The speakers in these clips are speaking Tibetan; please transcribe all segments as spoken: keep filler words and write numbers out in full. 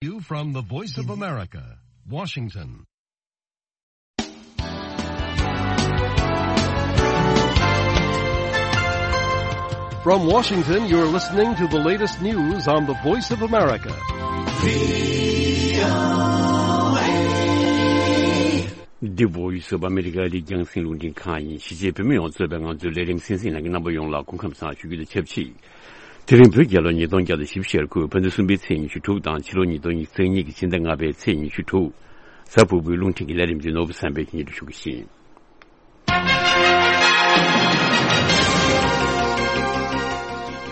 You from the Voice of America, Washington. From Washington, you're listening to the latest news on the Voice of America. The Voice of America. འདི་རྒྱང་སྲིང་རླུང་འཕྲིན་ཁང་ཡིན། གཞིས་བྱེས་བོད་མི་ཡོངས་གཙོས་པའི་ང་ཚོའི་ལས་རིམ་གསན་གཟིགས་གནང་མཁན་རྣམ་པ་ཡོངས་ལ་སྐུ་ཁམས་བཟང་ཞུ་རྒྱུ་དང་ཆབས་ཅིག་དེ་རིང་བོད་རྒྱལ་ལོ་ཉིས་སྟོང་བརྒྱ་དང་བཞི་བཅུ་ཞེ་དགུ། བོད་ཟླ་གསུམ་པའི་ཚེས་ཉི་ཤུ་དྲུག་དང་ཕྱི་ལོ་ཉིས་སྟོང་ཉི་ཤུ་རྩ་གཉིས་ཀྱི་ཕྱི་ཟླ་ལྔ་པའི་ཚེས་ཉི་ཤུ་དྲུག་གཟའ་ཕུར་བུའི་རླུང་འཕྲིན་གྱི་ལས་རིམ་འདི་ནོར་བུ་བསམ་འཕེལ་གྱིས་སྙན་སྒྲོན་ཞུ་གི་ཡིན།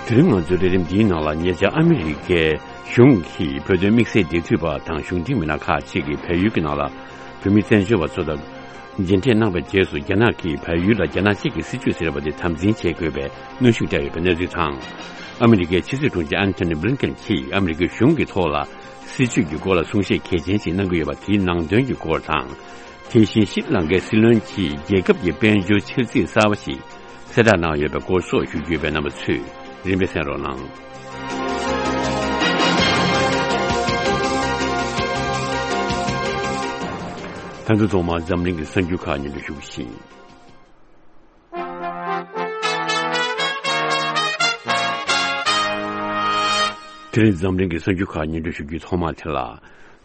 དེ་རིང་ང་ཚོའི་ལས་རིམ་འདིའི་ནང་ལ་ཉེ་ཆར་ཨ་མི་རི་ཀའི་གཞུང་གིས་བོད་དོན་དམིགས་བསལ་འབྲེལ་མཐུད་པ་དང་གཞུང་འབྲེལ་མི་སྣ་ཁག་ཅིག་གིས་བལ་ཡུལ་གྱི་ནང་ལ་བོད་མི་བཙན་བྱོལ་བ་ཚོ་དང་མཇལ་འཕྲད་གནང་བའི་རྗེས་སུ། རྒྱ་ནག་གིས་བལ་ཡུལ་ལ་རྒྱ་ནག་གཅིག་གི་སྲིད་བྱུས་ཟེར་བ་དེ་དམ་འཛིན་བྱེད་དགོས་པའི་གནོན་ཤུགས་བསྐྱངས་ཡོད་པའི་གནས་ཚུལ་དང་། ཨ་མི་རི་ཀའི་ཕྱི་སྲིད་དྲུང་ཆེ་ཨན་ཐོ་ནི་བྷི་ལིན་ཀེན་གྱིས་ཨ་མི་རི་ཀའི་གཞུང་གི་ཐོག་ལ་སྲིད་བྱུས་ཀྱི་སྐོར་ལ་གསུང་བཤད་གལ་ཆེན་ཞིག་གནང་གི་ཡོད་པ་དེའི་ནང་དོན་གྱི་སྐོར་དང་། དེ་བཞིན་ཤྲི་ལང་ཀའི་སྲིད་བློན་གྱིས་རྒྱལ་ཁབ་ཀྱི་དཔལ་འབྱོར་འཆར་ཚིག་གསར་པ་ཞིག་གསལ་བསྒྲགས་གནང་ཡོད་པའི་སྐོར་སོགས་ཞུ་རྒྱུ་ཡོད་པས། རྣམ་པ་ཚོས་རིམ་པས་གསན་རོགས་གནང་། ད་དུང་ཐོག་མར་འཛམ་གླིང་གི་གསར་འགྱུར་ཁག་སྙན་སྒྲོན་ཞུ་གི་ཡིན། དེ་རིང་འཛམ་གླིང་གི་གསར་འགྱུར་ཁག་སྙན་སྒྲོན་ཞུ་རྒྱུའི་ཐོག་མ་དེ་ལ།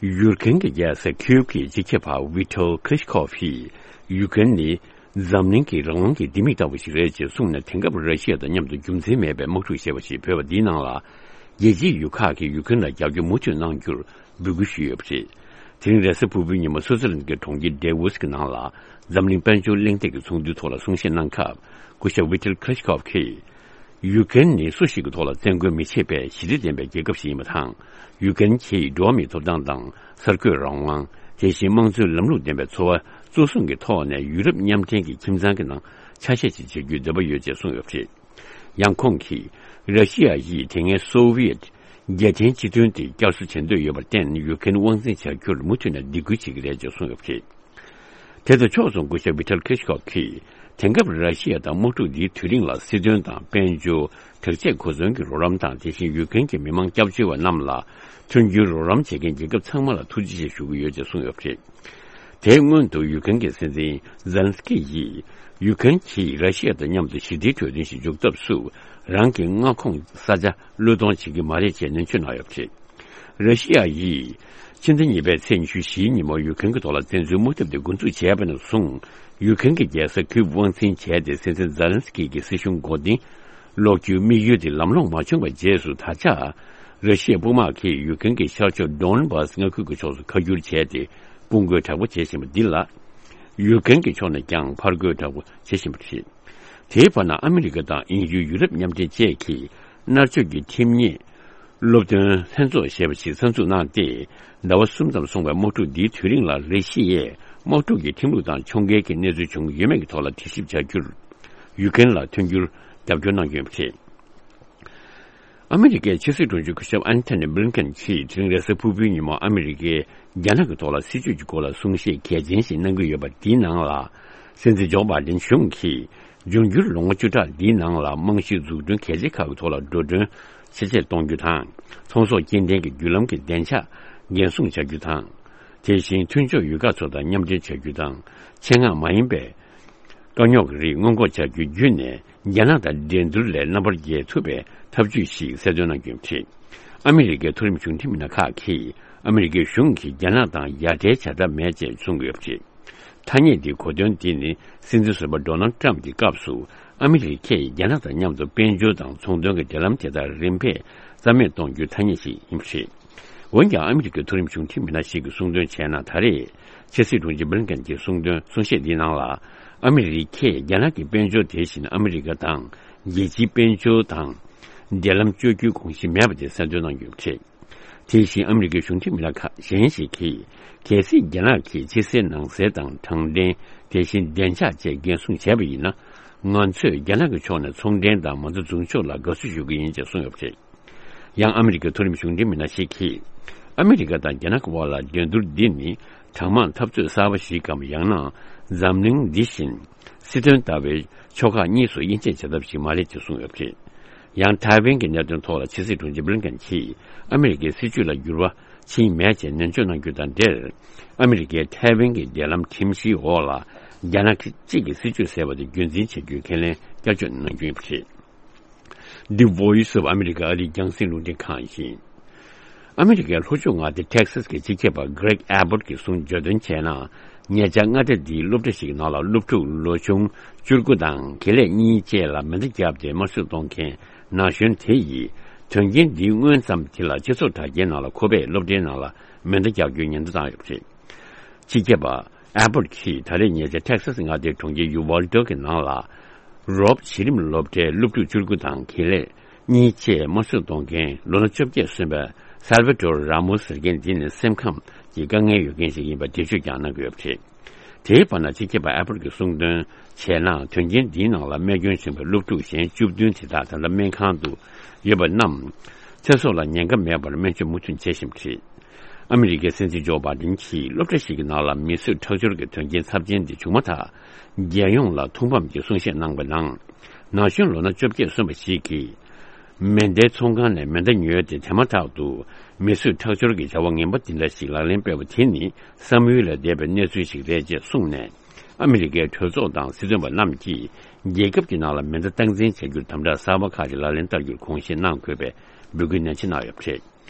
ཡུ་ཀེན་གྱི་རྒྱལ་ས་ཁིའུབ་ཀྱི་སྤྱི་ཁྱབ་པ་ཝི་ཐོལ་ཁི་ལི་ཤི་ཁོབ་ཡིས། ཡུ་ཀེན་ནི་འཛམ་གླིང་གི་རང་དབང་གི་ལྡེ་མིག་ལྟ་བུ་ཞིག་རེད་ཅེས་གསུངས་ནས། དེང་སྐབས་ར་ཤི་ཡ་དང་མཉམ་དུ་རྒྱུ་མཚན་མེད་པའི་དམག་འཁྲུག་ཞེས་པ་ཞིག་བོད་པ་འདིའི་ནང་ལ། རྒྱལ་སྤྱིའི་ཡུལ་ཁག་གིས་ཡུ་ཀེན་ལ་རྒྱབ་སྐྱོར་མུ་མཐུད་གནང་རྒྱུར་འབོད་སྐུལ་ཞུས་ཡོད་པ་རེད། དེ་རིང་རེས་གཟའ་ཕུར་བུའི་ཉིན་མོ་སུའུ་ཙི་ལན་གྱི་གྲོང་ཁྱེར་ཌེ་ཝོ་སི་གི་ནང་ལ། འཛམ་གླིང་དཔལ་འབྱོར་གླེང་སྟེགས་ཀྱི་ཚོགས་འདུའི་ཐོག་ལ་གསུང་བཤད་གནང་སྐབས། སྐུ་ཞབས་ཝི་ཐེལ་ཁི་ལི་ཤི་ཁོབ་ཀྱིས། ཡུ་ཀེན་ནི་སུ་ཞིག་གི་ཐོག་ལ་བཙན་རྒོལ་མི་བྱེད་པའི་ཞི་བདེ་ལྡན་པའི་རྒྱལ་ཁབ་ཞིག་ཡིན་པ་དང་། ཡུ་ཀེན་གྱིས་འགྲོ་བ་མིའི་ཐོབ་ཐང་དང་། གསར་འགོད་རང་དབང་། དེ་བཞིན་དམངས་གཙོའི་ལམ་ལུགས་ལྡན་པའི་འཚོ་བ་གཙོ་བཟུང་གི་ཐོག་ནས་ཡུ་རོབ་མཉམ་འབྲེལ་གྱི་ཁྱིམ་ཚང་གི་ནང་ཆ་ཤས་ཤིག་བྱེད་རྒྱུའི་འདོད་པ་ཡོད་ཅེས་གསུངས་ཡོད་པ་རེད། ཡང་ཁོང་གིས། ར་ཤི་ཡ་ཡིས་དེ་སྔའི་སོ་ཝི་ཡེད་རྒྱལ་མཚན་སྤྱི་མཐུན་དེ་བསྐྱར་གསོ་བྱེད་འདོད་ཡོད་པར་བརྟེན། ཡུ་ཀེན་དབང་འཛིན་བྱ་རྒྱུར་མུ་མཐུད་ནས་སྡིགས་སྐུལ་བྱེད་ཀྱི་རེད་ཅེས་གསུངས་ཡོད་པ་རེད། དེ་དང་ཕྱོགས་མཚུངས་སྐུ་ཞབས་ཝི་ཐལ་ཁི་ཤི་ཁོབ་ཀྱིས། དེང་སྐབས་ར་ཤི་ཡ་དང་དམག་འཁྲུག་འདིའི་དུས་རིང་ལ་སྲིད་དོན་དང་དཔལ་འབྱོར། དྲག་ཆས་གོ་མཚོན་གྱི་རོགས་རམ་དང་། དེ་བཞིན་ཡུ་ཀེན་གྱི་མི་མང་སྐྱབས་བཅོལ་བ་རྣམས་ལ་མཐུན་འགྱུར་རོགས་རམ་བྱེད་མཁན་རྒྱལ་ཁབ་ཚང་མ་ལ་ཐུགས་རྗེ་ཆེ་ཞུ་གི་ཡོད་ཅེས་གསུངས་ཡོད་པ་རེད། དེའི་སྔོན་དུ་ཡུ་ཀེན་གྱི་སྲིད་འཛིན་ཛེ་ལན་སི་ཀི་ཡིས། ཡུ་ཀེན་གྱིས་ར་ཤི་ཡ་དང་མཉམ་དུ་ཞི་བདེའི་གྲོས་མཐུན་ཞིག་འཇོག་ཐབས་སུ། རང་གི་མངའ་ཁོངས་ས་ཆ་བློས་གཏོང་བྱེད་ཀྱི་མ་རེད་ཅེས་ནན་བརྗོད་གནང་ཡོད་པ་རེད། ར་ཤི་ཡ་ཡིས། ཕྱི་ཟླ་གཉིས་པའི་ཚེས་ཉི་ཤུ་བཞིའི་ཉིན་མོ་ཡུ་ཀེན་གྱི་ཐོག་ལ་བཙན་འཛུལ་དམག་འཐབ་དེ་འགོ་འཛུགས་བྱས་པ་ནས་བཟུང་། ཡུ་ཀེན་གྱི་རྒྱལ་ས་ཁིའུབ་དབང་འཛིན་བྱས་ཏེ། སྲིད་འཛིན་ཛེ་ལན་སི་ཀི་གི་སྲིད་གཞུང་འགོ་འདྲེན་སློག་རྒྱུའི་དམིགས་ཡུལ་དེ་ལམ་ལྷོང་མ་བྱུང་བའི་རྗེས་སུ། ད་ཆ་ར་ཤི་ཡའི་དཔུང་དམག་གིས་ཡུ་ཀེན་གྱི་ཤར་ཕྱོགས་ཌོན་བྷ་སི་མངའ་ཁུལ་གྱི་ཕྱོགས་སུ་ཁ་བསྒྱུར་བྱས་ཏེ། དཔུང་རྒོལ་དྲག་པོ་བྱེད་བཞིན་པ་འདི་ལ། ཡུ་ཀེན་གྱི་ཕྱོགས་ནས་ཀྱང་ཕར་རྒོལ་དྲག་པོ་བྱེད་བཞིན་པ་རེད། དེའི་བར་ན། ཨ་མི་རི་ཀ་དང་དབྱིན་ཡུལ། ཡུ་རོབ་མཉམ་འབྲེལ་བཅས་ཀྱིས། མནར་གཅོད་ཀྱི་ཁྲིམས་ཉེས་སློབ་སྟོན་ལྷན་ཚོགས་ཞེས་པ་ཞིག་གསར་འཛུགས་གནང་སྟེ། ཟླ་བ་གསུམ་ཙམ་སོང་བའི་དམག་འཁྲུག་འདིའི་དུས་རིང་ལ། རེ་ཞིག་ཡས་དམག་འཁྲུག་གི་ཁྲིམས་ལུགས་དང་ཕྱོགས་འགལ་གྱི་གནས་ཚུལ་བྱུང་ཡོད་མེད་ཀྱི་ཐོག་ལ་དྲི་ཞིབ་བྱ་རྒྱུར། ཡུ་ཀེན་ལ་མཐུན་འགྱུར་རྒྱབ་སྐྱོར་གནང་གི་ཡོད་པ་རེད། ཨ་མི་རི་ཀའི་ཕྱི་སྲིད་དྲུང་ཆེ་སྐུ་ཞབས་ཨན་ཐོ་ནི་བྷི་ལིན་ཀེན་གྱིས། དེ་རིང་རེས་གཟའ་ཕུར་བུའི་ཉིན་མོ་ཨ་མི་རི་ཀས་རྒྱ་ནག་གི་ཐོག་ལ་སྲིད་བྱུས་ཀྱི་སྐོར་ལ་གསུང་བཤད་གལ་ཆེན་ཞིག་གནང་གི་ཡོད་པ་འདིའི་ནང་ལ། སྲིད་འཛིན་ཇོ་བྷའི་ཌེན་གཞུང་གིས། འབྱུང་འགྱུར་ལོ་ངོ་བཅུ་ཕྲག་འདིའི་ནང་ལ་རྨང་གཞི་འཛུགས་སྐྲུན་གལ་ཆེ་ཁག་གི་ཐོག་ལ་འགྲོ་གྲོན་ཆེ་བསྐྱེད་གཏོང་རྒྱུ་དང་། ཚོང་ཟོག་སྐྱེལ་འདྲེན་གྱི་བརྒྱུད་ལམ་གྱི་བདེ་འཇགས་འགན་སྲུང་བྱ་རྒྱུ་དང་། དེ་བཞིན་མཐུན་ཕྱོགས་ཡུལ་ཁག་ཚོ་དང་མཉམ་འབྲེལ་བྱ་རྒྱུ་དང་། ཆེད་མངགས་མ་ཡིན་པའི་དཀའ་རྙོག་གི་རིགས་སྔོན་འགོག་བྱ་རྒྱུ་བརྒྱུད་ནས། རྒྱ་ནག་དང་འགྲན་བསྡུར་ལས་རྣམ་པར་རྒྱལ་ཐུབ་པའི་ཐབས་ཇུས་ཤིག་གསལ་སྟོན་གནང་རྒྱུ་ཡིན་པ་རེད། ཨ་མི་རི་ཀའི་མཐོ་རིམ་གཞུང་འབྲེལ་མི་སྣ་ཁག་གིས། ཨ་མི་རི་ཀའི་གཞུང་གིས་རྒྱ་ནག་དང་ཡ་བྲལ་བྱ་ཐབས་མེད་ཅེས་གསུང་གི་ཡོད་པ་རེད། ཐ་སྙད་འདིའི་གོ་དོན་འདི་ནི། སྲིད་འཛིན་ཟུར་པ་ཌོ་ནལ་ཊམ་གྱི་སྐབས་སུ། ཨ་མི་རི་ཀས་རྒྱ་ནག་དང་མཉམ་དུ་དཔལ་འབྱོར་དང་ཚོང་དོན་གྱི་འབྲེལ་ལམ་དེ་དག་རིམ་པས་རྩ་མེད་གཏོང་རྒྱུའི་ཐ་སྙད་ཞིག་ཡིན་པ་རེད། འོན་ཀྱང་། ཨ་མི་རི་ཀའི་མཐོ་རིམ་གཞུང་འབྲེལ་མི་སྣ་ཞིག་གིས་གསུངས་དོན་བྱས་ན། ད་རེས་ཕྱི་སྲིད་དྲུང་ཆེ་བྷི་ལིན་ཀེན་གྱིས་གསུངས་དོན། གསུང་བཤད་འདིའི་ནང་ལ། ཨ་མི་རི་ཀས་རྒྱ་ནག་གི་དཔལ་འབྱོར། དེ་བཞིན་ཨ་མི་རི་ཀ་དང་རྒྱལ་སྤྱིའི་དཔལ་འབྱོར་དང་འབྲེལ་ལམ་གཅོད་རྒྱུའི་དགོངས་གཞི་མེད་པ་དེ་གསལ་སྟོན་གནང་ཡོད་པ་རེད། དེ་བཞིན་ཨ་མི་རི་ཀའི་གཞུང་འབྲེལ་མི་སྣ་ཁག་གཞན་ཞིག་གིས། གལ་སྲིད་རྒྱ་ནག་གིས་ཕྱི་གསལ་ནང་གསལ་དང་། དྲང་བདེན། དེ་བཞིན་བདེ་འཇགས་བཅས་འགན་སྲུང་བྱས་པ་ཡིན་ན། ང་ཚོས་རྒྱ་ནག་གི་ཕྱོགས་ནས་ཚོང་འབྲེལ་དང་མ་རྩ་འཛུགས་ཕྱོགས་ལ་དགའ་བསུ་ཞུ་གི་ཡིན་ཅེས་གསུངས་ཡོད་པ་རེད། ཡང་ཨ་མི་རི་ཀའི་མཐོ་རིམ་གཞུང་འབྲེལ་མི་སྣ་ཞིག་གིས། ཨ་མི་རི་ཀ་དང་རྒྱ་ནག་གི་དབར་ལ་འགྲན་བསྡུར་འདི་ནི་གྲངས་མང་འཐབ་རྩོད་གསར་པ་ཞིག་གམ། ཡང་ན་འཛམ་གླིང་འདི་བཞིན་སྲིད་དོན་ལྟ་བུའི་ཕྱོགས་ཁག་གཉིས་སུ་དབྱེ་འབྱེད་བྱ་ཐབས་ཤིག་མ་རེད་ཅེས་གསུངས་ཡོད་པ་རེད། ཡང་ཐའེ་ཝན་གྱི་གནད་དོན་ཐོག་ལ་ཕྱི་སྲིད་དྲུང་ཆེ་བྷི་ལིན་ཀེན་གྱིས། ཨ་མི་རི་ཀའི་སྲིད་བྱུས་ལ་འགྱུར་བ་ ཕྱིན་མེད་ཅེས་ནན་བརྗོད་གནང་རྒྱུ་དང་འབྲེལ། ཨ་མི་རི་ཀས་ཐའེ་ཝན་གྱི་འབྲེལ་ལམ་ཁྲིམས་གཞིའི་འོག་ལ་རྒྱ་ནག་གཅིག་གི་སྲིད་བྱུས་ཟེར་བ་དེ་རྒྱུན་འཛིན་བྱ་རྒྱུའི་ཁས་ལེན་བསྐྱར་བཅོས་གནང་རྒྱུ་ཡིན་པ་རེད། The Voice of America ཨ་རིའི་རྒྱང་སྲིང་རླུང་འཕྲིན་ཁང་ཡིན། ཨ་མི་རི་ཀའི་ལྷོ་ཕྱོགས་མངའ་སྡེ་ཏེག་སཱས་ཀྱི་སྤྱི་ཁྱབ་པ་Greg Abbott གྱིས་གསུངས། བརྗོད་དོན་བྱས་ན། ཉེ་ཆར་མངའ་སྡེ་འདིའི་སློབ་གྲྭ་ཞིག་གི་ནང་ལ་སློབ་ཕྲུག་ལོ་ཆུང་བཅུ་དགུ་དང་དགེ་ལས་གཉིས་བཅས་ལ་མེ་མདའ་བརྒྱབ་སྟེ་དམར་གསོད་གཏོང་མཁན་ན་གཞོན་དེ་ཡིས། དོན་རྐྱེན་འདིའི་སྔོན་ཙམ་དེ་ལ་སྤྱི་ཚོགས་དྲ་རྒྱའི་ནང་ལ་ཁོ་པས་སློབ་གྲྭའི་ནང་ལ་མེ་མདའ་རྒྱག་རྒྱུའི་ཉེན་བརྡ་བཏང་ཡོད་པ་རེད། སྤྱི་ཁྱབ་པ་ཨ་བོད་ཀྱིས་ད་རེས་ཉེ་ཆར་ཏེག་སཱས་མངའ་སྡེའི་གྲོང་ཁྱེར་ཡུ་ཝལ་ཌི་གི་ནང་ལ། རོབ་གཞི་རིམ་སློབ་གྲྭའི་སློབ་ཕྲུག་བཅུ་དགུ་དང་དགེ་ལས་གཉིས་བཅས་དམར་གསོད་གཏོང་མཁན་ལོ་ན་བཅོ་བརྒྱད་སོན་པ་སལ་བ་ཏོར་ར་མོ་ཟེར་མཁན་འདི་ནི་སེམས་ཁམས་ཀྱི་དཀའ་ངལ་ཡོད་མཁན་ཞིག་ཡིན་པ་འགྲེལ་བརྗོད་ཀྱང་གནང་གི་ཡོད་པ་རེད། དེའི་བར་ན་སྤྱི་ཁྱབ་པ་ཨ་བོད་ཀྱིས་གསུངས་དོན་བྱས་ན། དོན་རྐྱེན་འདིའི་ནང་ལ་རྨས་སྐྱོན་བྱུང་བའི་སློབ་ཕྲུག་གཞན་བཅུ་བདུན་དེ་དག་ད་ལྟ་སྨན་ཁང་དུ་ཡོད་པ་རྣམས་ཚེ་སྲོག་ལ་ཉེན་ཁ་མེད་པར་སྨན་བཅོས་མུ་མཐུད་བྱེད་བཞིན་པ་རེད། ཨ་མི་རི་ཀའི་སྲིད་འཛིན་ཇོ་བྷའི་ཌེན་གྱིས་སློབ་གྲྭ་ཞིག་གི་ནང་ལ་མི་གསོད་ཁྲག་སྦྱོར་གྱི་དོན་རྐྱེན་ཚབས་ཆེན་འདི་བྱུང་མ་ཐག་རྒྱལ་ཡོངས་ལ་ཐོག་ཕམ་གྱི་གསུང་བཤད་གནང་བའི་ནང་། ན་གཞོན་ལོ་ན་བཅོ་བརྒྱད་སོན་པ་ཞིག་གིས་མེ་མདའི་ཚོང་ཁང་ནས་མེ་མདའ་ཉོས་ཏེ། དེ་མ་ཐག་ཏུ་མི་གསོད་ཁྲག་སྦྱོར་གྱི་བྱ་བ་ངན་པ་འདི་འདྲ་ཞིག་ལག་ལེན་སྤེལ་བ་དེ་ནི་བསམ་ཡུལ་ལས་འདས་པའི་གནས་ཚུལ་ཞིག་རེད་ཅེས་གསུངས་ནས། ཨ་མི་རི་ཀའི་གྲོས་ཚོགས་དང་སྲིད་དོན་པ་རྣམས་ཀྱིས་རྒྱལ་ཁབ་ཀྱི་ནང་ལ་མེ་མདའ་སྟངས་འཛིན་བྱ་རྒྱུར་དམ་དྲག་གསར་པ་ཁག་ཅིག་ལག་ལེན་བསྟར་རྒྱུར་དགོངས་བཞེས་གནང་དགོས་པའི་འབོད་སྐུལ་ནན་ཆེ་གནང་ཡོད་པ་རེད།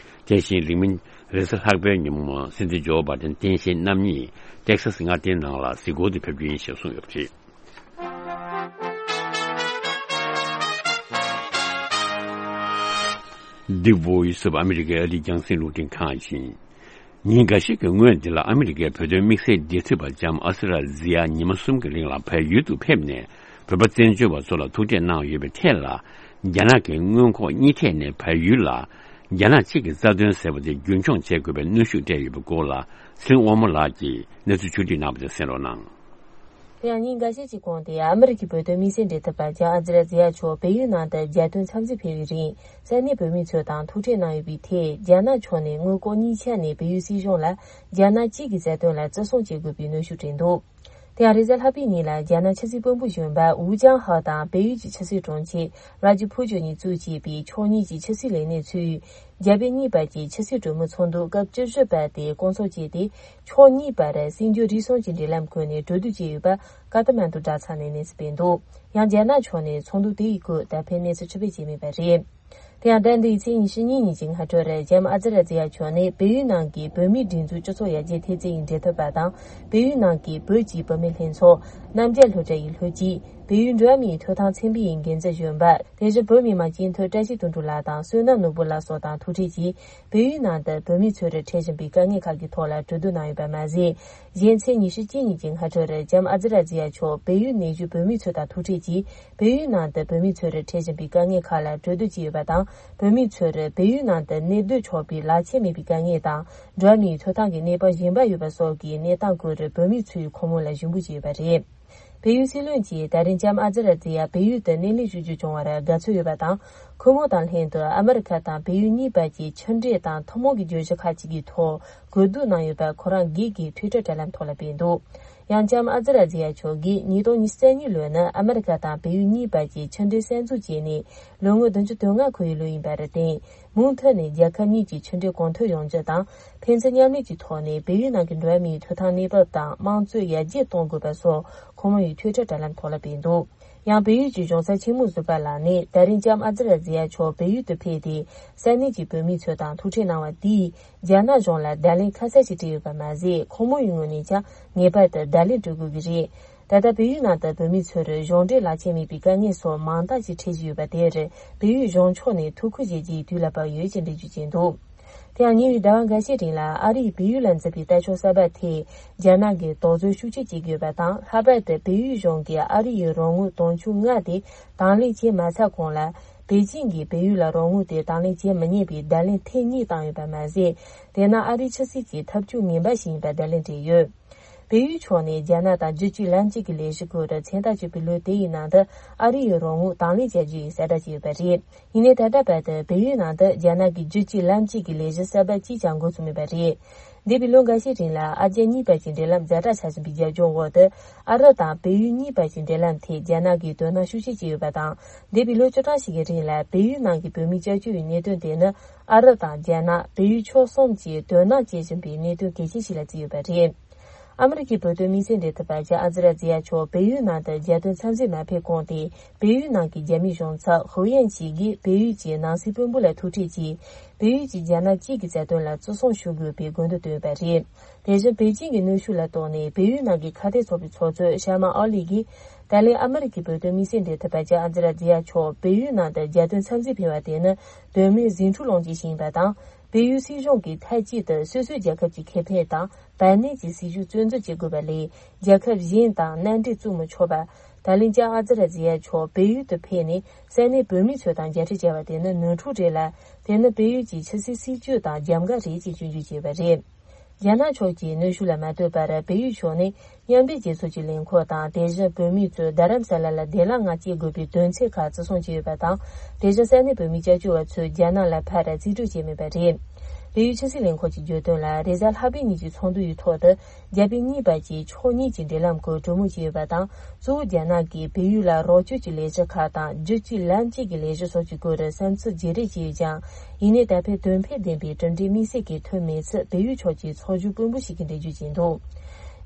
དེ་བཞིན་རིང་མིན་རེས་གཟའ་ལྷག་པའི་ཉིན་མོ་སྲིད་འཛིན་ཇོ་བྷའི་ཌེན་སྟངས་དཔྱལ་རྣམ་གཉིས་ཏེག་སཱས་མངའ་སྡེའི་ནང་ལ་གཟིགས་སྐོར་དུ་ཕེབས་རྒྱུ་ཡིན་ཞེས་གསུངས་ཡོད་པ་རེད། The Voice of America ཨ་རིའི་རྒྱང་སྲིང་རླུང་འཕྲིན་ཁང་ཡིན། ཉིན་འགའ་ཤས་ཀྱི་སྔོན་འདི་ལ་ཨ་མི་རི་ཀའི་བོད་དོན་དམིགས་བསལ་འབྲེལ་མཐུད་པ་ལྕམ་ཨ་ཟི་ར་ཛི་ཡ་ཉི་མ་གསུམ་གྱི་རིང་ལ་བལ་ཡུལ་དུ་ཕེབས་ནས། བོད་པ་བཙན་བྱོལ་བ་ཚོ་ལ་ཐུག་འཕྲད་གནང་ཡོད་པའི་ཐད་ལ། རྒྱ་ནག་གི་མངོན་ལྐོག་གཉིས་ཐད་ནས་བལ་ཡུལ་ལ་རྒྱ་ནག་གཅིག་གི་རྩ་དོན་ཟེར་བ་དེ་རྒྱུན་འཁྱོངས་བྱེད་དགོས་པའི་གནོན་ཤུགས་སྤྲད་ཡོད་པའི་སྐོར་ལ། ཚེ་རིང་དབང་མོ་ལགས་ཀྱིས་གནས་ཚུལ་ཕྱོགས་བསྒྲིགས་གནང་བ་དེ་གསན་རོགས་གནང་། དེ་ཡང་ཉིན་འགའ་ཤས་ཀྱི་གོང་དུ་ཨ་མི་རི་ཀའི་བོད་དོན་དམིགས་བསལ་འབྲེལ་མཐུད་པ་ལྕམ་ཨ་ཛི་ར་ཛི་ཡ་མཆོག་བལ་ཡུལ་ནང་དུ་རྒྱལ་དོན་འཚམས་གཟིགས་ཕེབས་པའི་རིང་། ས་གནས་བོད་མི་ཚོ་དང་ཐུག་འཕྲད་གནང་ཡོད་པའི་ཐད། རྒྱ་ནག་ཕྱོགས་ནས་མངོན་ལྐོག་གཉིས་ཆ་ནས་བལ་ཡུལ་སྲིད་གཞུང་ལ་རྒྱ་ནག་གཅིག་གི་རྩ་དོན་ལ་བརྩི་སྲུང་བྱེད་དགོས་པའི་གནོན་ཤུགས་བསྐྲུན་འདུག་དེ་ཡང་རེས་གཟའ་ལྷག་པའི་ཉིན་ལ་རྒྱ་ནག་ཕྱི་སྲིད་བློན་པོ་གཞོན་པ་ཝུ་ཅང་ཧའོ་དང་བལ་ཡུལ་གྱི་ཕྱི་སྲིད་དྲུང་ཆེ་ཝ་ལ་ཇི་ཕུ་ཅུན་གཉིས་གཙོས་བྱས་པའི་ཕྱོགས་གཉིས་ཀྱི་ཕྱི་སྲིད་ལས་སྣེ་ཚོས། རྒྱ་བལ་གཉིས་བར་གྱི་ཕྱི་སྲིད་གྲོས་མོལ་ཚོགས་འདུ་སྐབས་བཅུ་བཞི་པ་དེ་བསྐོང་ཚོགས་བྱས་ཏེ། ཕྱོགས་གཉིས་བར་སྲིད་འགྱུར་རིག་གསུམ་གྱི་འབྲེལ་ལམ་བཀོད་ནས་གྲོས་བསྡུར་བྱས་ཡོད་པ་ཀ་ཐ་མན་ཌུ་དྲ་ཚགས་ནས་གནས་ཚུལ་སྤེལ་འདུག་ཡང་རྒྱ་ནག་ཕྱོགས་ནས་ཚོགས་འདུ་དེའི་སྐོར་ད་ཕན་གནས་ཚུལ་ཕྱིར་སྤེལ་བྱས་མེད་པ་རེད། དེ་ཡང་ཟླ་འདིའི་ཚེས་ཉི་ཤུ་གཉིས་ཉིན་གྱི་སྔ་དྲོར་ལྕམ་ཨ་ཛི་ར་ཛི་ཡ་མཆོག་ནས་བལ་ཡུལ་ནང་གི་བོད་མིའི་སྒྲིག་འཛུགས་སྤྱི་ཚོགས་ཡར་རྒྱས་འཐུས་ཚད་ཀྱི་འབྲེལ་མཐུད་པ་དང་། བལ་ཡུལ་ནང་གི་བོད་ཀྱི་བུད་མེད་ལྷན་ཚོགས། རྣམ་རྒྱལ་སློབ་གྲྭ་ཡི་ལྷོ་སྤྱི། བལ་ཡུལ་འགྲོ་བ་མིའི་ཐོབ་ཐང་ཚན་པའི་འགན་འཛིན་གཞོན་པ། དེ་བཞིན་བོད་མི་མང་སྤྱི་འཐུས་བཀྲ་ཤིས་དོན་གྲུབ་ལགས་དང་བསོད་ནམས་ནོར་བུ་ལགས་སོགས་དང་ཐུག་འཕྲད་ཀྱིས། བལ་ཡུལ་ནང་དུ་བོད་མི་ཚོར་འཕྲད་བཞིན་པའི་དཀའ་ངལ་ཁག་གི་ཐོག་ལ་གྲོས་བསྡུར་གནང་ཡོད་པ་མ་ཟད། གཞན་ཚེས་ཉི་ཤུ་གཅིག་ཉིན་གྱི་སྔ་དྲོར་ལྕམ་ཨ་ཛི་ར་ཛི་ཡ་མཆོག་བལ་ཡུལ་ནས་བཞུགས་བོད་མི་ཚོ་དང་ཐུག་འཕྲད་ཀྱིས། བལ་ཡུལ་ནང་དུ་བོད་མི་ཚོར་འཕྲད་བཞིན་པའི་དཀའ་ངལ་ཁག་ལ་གྲོས་བསྡུར་བྱས་ཡོད་པ་དང་། བོད་མི་ཚོར་བལ་ཡུལ་ནང་དུ་གནས་སྡོད་ཆོག་པའི་ལག་ཁྱེར་མེད་པའི་དཀའ་ངལ་དང་། འགྲོ་བ་མིའི་ཐོབ་ཐང་གི་གནས་བབ་ཞན་པ་ཡོད་པ་སོགས་ཀྱི་གནས་སྟངས་སྐོར་བོད་མི་ཚོས་ཁོང་མོ་ལ་ཞུ་འབོད་བྱས་ཡོད་པ་རེད། བལ་ཡུལ་སྲིད་བློན་གྱིས་ད་རིང་ལྕམ་ཨ་ཛི་ར་ཛི་ཡ་བལ་ཡུལ་དུ་གནས་ལུགས་ཞུ་རྒྱུ་བྱུང་བར་དགའ་ཚོར་ཡོད་པ་དང་། ཁོ་མོ་དང་ལྷན་དུ་ཨ་མི་རི་ཁ་དང་བལ་ཡུལ་གཉིས་བར་གྱི་ཕྱི་འབྲེལ་དང་ཐུན་མོང་གི་བརྗོད་གཞི་ཁག་ཅིག་གི་ཐོག་གོ་བསྡུར་གནང་ཡོད་པ་ཁོ་རང་སྒེར་གྱི་ཊུའི་ཊར་དྲ་ལམ་ཐོག་ལ་སྤེལ་འདུག་ཡང་ལྕམ་ཨ་ཛི་ར་ཛི་ཡ་མཆོག་གིས་ཉིས་སྟོང་ཉི་ཤུ་རྩ་གཉིས་ལོ་ནི་ཨ་མི་རི་ཁ་དང་བལ་ཡུལ་གཉིས་བར་གྱི་ཕྱི་འབྲེལ་གསར་འཛུགས་བྱས་ནས་ལོ་ངོ་བདུན་ཅུ་དོན་ལྔ་འཁོར་བའི་ལོ་ཡིན་པར་བརྟེན། མུ་མཐུད་ནས་རྒྱལ་ཁབ་གཉིས་ཀྱི་ཕྱི་འབྲེལ་གོང་མཐོར་ཡོང་རྒྱུ་དང་། ཕན་ཚུན་མཉམ་ལས་ཀྱི་ཐོག་ནས་བལ་ཡུལ་ནང་གི་འགྲོ་བ་མིའི་ཐོབ་ཐང་གནས་བབ་དང་དམངས་གཙོ་ཡར་རྒྱས་གཏོང་དགོས་པ་སོགས་ཁོང་མོ་ཡི་ཊུའི་ཊར་དྲ་ལམ་ཐོག་ལ་སྤེལ་འདུག་ཡང་བལ་ཡུལ་གྱི་གཞུང་ས་ཆེན་མོ་ཟུར་པ་ལགས་ནས་ད་རིང་ལྕམ་ཨ་ཛི་ར་ཛི་ཡ་མཆོག་བལ་ཡུལ་དུ་ཕེབས་ཏེ་ས་གནས་ཀྱི་བོད་མི་ཚོ་དང་ཐུག་འཕྲད་གནང་བ་འདིས་རྒྱ་ནག་གཞུང་ལ་བརྡ་ལན་ཁ་གསལ་ཞིག་སྤྲད་ཡོད་པ་མ་ཟད། ཁོང་མོ་ཡི་ངོས་ནས་ཀྱང་ངེས་པར་དུ་བརྡ་ལན་སྤྲོད་དགོས་ཀྱི་རེད། ད་ལྟ་བལ་ཡུལ་ནང་དུ་བོད་མི་ཚོར་གཞུང་འབྲེལ་ལག་ཁྱེར་མེད་པའི་དཀའ་ངལ་སོགས་མང་དག་ཅིག་འཕྲད་བཞིན་ཡོད་པ་དེར་བལ་ཡུལ་གཞུང་ཕྱོགས་ནས་ཐུགས་ཁུར་བཞེས་རྒྱུའི་དུས་ལ་བབ་ཡོད་ཅེས་འགྲེལ་བརྗོད་བྱས་འདུག་དེ་ཡང་ཉེ་བའི་ཟླ་བ་འགའ་ཤས་རིང་ལ་ཨ་རིས་བལ་ཡུལ་ལ་འཛིན་པའི་ལྟ་ཕྱོགས་གསར་པ་ཐད་རྒྱ་ནག་གིས་དོགས་ཟོན་ཤུགས་ཆེ་བྱེད་ཀྱི་ཡོད་པ་དང་། ལྷག་པར་དུ་བལ་ཡུལ་གཞུང་གིས་ཨ་རི་ཡི་རོགས་དངུལ་དུང་ཕྱུར་ལྔ་དེ་དང་ལེན་བྱེད་མ་ཚར་གོང་ལ། པེ་ཅིང་གིས་བལ་ཡུལ་ལ་རོགས་དངུལ་དེ་དང་ལེན་བྱེད་མི་ཉན་པའི་བརྡ་ལན་ཐེངས་གཉིས་བཏང་ཡོད་པ་མ་ཟད། དེས་ན་ཨ་རིའི་ཕྱི་སྲིད་ཀྱི་ཐབས་ཇུས་ངན་པ་ཞིག་ཡིན་པར་བརྡ་ལན་སྤྲད་ཡོད། བལ་ཡུལ་ཕྱོགས་ནས་རྒྱ་ནག་དང་རྒྱུད་གཅིག་ལམ་གཅིག་གི་ལས་གཞི་སྐོར་མཚན་རྟགས་བཅོས་པའི་ལོ་དེ་ཡི་ནང་དུ་ཨ་རི་ཡི་རོགས་དངུལ་དང་ལེན་བྱ་རྒྱུ་ཡི་གསལ་བསྒྲགས་བྱས་ཡོད་པ་རེད། ཡིན་ནའི་ད་ལྟ་བར་དུ་བལ་ཡུལ་ནང་དུ་རྒྱ་ནག་གི་རྒྱུད་གཅིག་ལམ་གཅིག་གི་ལས་གཞི་གསར་པ་གཅིག་ཀྱང་འགོ་ཚུགས་མེད་པ་རེད། འདས་པའི་ལོ་འགའ་ཤས་རིང་ལ་ཨ་རྒྱ་གཉིས་བར་གྱི་འབྲེལ་ལམ་ཛ་དྲག་ཆགས་བཞིན་པའི་རྒྱབ་ལྗོངས་འོག་ཏུ། ཨ་རི་དང་བལ་ཡུལ་གཉིས་བར་གྱི་འབྲེལ་ལམ་ཐད་རྒྱ་ནག་གིས་དོ་སྣང་ཤུགས་ཆེ་བྱས་ཡོད་པ་དང་། འདས་པའི་ལོ་བཅུ་གྲངས་ཤིག་གི་རིང་ལ་བལ་ཡུལ་ནང་གི་བོད་མིའི་སྐྱབས་བཅོལ་བའི་གནད་དོན་དེ་ནི། ཨ་རི་དང་རྒྱ་ནག་བལ་ཡུལ་ཕྱོགས་གསུམ་གྱིས་དོ་སྣང་བྱེད་བཞིན་པའི་གནད་དོན་གལ་ཆེན་ཞིག་ལ་བརྩིས་ཡོད་པ་རེད། ཨ་མི་རི་ཀའི་བོད་དོན་དམིགས་བསལ་འབྲེལ་མཐུད་པ་ཇཱ་ཨ་ཛི་ར་ཛི་ཡ་མཆོག་བལ་ཡུལ་ནང་དུ་རྒྱལ་དོན་འཚམས་གཟིགས་མ་ཕེབས་གོང་སྟེ། བལ་ཡུལ་ནང་གི་རྒྱ་མིའི་གཞུང་ཚབ་ཧུའུ་ཡན་ཅི་གིས་བལ་ཡུལ་གྱི་ནང་སྲིད་དཔོན་པོ་ལ་ཐུག་འཕྲད་ཀྱིས། བལ་ཡུལ་གྱིས་རྒྱ་ནག་གཅིག་གི་རྩ་དོན་ལ་བརྩི་སྲུང་ཞུ་དགོས་པའི་དགོས་འདུན་བཏོན་ཡོད་པ་རེད། དེ་བཞིན་པེ་ཅིང་གི་གནོན་ཤུགས་ལ་རྟོགས་ནས་བལ་ཡུལ་ནང་གི་ཁ་གཏད་ཚོགས་པའི་ཚོགས་གཙོ་ཤར་མ་ཨོ་ལི་གིས། ད་ལན་ཨ་མི་རི་ཀའི་བོད་དོན་དམིགས་བསལ་འབྲེལ་མཐུད་པ་ཇཱ་ཨ་ཛི་ར་ཛི་ཡ་མཆོག་བལ་ཡུལ་ནང་དུ་རྒྱལ་དོན་འཚམས་གཟིགས་ཕེབས་པ་དེ་ནི་དོན་མེད་ཟིང་འཁྲུག་སློང་རྒྱུ་ཞིག་ཡིན་པ་དང་། བལ་ཡུལ་སྲིད་གཞུང་གིས་མཐའ་གཅིག་ཏུ་སོ་སོའི་རྒྱལ་ཁབ་ཀྱི་ཁེ་ཕན་དང་བར་གནས་ཀྱི་སྲིད་བྱུས་བཙོན་འཛུལ་བྱེད་དགོས་པ་ལས། རྒྱལ་ཁབ་གཞན་དང་མནའ་འབྲེལ་བཙུགས་མི་ཆོག་པ། ད་ལན་ཇཱ་ཨ་ཛི་ར་ཛི་ཡ་མཆོག་བལ་ཡུལ་དུ་ཕེབས་ནས་ས་གནས་བོད་མི་ཚོ་དང་མཇལ་འཕྲད་བྱས་པ་དེ་ནི་ནོར་འཁྲུལ་རེད་ལ། དེ་ནི་བལ་ཡུལ་གྱི་ཕྱི་སྲིད་སྲིད་ཇུས་དང་རྒྱབ་འགལ་རེད་ཅེས་སྐྱོན་བརྗོད་བྱས་པ་རེད། རྒྱ་ནག་ཕྱོགས་ཀྱིས་གནོན་ཤུགས་ལ་མ་ལྟོས་པར་བལ་ཡུལ་ཕྱོགས་ནས་མཉམ་འབྲེལ་རྒྱལ་ཚོགས་ཀྱི་ལས་འཁུར་དང་དེ་བཞིན་བོད་མི་ཚོས་རྡ་རམ་ས་ལ་ལ་བདེ་བླག་ངང་སྐྱེལ་དགོས་པའི་དོན་ཚན་ཁག་བརྩི་སྲུང་བྱས་ཡོད་པ་དང་། དེ་བཞིན་ས་གནས་བོད་མིའི་སྐྱབས་བཅོལ་བ་ཚོས་རྒྱ་ནག་ལ་ཕར་རྩིས་སྤྲོད་བྱས་མེད་པ་རེད། བལ་ཡུལ་ཕྱི་སྲིད་ལས་ཁུངས་ཀྱིས་བརྗོད་དོན་ལ། རེས་གཟའ་ལྷག་པའི་ཉིན་གྱི་ཚོགས་འདུ་ཡི་ཐོག་ཏུ། རྒྱ་བལ་གཉིས་བར་གྱི་ཕྱོགས་གཉིས་ཀྱི་འབྲེལ་ལམ་སྐོར་གྲོས་མོལ་བྱས་ཡོད་པ་དང་། གཙོ་བོ་རྒྱ་ནག་གིས་བལ་ཡུལ་ལ་རོགས་སྐྱོར་གྱི་ལས་གཞི་ཁག་དང་། རྒྱུད་གཅིག་ལམ་གཅིག་གི་ལས་གཞི་སོགས་ཀྱི་སྐོར་བསམ་ཚུལ་བརྗེ་རེས་བྱས་ཡོད་ཀྱང་། ཡིན་ནའི་ད་ཕན་དོན་ཕན་ལྡན་པའི་གྲུབ་འབྲས་དམིགས་བསལ་གྱི་ཐོན་མེད་ཚུལ་བལ་ཡུལ་ཕྱོགས་ཀྱི་ཚོགས་ཞུགས་དཔོན་པོ་ཞིག་གིས་འགྲེལ་བརྗོད་བྱས་འདུག་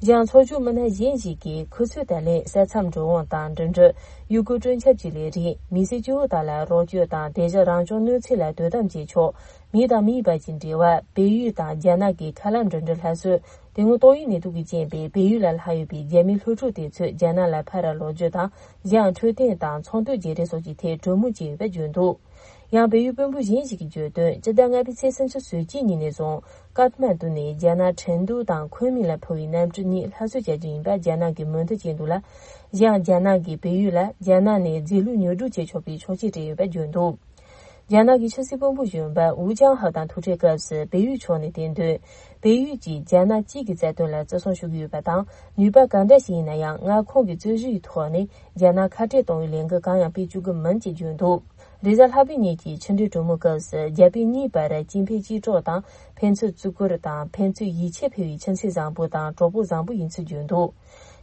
གཞན་ཚོགས་ཞུགས་མི་སྣ་གཞན་ཞིག་གིས་ཁོ་ཚོས་ད་ལན་ས་མཚམས་འགྲོ་འོང་དང་འགྲིམ་འགྲུལ། ཡུལ་སྐོར་སྤྲོ་འཆམ་གྱི་ལས་རིགས། མི་སེར་སྐྱོ་བོ་དག་ལ་རོགས་སྐྱོར་དང་། དེ་བཞིན་རང་སྐྱོང་གནོད་འཚེ་ལ་དོ་དམ་བྱེད་ཕྱོགས། མི་དང་མིའི་བར་གྱི་འབྲེལ་བ། བལ་ཡུལ་དང་རྒྱ་ནག་གི་མཁའ་ལམ་འགྲིམ་འགྲུལ་སླར་གསོ། དེ་སྔོན་ཏོག་དབྱིབས་ནད་དུག་གིས་རྐྱེན་པས་བལ་ཡུལ་ལ་ལྷག་ཡོད་པའི་རྒྱ་མིའི་སློབ་ཕྲུག་དེ་ཚོས་རྒྱ་ནག་ལ་ཕར་ལོག་རྒྱུ་དང་། གཞན་ཡང་འཕྲོད་བསྟེན་དང་ཚོང་དོན་བརྗེ་རེས་སོགས་ཀྱི་ཐད་གྲོས་མོལ་བྱས་ཡོད་པ་བརྗོད་འདུག་ཡང་བལ་ཡུལ་དཔོན་པོ་གཞན་ཞིག་གིས་བརྗོད་དོན། སྤྱི་ཟླ་ལྔ་པའི་ཚེས་སུམ་ཅུ་སོ་གཅིག་ཉིན་ནས་བཟུང་། ཀཏ་མན་ཌུ་ནས་རྒྱ་ནག་ཁྲིན་ཏུའུ་དང་ཁོན་མིང་ལ་འཕུར་བའི་གནམ་གྲུ་གཉིས་སླར་གསོ་བྱ་རྒྱུ་ཡིན་པ་རྒྱ་ནག་གིས་མོས་མཐུན་བྱས་འདུག་ལ། གཞན་ཡང་རྒྱ་ནག་གིས་བལ་ཡུལ་ལ་རྒྱ་ནག་ནས་རྫས་ལུད་ཉོ་སྒྲུབ་བྱེད་ཆོག་པའི་ཆོག་མཆན་སྤྲད་ཡོད་པ་བརྗོད་འདུག་རྒྱ་ནག་གི་ཕྱི་སྲིད་དཔོན་པོ་གཞོན་པ་ཝུ་ཅང་ཧའོ་དང་ཐུག་འཕྲད་སྐབས་སུ་བལ་ཡུལ་ཕྱོགས་ནས་བསྟན་དོན། བལ་ཡུལ་གྱིས་རྒྱ་ནག་གཅིག་གི་རྩ་དོན་ལ་བརྩི་སྲུང་ཞུ་གི་ཡོད་པ་དང་། ནུས་པ་ག་འདྲ་ཞིག་ཡིན་ན་ཡང་མངའ་ཁོངས་ཀྱི་རྩོད་གཞི་ཡི་ཐོག་ནས་རྒྱ་ནག་ཁ་བྲལ་གཏོང་བའི་ལས་འགུལ་གང་ཡང་སྤེལ་བཅུག་གི་མིན་ཅེས་བརྗོད་འདུག་རེས་གཟའ་ལྷག་པའི་ཉིན་གྱི་ཕྱི་འབྲེལ་གྲོས་མོལ་སྐབས་སུ། རྒྱ་བལ་གཉིས་བར་གཅིག་ཕན་གཅིག་གྲོགས་དང་། ཕན་ཚུན་བརྩི་བཀུར་དང་ཕན་ཚུན་ཡིད་ཆེས་འཕེར་བའི་ཁྱིམ་མཚེས་བཟང་པོ་དང་གྲོགས་པོ་བཟང་པོ་ཡིན་ཚུལ་བརྗོད་འདུག་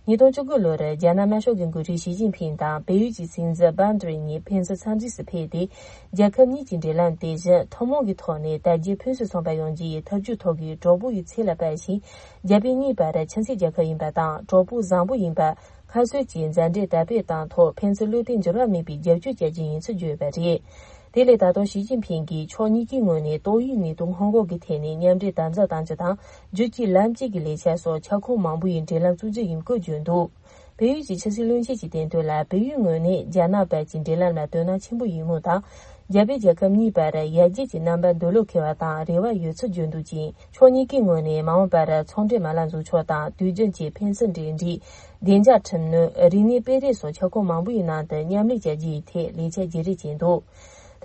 ཉིས་སྟོང་བཅུ་དགུ་ལོར་རྒྱ་ནག་དམར་ཤོག་གི་འགོ་ཁྲིད་ཞི་ཅིན་ཕིང་དང་བལ་ཡུལ་གྱི་སྲིད་འཛིན་བྷན་ཏྲེ་གཉིས་ཕན་ཚུན་འཚམས་གཟིགས་སུ་ཕེབས་ཏེ། རྒྱལ་ཁབ་གཉིས་ཀྱི་འབྲེལ་ལམ་དེ་བཞིན་ཐུན་མོང་གི་ཐོག་ནས་དར་རྒྱས་ཕུན་སུམ་ཚོགས་པ་ཡོང་རྒྱུ་ཡི་ཐབས་ཇུས་ཐོག་གི་གྲོགས་པོ་ཡི་ཚད་ལ་སྤར་ཞིང་། རྒྱ་བལ་གཉིས་བར་ཁྱིམ་མཚེས་རྒྱལ་ཁབ་ཡིན་པ་དང་གྲོགས་པོ་བཟང་པོ་ཡིན་པ། སྔར་སྲོལ་གྱི་མཛའ་འབྲེལ་དར་སྤེལ་གཏང་ཐོག་ཕན་ཚུན་བློ་གཏད་འགྱུར་བ་མེད་པའི་རྒྱབ་སྐྱོར་བྱ་རྒྱུ་ཡིན་ཚུལ་བརྗོད་ཡོད་པ་རེད། དེ་ལས་ད་དུང་ཞི་ཅིན་ཕིང་གིས་ཕྱོགས་གཉིས་ཀའི་ངོས་ནས་ཏོག་དབྱིབས་ནད་དུག་སྔོན་འགོག་གི་ཐད་ནས་མཉམ་འབྲེལ་དམ་ཟབ་གཏང་རྒྱུ་དང་། རྒྱུད་གཅིག་ལམ་གཅིག་གི་ལས་འཆར་སོགས་ཁྱབ་ཁོངས་མང་པོ་ཡི་འབྲེལ་ལམ་བཙུགས་རྒྱུ་ཡིན་སྐོར་བརྗོད་འདུག་བལ་ཡུལ་གྱི་ཕྱི་སྲིད་བློན་ཆེན་གྱིས་བསྟན་དོན་ལ། བལ་ཡུལ་ངོས་ནས་རྒྱ་ནག་བར་གྱི་འབྲེལ་ལམ་ལ་དོ་སྣང་ཆེན་པོ་ཡོད་མུས་དང་། རྒྱ་བལ་རྒྱལ་ཁབ་གཉིས་བར་ཡར་རྒྱས་ཀྱི་རྣམ་པ་འདོད་བློ་འཁེལ་བ་དང་རེ་བ་ཡོད་ཚུལ་བརྗོད་འདུག་ཅིང་། ཕྱོགས་གཉིས་ཀའི་ངོས་ནས་མ་འོངས་པར་ཚོང་འབྲེལ་མ་ལག་འཛུགས་ཕྱོགས་དང་དུས་རྒྱུན་གྱི་ཕན་ཚུན་འབྲེལ་འདྲིས། བདེ་འཇགས་ཁྲིམས་གནོན། རིག་གནས་སྤེལ་རེས་སོགས་ཁྱབ་ཁོངས་མང་པོའི་ནང་དུ་མཉམ་ལས་བྱ་རྒྱུ་ཡི་ཐད་ལས་འཆར་བརྗེ་རེས་བྱས་འདུག་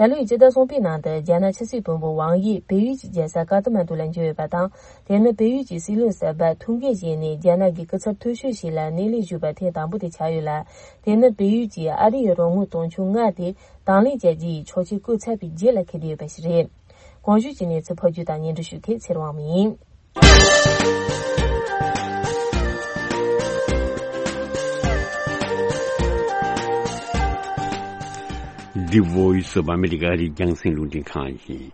ད་ལོའི་སྤྱི་ཟླ་གསུམ་པའི་ནང་དུ་རྒྱ་ནག་ཕྱི་སྲིད་དཔོན་པོ་ཝང་དབྱི་བལ་ཡུལ་གྱི་རྒྱལ་ས་ཀ་ཐ་མན་ཌུ་ལ་འབྱོར་ཡོད་པ་དང་། དེ་ནི་བལ་ཡུལ་གྱི་སྲིད་བློན་གསར་པ་ཐུག་འཕྲད་བྱས་ནས་རྒྱ་ནག་གི་སྐུ་ཚབ་མཐོ་ཤོས་ཤིག་ལ་སྣེ་ལེན་ཞུས་པ་ཐེངས་དང་པོ་དེ་ཆགས་ཡོད་ལ། དེ་ནི་བལ་ཡུལ་གྱིས་ཨ་རི་ཡི་རོགས་དངུལ་དུང་ཕྱུར་ལྔ་དེ་དང་ལེན་བྱ་རྒྱུ་ཡི་ཆོག་མཆན་བཀོད་ཚར་བའི་རྗེས་ལ་འཁེལ་བསྡད་ཡོད་པ་ཞིག་རེད། གོང་ཞུས་ཀྱི་གནས་ཚུལ་ཕབ་སྒྱུར་དང་སྙན་སྒྲོན་ཞུ་མཁན་ཚེ་རིང་དབང་མོ་ཡིན། The Voice of America ཨ་རིའི་རྒྱང་སྲིང་རླུང་འཕྲིན་ཁང་ཡིན།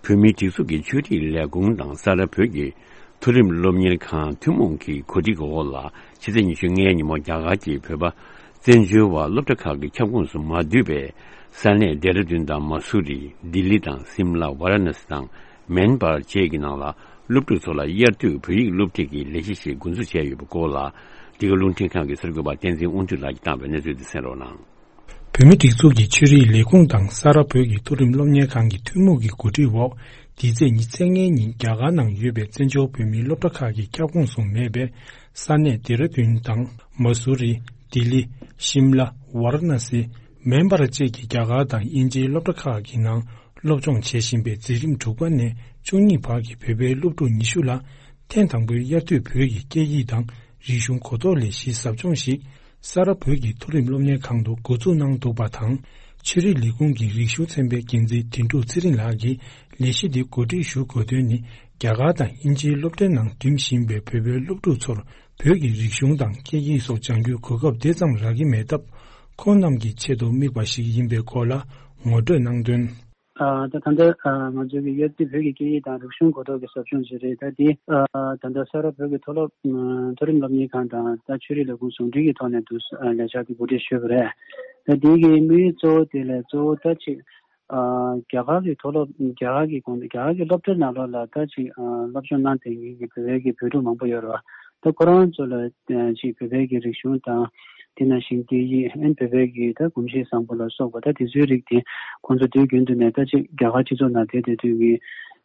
བོད་མིའི་སྒྲིག་འཛུགས་ཀྱི་ཆོས་རིག་ལས་ཁུངས་དང་ས་རཱ་བོད་ཀྱི་མཐོ་རིམ་སློབ་གཉེར་ཁང་ཐུན་མོང་གི་གོ་སྒྲིག་འོག་ལ་ཕྱི་ཚེས་ཉི་ཤུ་ལྔའི་ཉིན་མོ་རྒྱ་གར་གྱི་བོད་པ་བཙན་བྱོལ་བ་སློབ་གྲྭ་ཁག་གི་ཁྱབ་ཁོངས་སུ་མ་འདུས་པའི་ས་གནས་ལྡེ་ར་ལྡུན་དང་མ་སུ་རི། ལྡི་ལི་དང་སིམ་ལ། ཝཱ་ར་ཎ་སི་དང་མེན་པར་བཅས་ཀྱི་ནང་ལ་སློབ་ཕྲུག་ཚོ་ལ་དབྱར་དུས་བོད་ཡིག་སློབ་ཁྲིད་ཀྱི་ལས་གཞི་ཞིག་འགོ་འཛུགས་བྱས་ཡོད་པའི་སྐོར་ལ། འདི་ག་རླུང་འཕྲིན་ཁང་གི་གསར་འགོད་པ་བསྟན་འཛིན་དབང་འདུས་ལགས་ཀྱིས་བཏང་བའི་གནས་ཚུལ་དེ་གསན་རོགས་གནང་། བོད་མིའི་སྒྲིག་འཛུགས་ཀྱི་ཆོས་རིག་ལས་ཁུངས་དང་ས་རཱ་བོད་ཀྱི་མཐོ་རིམ་སློབ་གཉེར་ཁང་གི་ཐུན་མོང་གི་གོ་སྒྲིག་འོག་འདི་ཚེས་ཉི་ཤུ་རྩ་ལྔའི་ཉིན་རྒྱ་གར་ནང་ཡོད་པའི་བཙན་བྱོལ་བོད་མིའི་སློབ་གྲྭ་ཁག་གི་ཁྱབ་ཁོངས་སུ་མེད་པའི་ས་གནས་ལྡེ་ར་ལྡུན་དང་མ་སུ་རི། ལྡི་ལི། ཤིམ་ལ། ཝཱ་ར་ཎ་སི། མེན་པར་བཅས་ཀྱི་རྒྱ་གར་དང་དབྱིན་ཇིའི་སློབ་གྲྭ་ཁག་གི་ནང་སློབ་སྦྱོང་བྱེད་བཞིན་པའི་འཛིན་རིམ་དྲུག་པ་ནས་བཅུ་གཉིས་བར་གྱི་བོད་པའི་སློབ་ཕྲུག་ཉི་ཤུ་ལ་ཐེངས་དང་པོའི་དབྱར་དུས་བོད་ཀྱི་སྐད་ཡིག་དང་ རིག་གཞུང་གོ་རྟོགས་ལས་གཞིའི་ཟབ་སྦྱོང་ཞིག་ས་རཱ་བོད་ཀྱི་མཐོ་རིམ་སློབ་གཉེར་ཁང་དུ་འགོ་འཛུགས་གནང་འདུག་པ་དང་། ཆོས་རིག་ལས་ཁུངས་ཀྱི་རིག་གཞུང་ཚན་པའི་འགན་འཛིན་དོན་གྲུབ་ཚེ་རིང་ལགས་ཀྱིས་ལས་གཞི་འདི་གོ་སྒྲིག་ཞུ་དགོས་དོན་ནི། རྒྱ་གར་དང་དབྱིན་ཇིའི་སློབ་གྲྭའི་ནང་འགྲིམ་བཞིན་པའི་བོད་པའི་སློབ་ཕྲུག་ཚོར་བོད་ཀྱི་རིག་གཞུང་དང་སྐད་ཡིག་སོགས་སྦྱང་རྒྱུའི་གོ་སྐབས་དེ་ཙམ་རག་གི་མེད་སྟབས། ཁོང་རྣམས་ཀྱི་ཆེད་དུ་དམིགས་པ་ཞིག་ཡིན་པའི་སྐོར་ལ་ངོ་སྤྲོད་གནང་དོན། ཨ། ད་ད་ལྟ་ཨ་ང་ཚོའི་གི་དབྱར་དུས་བོད་ཀྱི་སྐད་ཡིག་དང་རིག་གཞུང་གོ་རྟོགས་ཀྱི་ཟབ་སྦྱོང་ཞིག་རེད། ད་འདི་ཨ་ད་ལྟ་ས་རཱ་བོད་ཀྱི་མཐོ་སློབ་ཨ་མཐོ་རིམ་སློབ་གཉེར་ཁང་དང་ད་ཆོས་རིག་ལས་ཁུངས་ཟུང་འབྲེལ་གྱི་ཐོག་ནས་འདུག་ཨ་ལས་འཆར་དེ་གོ་སྒྲིག་ཞུས་པ་རེད། ད་འདི་གི་དམིགས་ཡུལ་གཙོ་བོ་དེ་ལས་གཙོ་བོ་ད་ཅིག་ཨ་རྒྱ་གར་གྱི་མཐོ་སློབ་རྒྱ་གར་གྱི་གོང་རྒྱ་གར་གྱི་སློབ་གྲྭ་ནང་ལོགས་ལ་ད་ཅིག་ཨ་སློབ་སྦྱོང་གནང་བསྡད་མཁན་གྱི་བོད་པའི་གི་བོད་ཕྲུག་མང་པོ་ཡོད་རེད་བ། ད་ཁོ་རང་ཚོ་ལ་ཅིག་བོད་པའི་གི་རིག་གཞུང་དང་དེ་ནང་བཞིན་སྐད་ཡིག་ཨན་བོད་པའི་གི་ད་གོམས་གཤིས་བཟང་པོ་ལ་སོགས་པ་ད་དེ་ཚོའི་རིགས་དེ་ཁོང་ཚོ་དུས་རྒྱུན་དུ་ནས་ད་ཅིག་རྒྱ་གར་སྤྱི་ཚོགས་ནང་བསྡད་བསྡད་དུས་ཀྱི་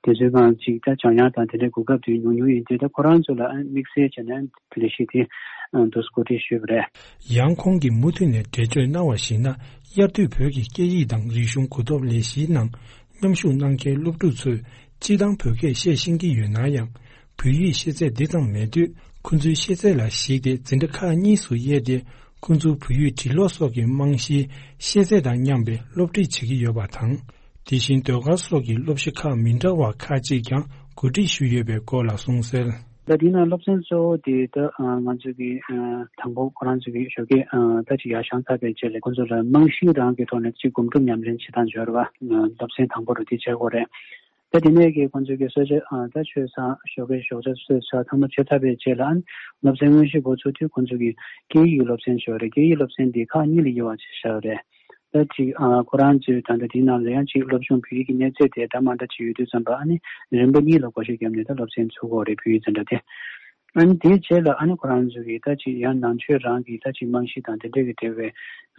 དེ་ཚོའི་སྒང་ཅིག་ད་སྦྱང་ཡག་དང་དེ་འདྲའི་གོ་སྐབས་དེ་ཉུང་ཉུང་ཡིན་དུས། ད་ཁོ་རང་ཚོ་ལ་ཨན་དམིགས་བསལ་བྱས་ནས་ལས་གཞི་དེ་འདུག་སེ་གོ་སྒྲིག་ཞུས་པ་རེད། ཡང་ཁོང་གིས་མུ་མཐུད་ནས་འགྲེལ་བརྗོད་གནང་བར་གཞིགས་ན། དབྱར་དུས་བོད་ཀྱི་སྐད་ཡིག་དང་རིག་གཞུང་གོ་རྟོགས་ལས་གཞིའི་ནང་མཉམ་ཞུགས་གནང་མཁན་སློབ་ཕྲུག་ཚོས་སྤྱིར་བཏང་བོད་སྐད་བཤད་ཤེས་ཀྱི་ཡོད་ན་ཡང་། བོད་ཡིག་ཤེས་ཚད་འདི་ཙམ་མེད་དུས། ཁོ་ཚོའི་ཤེས་ཚད་ལ་གཞིགས་ཏེ་འཛིན་གྲྭ་ཁག་གཉིས་སུ་དབྱེ་སྟེ། ཁོ་ཚོའི་བོད་ཡིག་འབྲི་ཀློག་སོགས་ཀྱི་རྨང་གཞིའི་ཤེས་ཚད་དང་མཉམ་པའི་སློབ་ཁྲིད་བྱེད་ཀྱི་ཡོད་པ་དང་། དེ་བཞིན་ཟློས་གར་སོགས་ཀྱི་སློབ་གཞི་ཁག་མི་འདྲ་བ་ཁག་ཅིག་ཀྱང་གོ་སྒྲིག་ཞུས་ཡོད་པའི་སྐོར་ལ་གསུངས་གསལ། ད་དེ་ནང་སློབ་ཚན་གཙོ་བོ་དེ་ད་ང་ཚོའི་གི་དང་པོ་ཁོ་རང་ཚོའི་གི་ཞོགས་ཀས་ད་ཅིག་ཡར་བཞེངས་ཚར་བའི་རྗེས་ལ་ཁོ་ཚོ་ལ་རྨང་གཞི་རང་གི་ཐོག་ནས་ཅིག་སྒོམ་སྒྲུབ་ཉམས་ལེན་བྱེད་སྟངས་སྦྱོར་བ་སློབ་ཚན་དང་པོ་རུ་དེ་བྱེད་དགོས་རེད། ད་དེ་ནས་ཀྱི་ཁོང་ཚོའི་གི་གསོལ་ཇ་ཨ་ད་མཆོད་ཚར། ཞོགས་ཀའི་ཞོགས་ཇ་གསོལ་ཚར། ཚང་མ་མཆོད་ཚར་བའི་རྗེས་ལ་ཨ་ནི་སློབ་ཚན་དངོས་གཞི་འགོ་ཚུགས་དུས་ཁོང་ཚོའི་གི་སྐད་ཡིག་གི་སློབ་ཚན་ཞིག་ཡོད་རེད། སྐད་ཡིག་སློབ་ཚན་འདི་ཁག་གཉིས་ལ་དབྱེ་བ་ཕྱེ་བཞག་ཡོད་རེད། ད་ཅིག་ཨ་ཁོ་རང་ཚོའི་ད་ལྟ་དེའི་ནང་ལ་ཡང་ཅིག་སློབ་སྦྱོང་བོད་ཡིག་གི་གནས་ཚད་དེ་འདྲ་མ་འདྲ་ཅིག་ཡོད་དུས་ཙམ་པ་ཨ་ནི་རིམ་པ་གཉིས་ལ་བགོ་བཤའ་བརྒྱབ་ནས་ད་སློབ་ཚན་ཚུགས་ཀྱི་ཡོད་རེད། བོད་ཡིག་འཛིན་གྲྭ་དེ། ཨ་ནི་དེའི་རྗེས་ལ་ཨ་ནི་ཁོ་རང་ཚོ་གི་ད་ཅིག་ཡང་ནང་ཆོས་རང་གི་ད་ཅིག་རྨང་གཞི་དང་དེ་འདྲ་གི་འབྲེལ་བའི་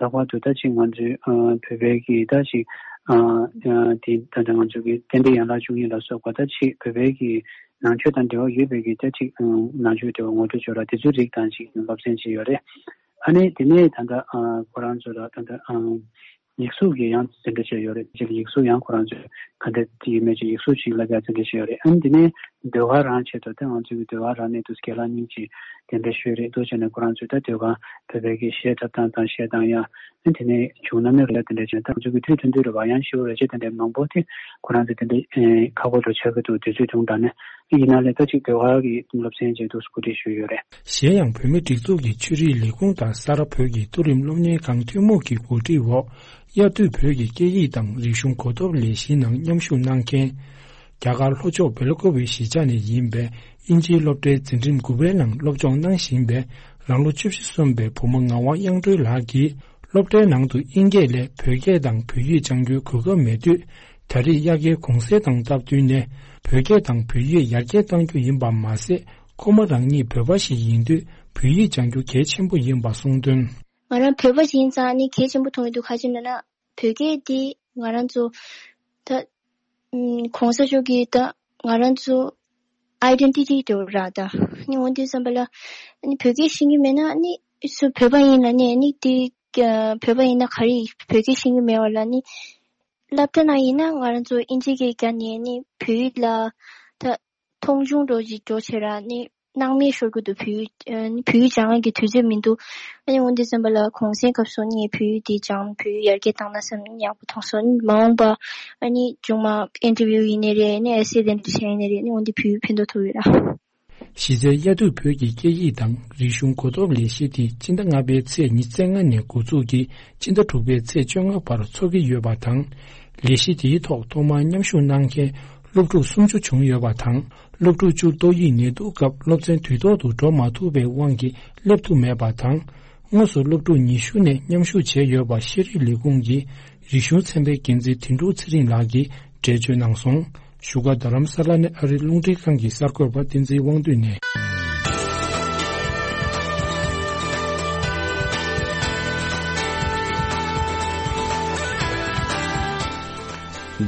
ལྷག་པར་དུ་ད་ཅིག་ང་ཚོའི་ཨ་བོད་པའི་གི་ད་ཅིག་ཨ་ཨ་དེ་ད་ལྟ་ང་ཚོ་གི་བསྟན་པའི་ཡན་ལག་བཅུ་གཉིས་ལ་སོགས་པ་ད་ཅིག་བོད་པའི་གི་ནང་ཆོས་དང་འབྲེལ་བ་ཡོད་པའི་གི་ད་ཅིག་ཨ་ནང་ཆོས་དེ་བ་ངོ་སྤྲོད་བྱེད་རོགས་དེ་ཚོའི་རིགས་དང་ཅིག་སློབ་ཚན་ཅིག་ཡོད་རེད། ཨ་ནི་དེ་ནས་ད་ལྟ་ཨ་ཁོ་རང་ཚོ་ལ་ད་ལྟ་ཨ། ཡིག་གཟུགས་ཀྱི་ཡང་འཛིན་གྲྭ་བྱས་ཡོད་རེད། ཅིག་ཡིག་གཟུགས་ཡང་ཁོ་རང་ཚོས་ག་འདྲ་ཅིག་ཡོད་མེད་ཅིག་ཡིག་གཟུགས་ཅིག་བསླབ་ཡག་འཛིན་གྲྭ་བྱས་ཡོད་རེད། ཨ་ནི་དེ་ནས་ཟློས་གར་རང་ཆེད་དུ་ད་ང་ཚོའི་ཟློས་གར་རང་ནས་དུ་སྐལ་ལ་གཉིས་ཀྱིས་གདན་འདྲེན་ཞུས་རེད། འདུག་བྱས་ནས་ཁོ་རང་ཚོས་ད་ཟློས་གར་བོད་པའི་གི་གཞས་འཁྲབ་སྟངས་དང་གཞས་བཏང་ཡག་ཨ་ནི་དེ་ནས་བྱུང་ན་མེད་རེད་ལ་དེ་འདྲ་བྱས་ད་ང་ཚོའི་གི་དུས་ཐུང་ཐུང་རེད་བ། ཡང་ཞིབ་པོ་རེ་ཆེ་དེ་འདྲའི་མང་པོ་དེ་ཁོ་རང་ཚོས་དེ་འདྲའི་ཁག་པོ་འགྲོ་ཆགས་ཀྱི་འདུག་དུས་ཚོད་ཐུང་དྲགས་ནས། ཡིན་ན་ལས་ད་ཅིག་ཟློས་གར་གྱི་སློབ་ཚན་ཅིག་འདུག་སེ་གོ་སྒྲིག་ཞུས་ཡོད་རེད། གཞན་ཡང་བོད་མིའི་སྒྲིག་འཛུགས་ཀྱི་ཆོས་རིག་ལས་ཁུངས་དང་ས་རཱ་བོད་ཀྱི་མཐོ་རིམ་སློབ་གཉེར་ཁང་ཐུན་མོང་གི་གོ་སྒྲིག་འོག་དབྱར་དུས་བོད་ཀྱི་སྐད་ཡིག་དང་རིག་གཞུང་གོ་རྟོགས་ལས་གཞིའི་ནང་མཉམ་ཞུགས་གནང་མཁན། རྒྱ་གར་ལྷོ་ཕྱོགས་སྦེལ་ཀོབ་གཞིས་ཆགས་ནས་ཡིན་པའི་དབྱིན་ཇིའི་སློབ་གྲྭའི་འཛིན་རིམ་དགུ་པའི་ནང་སློབ་སྦྱོང་གནང་བཞིན་པའི་རང་ལོ་བཅུ་བཞི་སོན་པའི་བུ་མོ་ངག་དབང་དབྱངས་སྒྲོལ་ལགས་ཀྱིས། སློབ་གྲྭའི་ནང་དུ་དབྱིན་སྐད་ལས་བོད་སྐད་དང་བོད་ཡིག་སྦྱང་རྒྱུའི་གོ་སྐབས་མེད་དུས། ད་རེས་དབྱར་ཁའི་གུང་སེང་དང་སྟབས་བསྟུན་ནས་བོད་སྐད་དང་བོད་ཡིག་ཡར་རྒྱས་གཏང་རྒྱུ་ཡིན་པ་མ་ཟད། ཁོ་མོ་རང་ཉིད་བོད་པ་ཞིག་ཡིན་དུས་བོད་ཡིག་སྦྱང་རྒྱུ་གལ་ཆེན་པོ་ཡིན་པ་གསུངས་དོན། ང་རང་བོད་པ་ཞིག་ཡིན་ཙང་ནི་གལ་ཆེན་པོ་མཐོང་གི་འདུག་ག་རེ་ཡིན་ན་བོད་སྐད་འདི་ང་རང་ཚོ་ད་ཨུམ་གོང་ས་མཆོག་གིས་ད་ང་རང་ཚོ་ཨའི་ཌེན་ཊི་ཊི་དེ་ར་ད་ནི་འོན་ཏེ་བསམ་པ་ལ་ནི་བོད་སྐད་ཤེས་ཀྱི་མེད་ན་ནི་སུ་བོད་པ་ཡིན་ལ་ནི་ནི་དེ། བོད་པ་ཡིན་ན་ག་རེ་བོད་སྐད་ཤེས་ཀྱི་མེད་པ་ལ་ནི། སློབ་གྲྭ་ནང་ཡིན་ན་ང་རང་ཚོ་ཨིན་ཇི་སྐད་བརྒྱབ་ནས་ནི་བོད་ཡིག་ལ་ད་མཐོང་ཆུང་འགྲོ་ཅིག་འགྲོ་བྱས་ར་ནི་སྣང་མེད་ཤོར་གྱི་འདུག་བོད་ཡིག་ཨ་ནི་བོད་ཡིག་སྦྱང་ཡག་གི་དུས་ཚོད་མི་འདུག་ཨ་ནི་འོན་ཏེ་བསམ་པ་ལ་གུང་སེང་སྐབས་སུ་ནི་བོད་ཡིག་འདི་སྦྱང་བོད་ཡིག་ཡར་རྒྱས་བཏང་ན་བསམ་ནས་ཡག་པོ་མཐོང་སོང་། ཨ་ནི་མ་འོངས་པ་ཨ་ནི་མཇུག་མ་ཨིན་ཊར་བིའུ་ཡིན་ནའི་རེད་ནི་ཨེ་སེ་དེ་འདྲ་བྱས་ཡིན་ནའི་རེད་ནི་འོན་ཏེ་བོད་ཡིག་ཕན་ཐོགས་ཐུབ་ཡོད་ར། གཞི་རྩའི་དབྱར་དུས་བོད་ཀྱི་སྐད་ཡིག་དང་རིག་གཞུང་གོ་རྟོགས་ལས་གཞི་དེ་སྤྱི་ཟླ་ལྔ་པའི་ཚེས་ཉི་ཤུ་རྩ་ལྔ་ནས་འགོ་འཛུགས་ཀྱིས་སྤྱི་ཟླ་དྲུག་པའི་ཚེས་བཅོ་ལྔ་བར་འཚོགས་ཀྱི་ཡོད་པ་དང་། ལས་གཞི་དེའི་ཐོག་ཐོག་མར་མཉམ་ཞུགས་གནང་མཁན་སློབ་ཕྲུག་སུམ་ཅུ་བྱུང་ཡོད་པ་དང་། སློབ་ཕྲུག་བཅུ་ཏོག་དབྱིབས་ནད་དུག་སྐབས་སློབ་ཚན་དུས་ཐོག་ཏུ་འགྲོ་མ་ཐུབ་པའི་དབང་གིས་སླེབས་ཐུབ་མེད་པ་དང་། དངོས་སུ་སློབ་ཕྲུག་ཉི་ཤུ་ནས་མཉམ་ཞུགས་བྱས་ཡོད་པ་ཤེས་རིག་ལས་ཁུངས་ཀྱི་རིག་གཞུང་ཚན་པའི་འགན་འཛིན་དོན་གྲུབ་ཚེ་རིང་ལགས་ཀྱིས་འགྲེལ་བརྗོད་གནང་སོང་། བཞུགས་སྒར་རྡ་རམ་ས་ལ་ནས་ཨ་རིའི་རླུང་འཕྲིན་ཁང་གི་གསར་འགོད་པ་བསྟན་འཛིན་དབང་འདུས་ནས།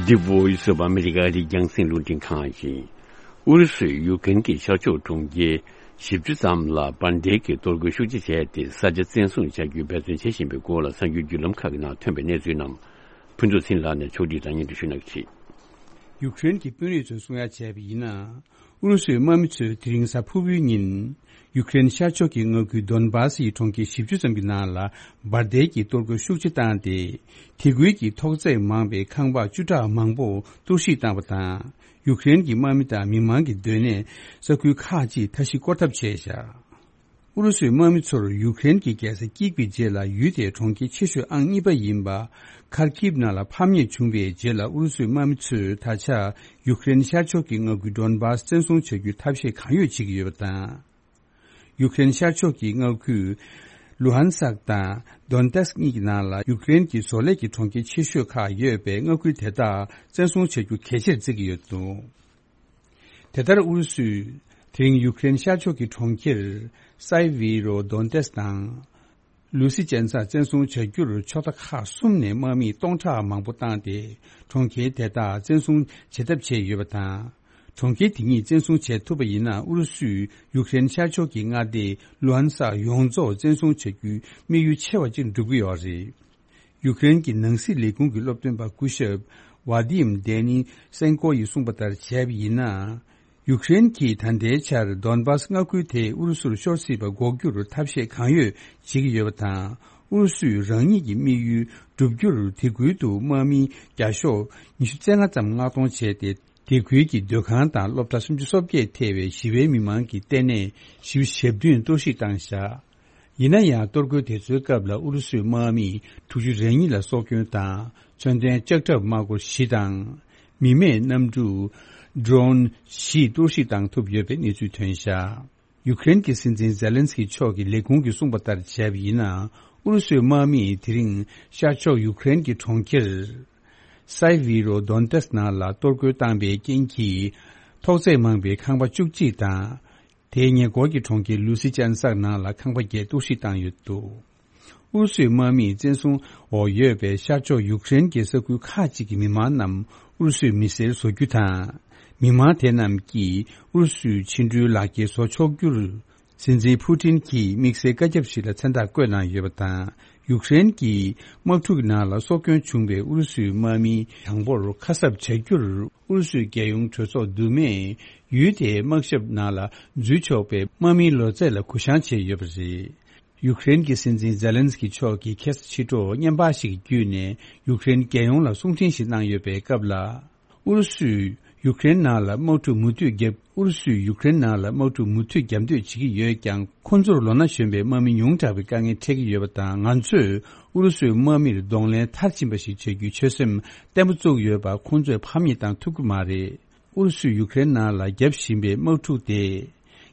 The Voice of America ཨ་རིའི་རྒྱང་སྲིང་རླུང་འཕྲིན་ཁང་ཡིན། ཨུ་རུ་སུས་ཡུཀ་རེན་གྱི་ཤར་ཕྱོགས་གྲོང་ཁྱེར་བཞི་བཅུ་ཙམ་ལ་འབར་མདེལ་གྱི་གཏོར་རྒོལ་ཤུགས་ཆེ་བྱས་ཏེ་ས་ཆ་བཙན་བཟུང་བྱ་རྒྱུའི་འབད་བརྩོན་བྱེད་བཞིན་པའི་སྐོར་ལ་གསར་འགྱུར་བརྒྱུད་ལམ་ཁག་གི་ནང་ཐོན་པའི་གནས་ཚུལ་རྣམས་ཕུན་ཚོགས་ཚེ་རིང་ལགས་ནས་ཕྱོགས་སྒྲིག་དང་སྙན་སྒྲོན་ཞུ་གནང་གི་རེད། ཡུཀ་རེན་གྱི་དཔོན་རིགས་ཚོས་གསུང་ཡ་བྱས་པ་ཡིན་ན། ཨུ་རུ་སུའི་དམག་མི་ཚོས་དེ་རིང་གཟའ་ཕུར་བུའི་ཉིན། ཡུཀ་རེན་ཤར་ཕྱོགས་ཀྱི་མངའ་ཁུལ་དོན་སྦཱ་སིའི་གྲོང་ཁྱེར་བཞི་བཅུ་ཙམ་གྱི་ནང་ལ་འབར་མདེལ་གྱི་གཏོར་རྒོལ་ཤུགས་ཆེ་བཏང་སྟེ། དེ་ཁུལ་གྱི་ཐོག་བརྩེགས་མང་བའི་ཁང་པ་བཅུ་ཕྲག་མང་པོ་གཏོར་བཤིག་བཏང་བ་དང་། ཡུཀ་རེན་གྱི་དམག་མི་དང་མི་མང་གི་སྡོད་གནས་ས་ཁུལ་ཁག་ཅིག་མཐའ་བཞི་སྐོར་ཐབས་བྱས་བཞག་ཨུ་རུ་སུའི་དམག་མི་ཚོར་ཡུཀ་རེན་གྱི་རྒྱལ་ས་ཀིབ་ཀྱི་རྗེས་ལ་ཡུལ་དེའི་གྲོང་ཁྱེར་ཆེ་ཤོས་ཨང་གཉིས་པ་ཡིན་པ། ཁར་ཀིབ་ནང་ལ་ཕམ་ཉེས་བྱུང་བའི་རྗེས་ལ། ཨུ་རུ་སུའི་དམག་མི་ཚོས་ད་ཆ་ཡུཀ་རེན་ཤར་ཕྱོགས་ཀྱི་མངའ་ཁུལ་དོན་སྦཱ་སི་བཙན་བཟུང་བྱ་རྒྱུའི་ཐབས་ཤེས་གང་ཡོད་བྱེད་ཀྱི་ཡོད་པ་དང་། ཡུཀ་རེན་ཤར་ཕྱོགས་ཀྱི་མངའ་ཁུལ་ལུ་ཧན་སཀ་དང་དོན་ཏེ་སི་ཀི་གཉིས་ཀྱི་ནང་ལ་ཡུཀ་རེན་གྱི་བཟོ་ལས་ཀྱི་གྲོང་ཁྱེར་ཆེ་ཤོས་ཁག་ཡོད་པའི་མངའ་ཁུལ་དེ་དག་བཙན་བཟུང་བྱ་རྒྱུ་གལ་ཆེར་བརྩི་གི་ཡོད་འདུག་དེ་ལྟར་ཨུ་རུ་སུས་དེ་རིང་ཡུཀ་རེན་ཤར་ཕྱོགས་ཀྱི་གྲོང་ཁྱེར་སའི་ཝི་རོ་དོན་ཏེ་སི་དང་། ལུ་སི་ཅན་སར་བཙན་བཟུང་བྱ་རྒྱུར་ཕྱོགས་མཐའ་ཁག་གསུམ་ནས་དམག་མི་སྟོང་ཕྲག་མང་པོ་བཏང་སྟེ། གྲོང་ཁྱེར་དེ་དག་བཙན་བཟུང་བྱེད་ཐབས་བྱས་ཡོད་པ་དང་། གྲོང་ཁྱེར་དེ་གཉིས་བཙན་བཟུང་བྱེད་ཐུབ་པ་ཡིན་ན། ཨུ་རུ་སུས་ཡུཀ་རེན་ཤར་ཕྱོགས་ཀྱི་མངའ་སྡེ་ལུ་ཧན་སཀ་ཡོངས་རྫོགས་བཙན་བཟུང་བྱ་རྒྱུའི་དམིགས་ཡུལ་ཆེ་བ་ཅིག་འགྲུབ་ཀྱི་ཡོད་རེད། ཡུཀ་རེན་གྱི་ནང་སྲིད་ལས་ཁུངས་ཀྱི་སློབ་སྟོན་པ་སྐུ་ཞབས་ཝ་དིམ་དེ་ནི་སེན་ཀོ་ཡིས་གསུངས་པ་ལྟར་བྱས་པ་ཡིན་ན། ཡུཀ་རེན་གྱིས་ད་ལྟའི་ཆར་དོན་སྦཱ་སི་མངའ་ཁུལ་དེ་ཨུ་རུ་སུར་ཤོར་སྲིད་པ་འགོག་རྒྱུར་ཐབས་ཤེས་གང་ཡོད་བྱེད་ཀྱི་ཡོད་པ་དང་། ཨུ་རུ་སུས་རང་ཉིད་ཀྱི་དམིགས་ཡུལ་བསྒྲུབ་རྒྱུར་དེ་ཁུལ་དུ་དམག་མི་བརྒྱ་ཤོག་ཉི་ཤུ་རྩ་ལྔ་ཙམ་མངགས་གཏོང་བྱས་ཏེ། དེ་ཁུལ་གྱི་སྡོད་ཁང་དང་སློབ་གྲྭ་སུམ་ཅུ་སོ་བརྒྱད་ཐེ་བའི་ཞི་བའི་མི་མང་གི་ལྟེ་གནས་བཞི་བཅུ་ཞེ་བདུན་གཏོར་བཤིག་བཏང་བཞག་ཡིན་ན་ཡང་། གཏོར་རྒོལ་དེ་ཚོའི་སྐབས་ལ་ཨུ་རུ་སུའི་དམག་མི་དྲུག་ཅུ་རེ་གཉིས་ལ་སྲོག་སྐྱོན་དང་། མཚོན་ལྡན་ལྕགས་ཁྲབ་དམག་འཁོར་བཞི་དང་། མི་མེད་གནམ་གྲུ་ཌོ་རོན་བཞི་གཏོར་བཤིག་བཏང་ཐུབ་ཡོད་པའི་གནས་ཚུལ་ཐོན་བཞག་ཡུཀ་རེན་གྱི་སྲིད་འཛིན་ཛེ་ལན་སི་ཀི་མཆོག་གིས་ལས་ཁུངས་ཀྱིས་གསུངས་པ་ལྟར་བྱས་པ་ཡིན་ན། ཨུ་རུ་སུའི་དམག་མིས་དེ་རིང་ཤར་ཕྱོགས་ཡུཀ་རེན་གྱི་གྲོང་ཁྱེར་སའི་ཝི་རོ་དོན་ཏེ་སི་ནང་ལ་གཏོར་རྒོལ་བཏང་པའི་རྐྱེན་གྱིས། ཐོག་བརྩེགས་མང་པའི་ཁང་པ་བཅུ་གཅིག་དང་། དེའི་ཉེ་འཁོར་གྱི་གྲོང་ཁྱེར་ལུ་སི་ཅན་སག་ནང་ལ་ཁང་པ་བརྒྱད་གཏོར་བཤིག་བཏང་ཡོད་འདུག་ཨུ་རུ་སུའི་དམག་མིས་བཙན་བཟུང་འོག་ཡོད་པའི་ཤར་ཕྱོགས་ཡུཀ་རེན་གྱི་ས་ཁུལ་ཁག་ཅིག་གི་མི་མང་རྣམས་ཨུ་རུ་སུའི་མི་སེར་བཟོ་རྒྱུ་དང་། མི་མང་དེ་རྣམས་ཀྱིས་ཨུ་རུ་སུའི་ཕྱི་འགྲུལ་ལག་འཁྱེར་བཟོ་ཆོག་རྒྱུར། སྲིད་འཛིན་ཕུ་ཏིན་གྱིས་དམིགས་བསལ་བཀའ་ཁྱབ་ཞིག་ལ་མཚན་རྟགས་བཀོད་གནང་ཡོད་པ་དང་། ཡུཀ་རེན་གྱི་དམག་འཁྲུག་ནང་ལ་སྲོག་སྐྱོན་བྱུང་བའི་ཨུ་རུ་སུའི་དམག་མི་དང་པོར་ཁ་གསབ་བྱ་རྒྱུར། ཨུ་རུ་སུའི་རྒྱལ་ཡོངས་གྲོས་ཚོགས་འདུ་མས་ཡུལ་དེའི་དམག་ཞབས་ནང་ལ་འཛུལ་ཆོག་པའི་དམག་མིའི་ལོ་ཚད་ལ་གུ་བཤངས་བྱས་ཡོད་པ་རེད། ཡུཀ་རེན་གྱི་སྲིད་འཛིན་ཛེ་ལན་སི་ཀི་མཆོག་གིས་ཁ་སང་ཕྱི་དྲོ་བརྙན་པར་ཞིག་བརྒྱུད་ནས་ཡུཀ་རེན་རྒྱལ་ཡོངས་ལ་གསུང་འཕྲིན་ཞིག་གནང་ཡོད་པའི་སྐབས་ལ། ཨུ་རུ་སུས་ཡུཀ་རེན་ནང་ལ་དམག་འཁྲུག་མུ་མཐུད་བརྒྱབ། ཨུ་རུ་སུས་ཡུཀ་རེན་ནང་ལ་དམག་འཁྲུག་མུ་མཐུད་བརྒྱབ་འདོད་བྱེད་ཀྱི་ཡོད་ཀྱང་། ཁོ་ཚོར་ལོ་ན་གཞོན་པའི་དམག་མི་ཉུང་དྲགས་པའི་དཀའ་ངལ་འཕྲད་ཀྱི་ཡོད་པ་དང་། ང་ཚོས་ཨུ་རུ་སུའི་དམག་མིར་གདོང་ལེན་མཐར་ཕྱིན་པ་ཞིག་བྱ་རྒྱུའི་ཆོད་སེམས་བརྟན་པོ་བཙུགས་ཡོད་པ། ཁོ་ཚོས་ཕམ་ཉེས་བཏང་ཐུབ་ཀྱི་མ་རེད། ཨུ་རུ་སུས་ཡུཀ་རེན་ནང་ལ་བརྒྱབ་བཞིན་པའི་དམག་འཁྲུག་དེ།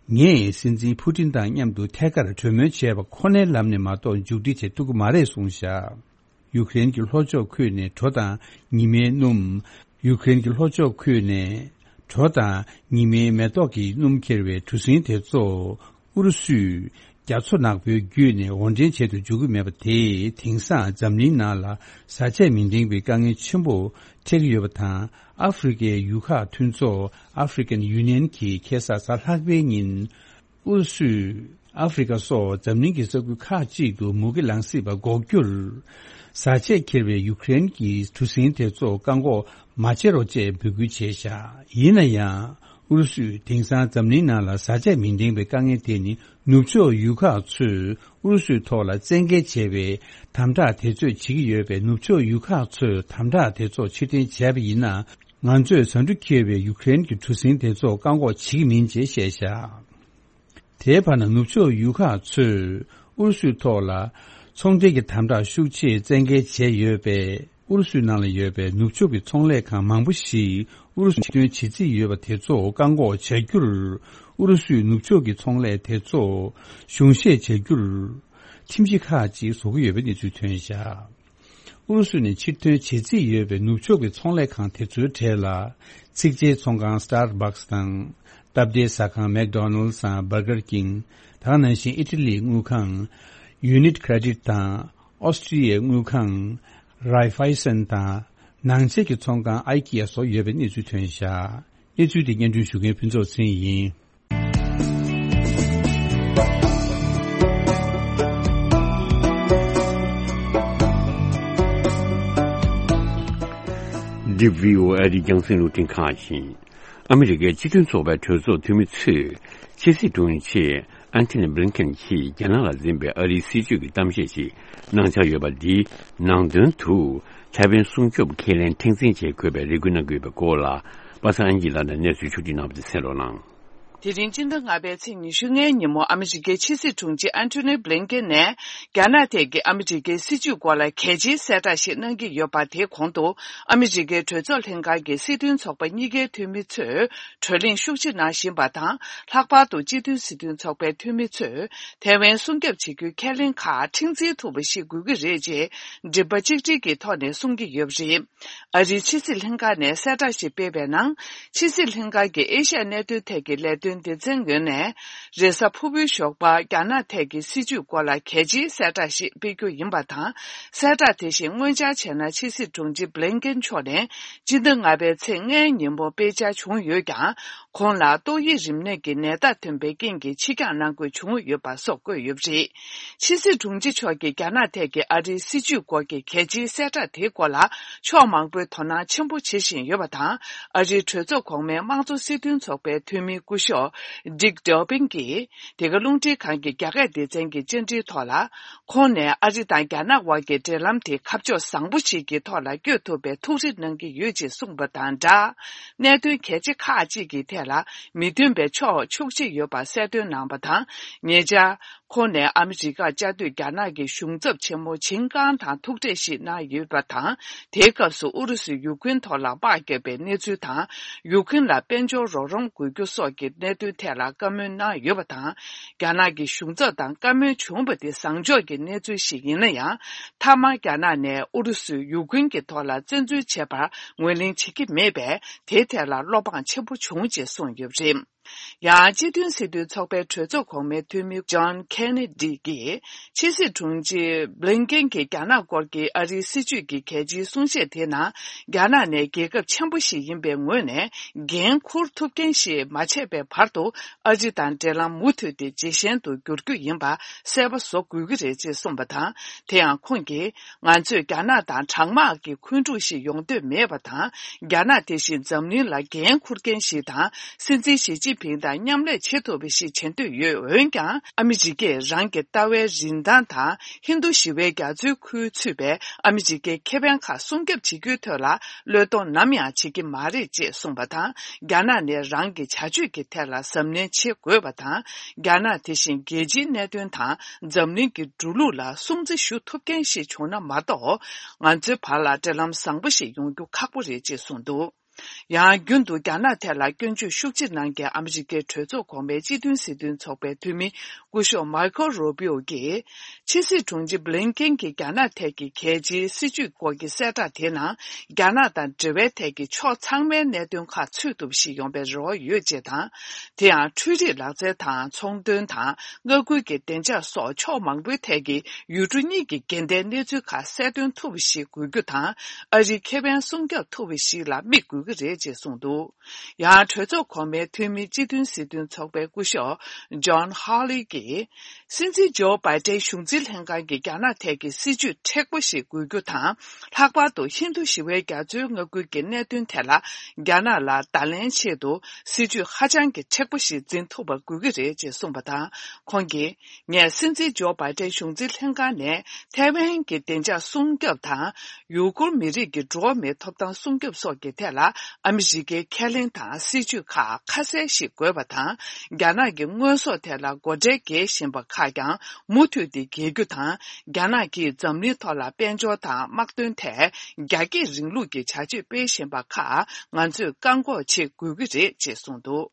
ངས་སྲིད་འཛིན་ཕུ་ཏིན་དང་མཉམ་དུ་ཐད་ཀར་གྲོས་མོལ་བྱས་པ་ཁོ་ནའི་ལམ་ནས་མ་གཏོགས་མཇུག་སྒྲིལ་བྱེད་ཐུབ་ཀྱི་མ་རེད་གསུངས་བཞག་ཡུཀ་རེན་གྱི་ལྷོ་ཕྱོགས་ཁུལ་ནས་གྲོ་དང་ཉི་མའི་སྣུམ། ཡུཀ་རེན་གྱི་ལྷོ་ཕྱོགས་ཁུལ་ནས་གྲོ་དང་ཉི་མའི་མེ་ཏོག་གི་སྣུམ་འཁྱེར་བའི་གྲུ་གཟིངས་དེ་ཚོ་ཨུ་རུ་སུས་རྒྱ་མཚོ་ནག་པོའི་བརྒྱུད་ནས་འོར་འདྲེན་བྱེད་དུ་འཇུག་གི་མེད་པ་དེས། དེང་སང་འཛམ་གླིང་ནང་ལ་བཟའ་ཆས་མི་འདང་བའི་དཀའ་ངལ་ཆེན་པོ་འཕྲད་ཀྱི་ཡོད་པ་དང་། ཨ་ཧྥེ་རི་ཁའི་ཡུལ་ཁག་མཐུན་ཚོགས་African Union གྱིས་ཁ་སང་གཟའ་ལྷག་པའི་ཉིན། ཨུ་རུ་སུས་ཨ་ཧྥེ་རི་ཁ་སོགས་འཛམ་གླིང་གི་ས་ཁུལ་ཁག་ཅིག་ཏུ་མུ་གེ་ལངས་སྲིད་པ་འགོག་རྒྱུར། བཟའ་ཆས་འཁྱེར་བའི་ཡུཀ་རེན་གྱི་གྲུ་གཟིངས་དེ་ཚོ་བཀག་འགོག་མ་བྱེད་རོགས་ཅེས་འབོད་སྐུལ་བྱས་བཞག་ཡིན་ན་ཡང་། ཨུ་རུ་སུས་དེང་སང་འཛམ་གླིང་ནང་ལ་བཟའ་ཆས་མི་འདང་བའི་དཀའ་ངལ་དེ་ནི། ནུབ་ཕྱོགས་ཡུལ་ཁག་ཚོས་ཨུ་རུ་སུའི་ཐོག་ལ་བཙན་འགེལ་བྱས་པའི་དམ་དྲག་དེ་ཚོས་བྱེད་ཀྱི་ཡོད་པས། ནུབ་ཕྱོགས་ཡུལ་ཁག་ཚོས་དམ་དྲག་དེ་ཚོ་ཕྱིར་འཐེན་བྱས་པ་ཡིན་ན། ང་ཚོས་ཟ་འབྲུ་འཁྱེར་བའི་ཡུཀ་རེན་གྱི་གྲུ་གཟིངས་དེ་ཚོ་བཀག་འགོག་བྱེད་ཀྱི་མིན་ཅེས་བཤད་བཞག་དེའི་བར་ན། ནུབ་ཕྱོགས་ཡུལ་ཁག་ཚོས་ཨུ་རུ་སུའི་ཐོག་ལ་ཚོང་འབྲེལ་གྱི་དམ་དྲག་ཤུགས་ཆེ་བཙན་འགེལ་བྱས་ཡོད་པས། ཨུ་རུ་སུའི་ནང་ལ་ཡོད་པའི་ནུབ་ཕྱོགས་ཀྱི་ཚོང་ལས་ཁང་མང་པོ་ཞིག་ཨུ་རུ་སུར་ཕྱིར་ཐོན་བྱེད་རྩིས་ཡོད་པ་དེ་ཚོ་བཀག་འགོག་བྱ་རྒྱུར། ཨུ་རུ་སུས་ནུབ་ཕྱོགས་ཀྱི་ཚོང་ལས་དེ་ཚོ་གཞུང་བཞེས་བྱ་རྒྱུར། ཁྲིམས་གཞི་ཁག་ཅིག་བཟོ་གི་ཡོད་པའི་གནས་ཚུལ་ཐོན་བཞག་ཨུ་རུ་སུ་ནས་ཕྱིར་ཐོན་བྱེད་རྩིས་ཡོད་པའི་ནུབ་ཕྱོགས་ཀྱི་ཚོང་ལས་ཁང་དེ་ཚོའི་གྲས་ལ། ཚིག་ཇའི་ཚོང་ཁང་Starbucks དང་། སྟབས་བདེའི་ཟ་ཁང་McDonald's དང་Burger King། ད་ག་ནང་བཞིན་ཨི་ཊ་ལིའི་དངུལ་ཁང་Unicredit དང་། ཨོ་སི་ཀྲི་ཡའི་དངུལ་ཁང་Raiffeisen དང་། ནང་ཆས་ཀྱི་ཚོང་ཁང་IKEA སོགས་ཡོད་པའི་གནས་ཚུལ་ཐོན་བཞག་གནས་ཚུལ་དེ་སྙན་སྒྲོན་ཞུ་མཁན་ཕུན་ཚོགས་ཚེ་རིང་ཡིན། འདི་བྷི་ཨོ་ཨེ་རེད། རྒྱང་སྲིང་རླུང་འཕྲིན་ཁང་ཡིན། ཨ་མི་རི་ཀའི་སྤྱི་མཐུན་ཚོགས་པའི་གྲོས་ཚོགས་འཐུས་མི་ཚོས་ཕྱི་སྲིད་དྲུང་ཆེ་ཨན་ཐོ་ནི་བྷི་ལིན་ཀེན་གྱིས་རྒྱ་ནག་ལ་འཛིན་པའི་ཨ་རིའི་སྲིད་ཇུས་ཀྱི་གཏམ་བཤད་ཅིག་གནང་འཆར་ཡོད་པ་འདིའི་ནང་དོན་དུ་ཐའེ་ཝན་སྲུང་སྐྱོབ་ཁས་ལེན་མཁྲེགས་འཛིན་བྱེད་དགོས་པའི་རེ་སྐུལ་གནང་གི་ཡོད་པའི་སྐོར་ལ། པ་སངས་དབྱངས་སྐྱིད་ལགས་ནས་གནས་ཚུལ་ཕྱོགས་སྒྲིག་གནང་བ་དེ་གསན་རོགས་གནང་། དེ་རིང་སྤྱི་ཟླ་ལྔ་པའི་ཚེས་ཉི་ཤུ་ལྔའི་ཉིན་མོ་ཨ་མི་རི་ཀའི་ཕྱི་སྲིད་དྲུང་ཆེ་ཨན་ཐོ་ནི་བྷི་ལིན་ཀེན་ནས། རྒྱ་ནག་ཐད་ཀྱི་ཨ་མི་རི་ཀའི་སྲིད་ཇུས་སྐོར་ལ་གལ་ཆེའི་གསལ་བསྒྲགས་ཤིག་གནང་གི་ཡོད་པ། དེའི་གོང་དུ། ཨ་མི་རི་ཀའི་གྲོས་ཚོགས་ལྷན་ཁང་གི་སྲིད་དོན་ཚོགས་པ་གཉིས་ཀའི་འཐུས་མི་ཚོས་བགྲོ་གླེང་ཤུགས་ཆེ་གནང་བཞིན་པ་དང་། ལྷག་པར་དུ་སྤྱི་མཐུན་སྲིད་དོན་ཚོགས་པའི་འཐུས་མི་ཚོས་ཐའེ་ཝན་སྲུང་སྐྱོབ་བྱེད་རྒྱུའི་ཁས་ལེན་ཁག་མཁྲེགས་འཛིན་ཐུབ་པ་ཞིག་དགོས་ཀྱི་རེད་ཅེས། མགྲིན་པ་གཅིག་སྒྲིལ་གྱི་ཐོག་ནས་གསུང་གི་ཡོད་པ་རེད། ཨ་རིའི་ཕྱི་སྲིད་ལྷན་ཁང་ནས་གསལ་བསྒྲགས་ཤིག་སྤེལ་བའི་ནང་། ཕྱི་སྲིད་ལྷན་ཁང་གི་ཨེ་ཤ་ཡ་གནད་དོན་ཐད་ཀྱི་ལས་དོན་སྡེ་ཚན་ངོས་ནས། རེས་གཟའ་ཕུར་བུའི་ཞོགས་པ་རྒྱ་ནག་ཐད་ཀྱི་སྲིད་ཇུས་སྐོར་ལ་གལ་ཆེའི་གསལ་བསྒྲགས་ཤིག་སྤེལ་རྒྱུ་ཡིན་པ་དང་། གསལ་བསྒྲགས་དེ་བཞིན་སྔོན་འཆར་བྱས་ན་ཕྱི་སྲིད་དྲུང་ཆེ་བྷི་ལིན་ཀེན་མཆོག་ནས་སྤྱི་ཟླ་ལྔ་པའི་ཚེས་ལྔའི་ཉིན་མོ་སྤེལ་འཆར་བྱུང་ཡོད་ཀྱང་། ཁོང་ལ་ཏོག་དབྱིབས་རིམས་ནད་ཀྱི་ནད་རྟགས་ཐོན་པའི་རྐྱེན་གྱིས་ཕྱིར་འགྱངས་གནང་དགོས་བྱུང་ཡོད་པ་སོགས་བཀོད་ཡོད་པ་རེད། ཕྱི་སྲིད་དྲུང་ཆེ་མཆོག་གིས་རྒྱ་ནག་ཐད་ཀྱི་ཨ་རིའི་སྲིད་ཇུས་སྐོར་གྱི་གལ་ཆེའི་གསལ་བསྒྲགས་དེའི་སྐོར་ལ་ཕྱོགས་མང་པོས་དོ་སྣང་ཆེན་པོ་བྱེད་བཞིན་ཡོད་པ་དང་། ཨ་རིའི་གྲོས་ཚོགས་གོང་མའི་དམངས་གཙོ་སྲིད་དོན་ཚོགས་པའི་འཐུས་མི་སྐུ་ཞབས་Dick Durbin་གྱིས། འདི་ག་རླུང་འཕྲིན་ཁང་གི་རྒྱ་སྐད་སྡེ་ཚན་གྱི་བཅར་འདྲིའི་ཐོག་ལ། ཁོང་ནས་ཨ་རི་དང་རྒྱ་ནག་དབར་གྱི་འབྲེལ་ལམ་དེ་ཁ་ཕྱོགས་བཟང་པོ་ཞིག་གི་ཐོག་ལ་བསྐྱོད་ཐུབ་པའི་ཐུགས་རེ་གནང་གི་ཡོད་ཅེས་གསུངས་པ་དང་སྦྲགས། གནད་དོན་གལ་ཆེ་ཁག་ཅིག་གི་ཐད་ལ་མི་མཐུན་པའི་ཕྱོགས་ཤུགས་ཆེ་ཡོད་པ་གསལ་སྟོན་གནང་བ་དང་། ཉེ་ཆར། ཁོང་ནས་ཨ་མི་རི་ཀར་བཅའ་སྡོད་རྒྱ་ནག་གི་གཞུང་ཚབ་ཆེན་མོ་ཆིན་ཀང་དང་ཐུག་འཕྲད་ཞིག་གནང་ཡོད་པ་དང་། དེའི་སྐབས་སུ་ཨུ་རུ་སུས་ཡུཀ་རེན་ཐོག་ལ་དམག་བརྒྱབ་པའི་གནས་ཚུལ་དང་། ཡུཀ་རེན་ལ་དཔལ་འབྱོར་རོགས་རམ་དགོས་རྒྱུ་སོགས་ཀྱི་གནད་དོན་ཐད་ལ་བཀའ་མོལ་གནང་ཡོད་པ་དང་། རྒྱ་ནག་གི་གཞུང་ཚབ་དང་བཀའ་མོལ་བྱུང་བ་དེ་བཟང་ཕྱོགས་ཀྱི་གནས་ཚུལ་ཞིག་ཡིན་ན་ཡང་། མཐའ་མར་རྒྱ་ནག་ནས་ཨུ་རུ་སུས་ཡུཀ་རེན་གྱི་ཐོག་ལ་བཙན་འཛུལ་བྱས་པར་ངོས་ལེན་བྱེད་ཀྱི་མེད་པས། དེའི་ཐད་ལ་བློ་ཕངས་ཆེན་པོ་བྱུང་ཅེས་གསུངས་ཡོད་པ་རེད། ཡང་སྤྱི་མཐུན་སྲིད་དོན་ཚོགས་པའི་གྲོས་ཚོགས་གོང་མའི་འཐུས་མི་John Kennedy་གྱིས་ཕྱི་སྲིད་དྲུང་ཆེ་Blinken་གྱིས་རྒྱ་ནག་སྐོར་གྱི་ཨ་རིའི་སྲིད་བྱུས་ཀྱི་གལ་ཆེའི་གསུང་བཤད་དེའི་ནང་། རྒྱ་ནག་ནས་རྒྱལ་ཁབ་ཆེན་པོ་ཞིག་ཡིན་པའི་ངོས་ནས་འགན་འཁུར་ཐུབ་མཁན་ཞིག་མ་ཆགས་པའི་བར་དུ་ཨ་རི་དང་འབྲེལ་ལམ་མུ་མཐུད་དེ་ཇེ་ཞན་དུ་འགྱུར་རྒྱུ་ཡིན་པ་གསལ་པོ་བཟོ་དགོས་ཀྱི་རེད་ཅེས་གསུངས་པ་དང་། དེ་ཡང་ཁོང་གིས། ང་ཚོས་རྒྱ་ནག་དང་གྲང་དམག་གི་འཁོན་འཁྲུག་ཞིག་ཡོང་འདོད་མེད་པ་དང་། རྒྱ་ནག་དེ་བཞིན་འཛམ་གླིང་ལ་འགན་འཁུར་མཁན་ཞིག་དང་། སྲིད་འཛིན་ཞི་ཅིན་ཕིང་དང་མཉམ་ལས་བྱེད་ཐུབ་པ་ཞིག་བྱེད་འདོད་ཡོད། འོན་ཀྱང་། ཨ་མི་རི་ཀས་རང་གི་ལྟ་བའི་རིན་ཐང་དང་། ཧིན་རྡུ་ཞི་བའི་རྒྱ་མཚོའི་ཁུལ་ཚུད་པའི་ཨ་མི་རི་ཀའི་ཁེ་ཕན་ཁག་སྲུང་སྐྱོབ་བྱེད་རྒྱུའི་ཐད་ལ། བློས་གཏོང་ནམ་ཡང་བྱེད་ཀྱི་མ་རེད་ཅེས་གསུངས་པ་དང་། རྒྱ་ནག་ནས་རང་གི་བྱ་སྤྱོད་ཀྱི་ཐད་ལ་གཟབ་ནན་བྱེད་དགོས་པ་དང་། རྒྱ་ནག་དེ་བཞིན་རྒྱལ་སྤྱིའི་གནད་དོན་དང་། འཛམ་གླིང་གི་འགྲོ་ལུགས་ལ་སྲུང་བརྩི་ཞུ་ཐུབ་མཁན་ཞིག་བྱུང་ན་མ་གཏོགས། ང་ཚོའི་བར་ལ་འབྲེལ་ལམ་བཟང་པོ་ཞིག་ཡོང་རྒྱུ་ཁག་པོ་རེད་ཅེས་གསུངས་འདུག། ཡང་རྒྱུན་དུ་རྒྱ་ནག་ཐད་ལ་སྐྱོན་བརྗོད་ཤུགས་ཆེ་གནང་མཁན་ཨ་མི་རི་ཀའི་གྲོས་ཚོགས་གོང་མའི་སྤྱི་མཐུན་སྲིད་དོན་ཚོགས་པའི་འཐུས་མི་སྐུ་ཞབས་Marco Rubio་གིས། ཕྱི་སྲིད་དྲུང་ཆེ་Blinken་གྱིས་རྒྱ་ནག་ཐད་ཀྱི་གལ་ཆེའི་སྲིད་ཇུས་སྐོར་གྱི་གསལ་བསྒྲགས་དེའི་ནང་། རྒྱ་ནག་དང་འབྲེལ་བའི་ཐད་ཀྱི་ཕྱོགས་ཚང་མའི་གནད་དོན་ཁག་ཚུད་ཐུབ་པ་ཞིག་ཡོང་བའི་རེ་བ་ཡོད་ཅེས་དང་། དེ་ཡང་འཕྲུལ་རིག་ལག་རྩལ་དང་ཚོང་དོན་དང་མངའ་ཁུལ་གྱི་བདེ་འཇགས་སོགས་ཕྱོགས་མང་པོའི་ཐད་ཀྱི་ཡུལ་གྲུ་གཉིས་ཀྱི་འགལ་ཟླའི་གནས་ཚུལ་ཁག་གསལ་སྟོན་ཐུབ་པ་ཞིག་དགོས་རྒྱུ་དང་། ཨ་རིའི་ཁེ་ཕན་སྲུང་སྐྱོབ་ཐུབ་པ་ཞིག་ལ་དམིགས་དགོས་ཀྱི་རེད་ཅེས་གསུངས་འདུག། ཡང་གྲོས་ཚོགས་གོང་མའི་འཐུས་མི་སྤྱི་མཐུན་སྲིད་དོན་ཚོགས་པའི་སྐུ་ཞབས་John Hawley་གྱིས། སྲིད་འཛིན་ཇོ་བྷའི་ཏན་གཞུང་འཛིན་ལྷན་ཁང་གིས་རྒྱ་ནག་ཐད་ཀྱི་སྲིད་ཇུས་མཁྲེགས་པོ་ཞིག་དགོས་རྒྱུ་དང་། ལྷག་པར་དུ་ཧིན་རྡུ་ཞི་བའི་རྒྱ་མཚོའི་མངའ་ཁུལ་གྱི་གནད་དོན་ཐད་ལ་རྒྱ་ནག་ལ་བརྡ་ལན་ཆེད་དུ་སྲིད་ཇུས་ཧ་ཅང་གི་མཁྲེགས་པོ་ཞིག་འཛིན་ཐུབ་པ་དགོས་ཀྱི་རེད་ཅེས་གསུངས་པ་དང་། ཁོང་གིས། ངས་སྲིད་འཛིན་ཇོ་བྷའི་ཏན་གཞུང་འཛིན་ལྷན་ཁང་ནས་ཐའེ་ཝན་གྱི་བདེ་འཇགས་སྲུང་སྐྱོབ་དང་། ཡུ་གུར་མི་རིགས་ཀྱི་འགྲོ་བ་མིའི་ཐོབ་ཐང་སྲུང་སྐྱོབ་སོགས་ཀྱི་ཐད་ལ་ཨ་མི་རི་ཀའི་ཁས་ལེན་དང་སྲིད་ཇུས་ཁག་ཁ་གསལ་ཞིག་དགོས་པ་དང་། རྒྱ་ནག་གི་དངོས་ཟོག་ཐད་ལ་སྒོ་ཁྲལ་འགེལ་བཞིན་པ་ཁག་ཀྱང་མུ་མཐུད་དེ་འགེལ་རྒྱུ་དང་། རྒྱ་ནག་གིས་འཛམ་གླིང་ཐོག་ལ་དཔལ་འབྱོར་དང་དམག་དོན་ཐད་རྒྱ་སྐྱེད་རིང་ལུགས་ཀྱི་བྱ་སྤྱོད་སྤེལ་བཞིན་པ་ཁག་ང་ཚོས་བཀག་འགོག་བྱེད་དགོས་ཀྱི་རེད་ཅེས་གསུངས་འདུག།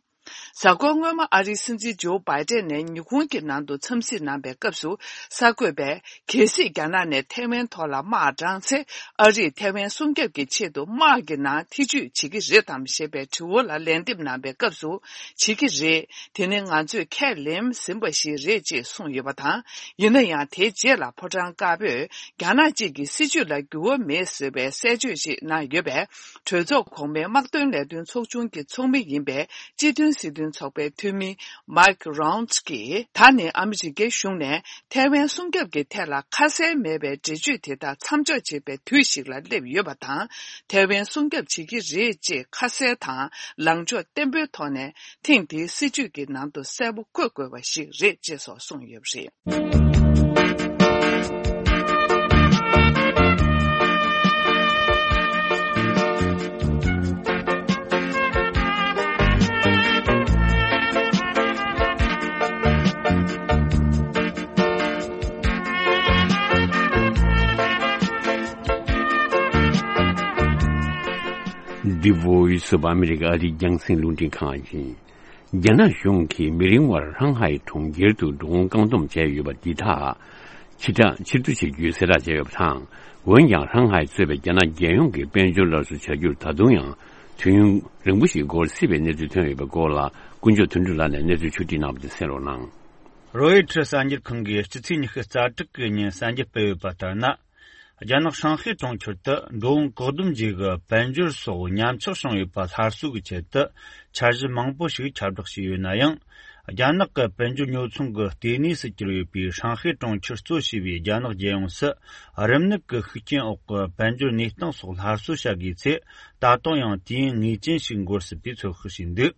གཟའ་འཁོར་སྔོན་མ་ཨ་རིའི་སྲིད་འཛིན་ཇོ་བྷའི་ཏན་ནས་ཉི་ཧོང་གི་ནང་དུ་འཚམས་གཟིགས་གནང་པའི་སྐབས་སུ། གསར་འགོད་པས། གལ་སྲིད་རྒྱ་ནག་ནས་ཐའེ་ཝན་ཐོག་ལ་དམག་དྲངས་ཚེ། ཨ་རིས་ཐའེ་ཝན་སྲུང་སྐྱོབ་ཀྱི་ཆེད་དུ་དམག་གི་ནང་ཐེ་ཇུས་བྱེད་ཀྱི་རེད་དམ་ཞེས་པའི་དྲི་བ་ལ་ལན་འདེབས་གནང་པའི་སྐབས་སུ། བྱེད་ཀྱི་རེད། དེ་ནི་ང་ཚོས་ཁས་ལེན་ཟིན་པ་ཞིག་རེད་ཅེས་གསུངས་ཡོད་པ་དང་། ཡིན་ན་ཡང་། དེའི་རྗེས་ལ་ཕོ་བྲང་དཀར་པོས། རྒྱ་ནག་གཅིག་གི་སྲིད་བྱུས་ལ་འགྱུར་བ་མེད་ཟེར་བའི་གསལ་བརྗོད་ཞིག་གནང་ཡོད་པས། གྲོས་ཚོགས་གོང་མའི་དམག་དོན་ལས་དོན་ཚོགས་ཆུང་གི་ཚོགས་མི་ཡིན་པའི་སྤྱི་མཐུན་ སྲིད་དོན་ཚོགས་པའི་འཐུས་མི་མཱིག་རོན་ཚ་གིས། ད་ནི་ཨ་མི་རི་ཀའི་གཞུང་ནས་ཐའེ་ཝན་སྲུང་སྐྱོབ་ཀྱི་ཐད་ལ་ཁ་གསལ་མེད་པའི་འགྲེལ་བརྗོད་དེ་དག་མཚམས་འཇོག་བྱེད་པའི་དུས་ཤིག་ལ་སླེབས་ཡོད་པ་དང་། ཐའེ་ཝན་སྲུང་སྐྱོབ་བྱེད་ཀྱི་རེད་ཅེས་ཁ་གསལ་དང་ལངས་ཕྱོགས་བརྟན་པོའི་ཐོག་ནས་ཐེངས་འདིའི་སྲིད་བྱུས་ཀྱི་ནང་དུ་གསལ་པོ་འཁོད་དགོས་པ་ཞིག་རེད་ཅེས་སོགས་གསུངས་ཡོད་པ་རེད། འདི་Voice of America ཨ་རིའི་རྒྱང་སྲིང་རླུང་འཕྲིན་ཁང་ཡིན། རྒྱ་ནག་གཞུང་གིས་མི་རིང་བར་ཧྲང་ཧའེ་གྲོང་ཁྱེར་དུ་འགྲོ་འོང་བཀག་སྡོམ་བྱས་ཡོད་པ་འདི་དག་ཕྱིར་བསྒྲགས་ཕྱིར་བསྡུ་བྱེད་རྒྱུའི་གསལ་བསྒྲགས་བྱས་ཡོད་པ་དང་། འོན་ཀྱང་ཧྲང་ཧའེ་གཙོས་པའི་རྒྱ་ནག་རྒྱལ་ཡོངས་ཀྱི་དཔལ་འབྱོར་སླར་གསོ་བྱ་རྒྱུར་ད་དུང་ཡང་དུས་ཡུན་རིང་པོ་ཞིག་འགོར་སྲིད་པའི་གནས་ཚུལ་ཐོན་ཡོད་པའི་སྐོར་ལ་དཀོན་མཆོག་དོན་གྲུབ་ལགས་ནས་གནས་ཚུལ་ཕྱོགས་བསྒྲིགས་གནང་བ་དེ་གསན་རོགས་གནང་། རོའི་ཊར་གསར་འགྱུར་ཁང་གིས་སྤྱི་ཚེས་ཉི་ཤུ་རྩ་དྲུག་གི་ཉིན་གསར་འགྱུར་སྤེལ་ཡོད་པ་ལྟར་ན། རྒྱ་ནག་ཧྲང་ཧའེ་གྲོང་ཁྱེར་དུ་འགྲོ་འོང་བཀག་སྡོམ་བརྒྱུད་དཔལ་འབྱོར་སོགས་ཉམས་ཆག་བྱུང་ཡོད་པ་སླར་གསོ་གི་ཆེད་དུ་འཆར་གཞི་མང་པོ་ཞིག་ཁྱབ་བསྒྲགས་བྱས་ཡོད་ན་ཡང་། རྒྱ་ནག་གི་དཔལ་འབྱོར་ཉོ་ཚོང་གི་ལྟེ་གནས་སུ་གྱུར་ཡོད་པའི་ཧྲང་ཧའེ་གྲོང་ཁྱེར་གཙོ་བྱས་པའི་རྒྱ་ནག་རྒྱལ་ཡོངས་སུ་རིམས་ནད་ཀྱི་ཤུགས་རྐྱེན་འོག་གི་དཔལ་འབྱོར་གནས་སྟངས་སོགས་སླར་གསོ་བྱ་དགོས་ཚེ། ད་དུང་ཡང་དུས་ཡུན་ངེས་ཅན་ཞིག་འགོར་སྲིད་པའི་ཚོད་དཔག་བྱས་འདུག་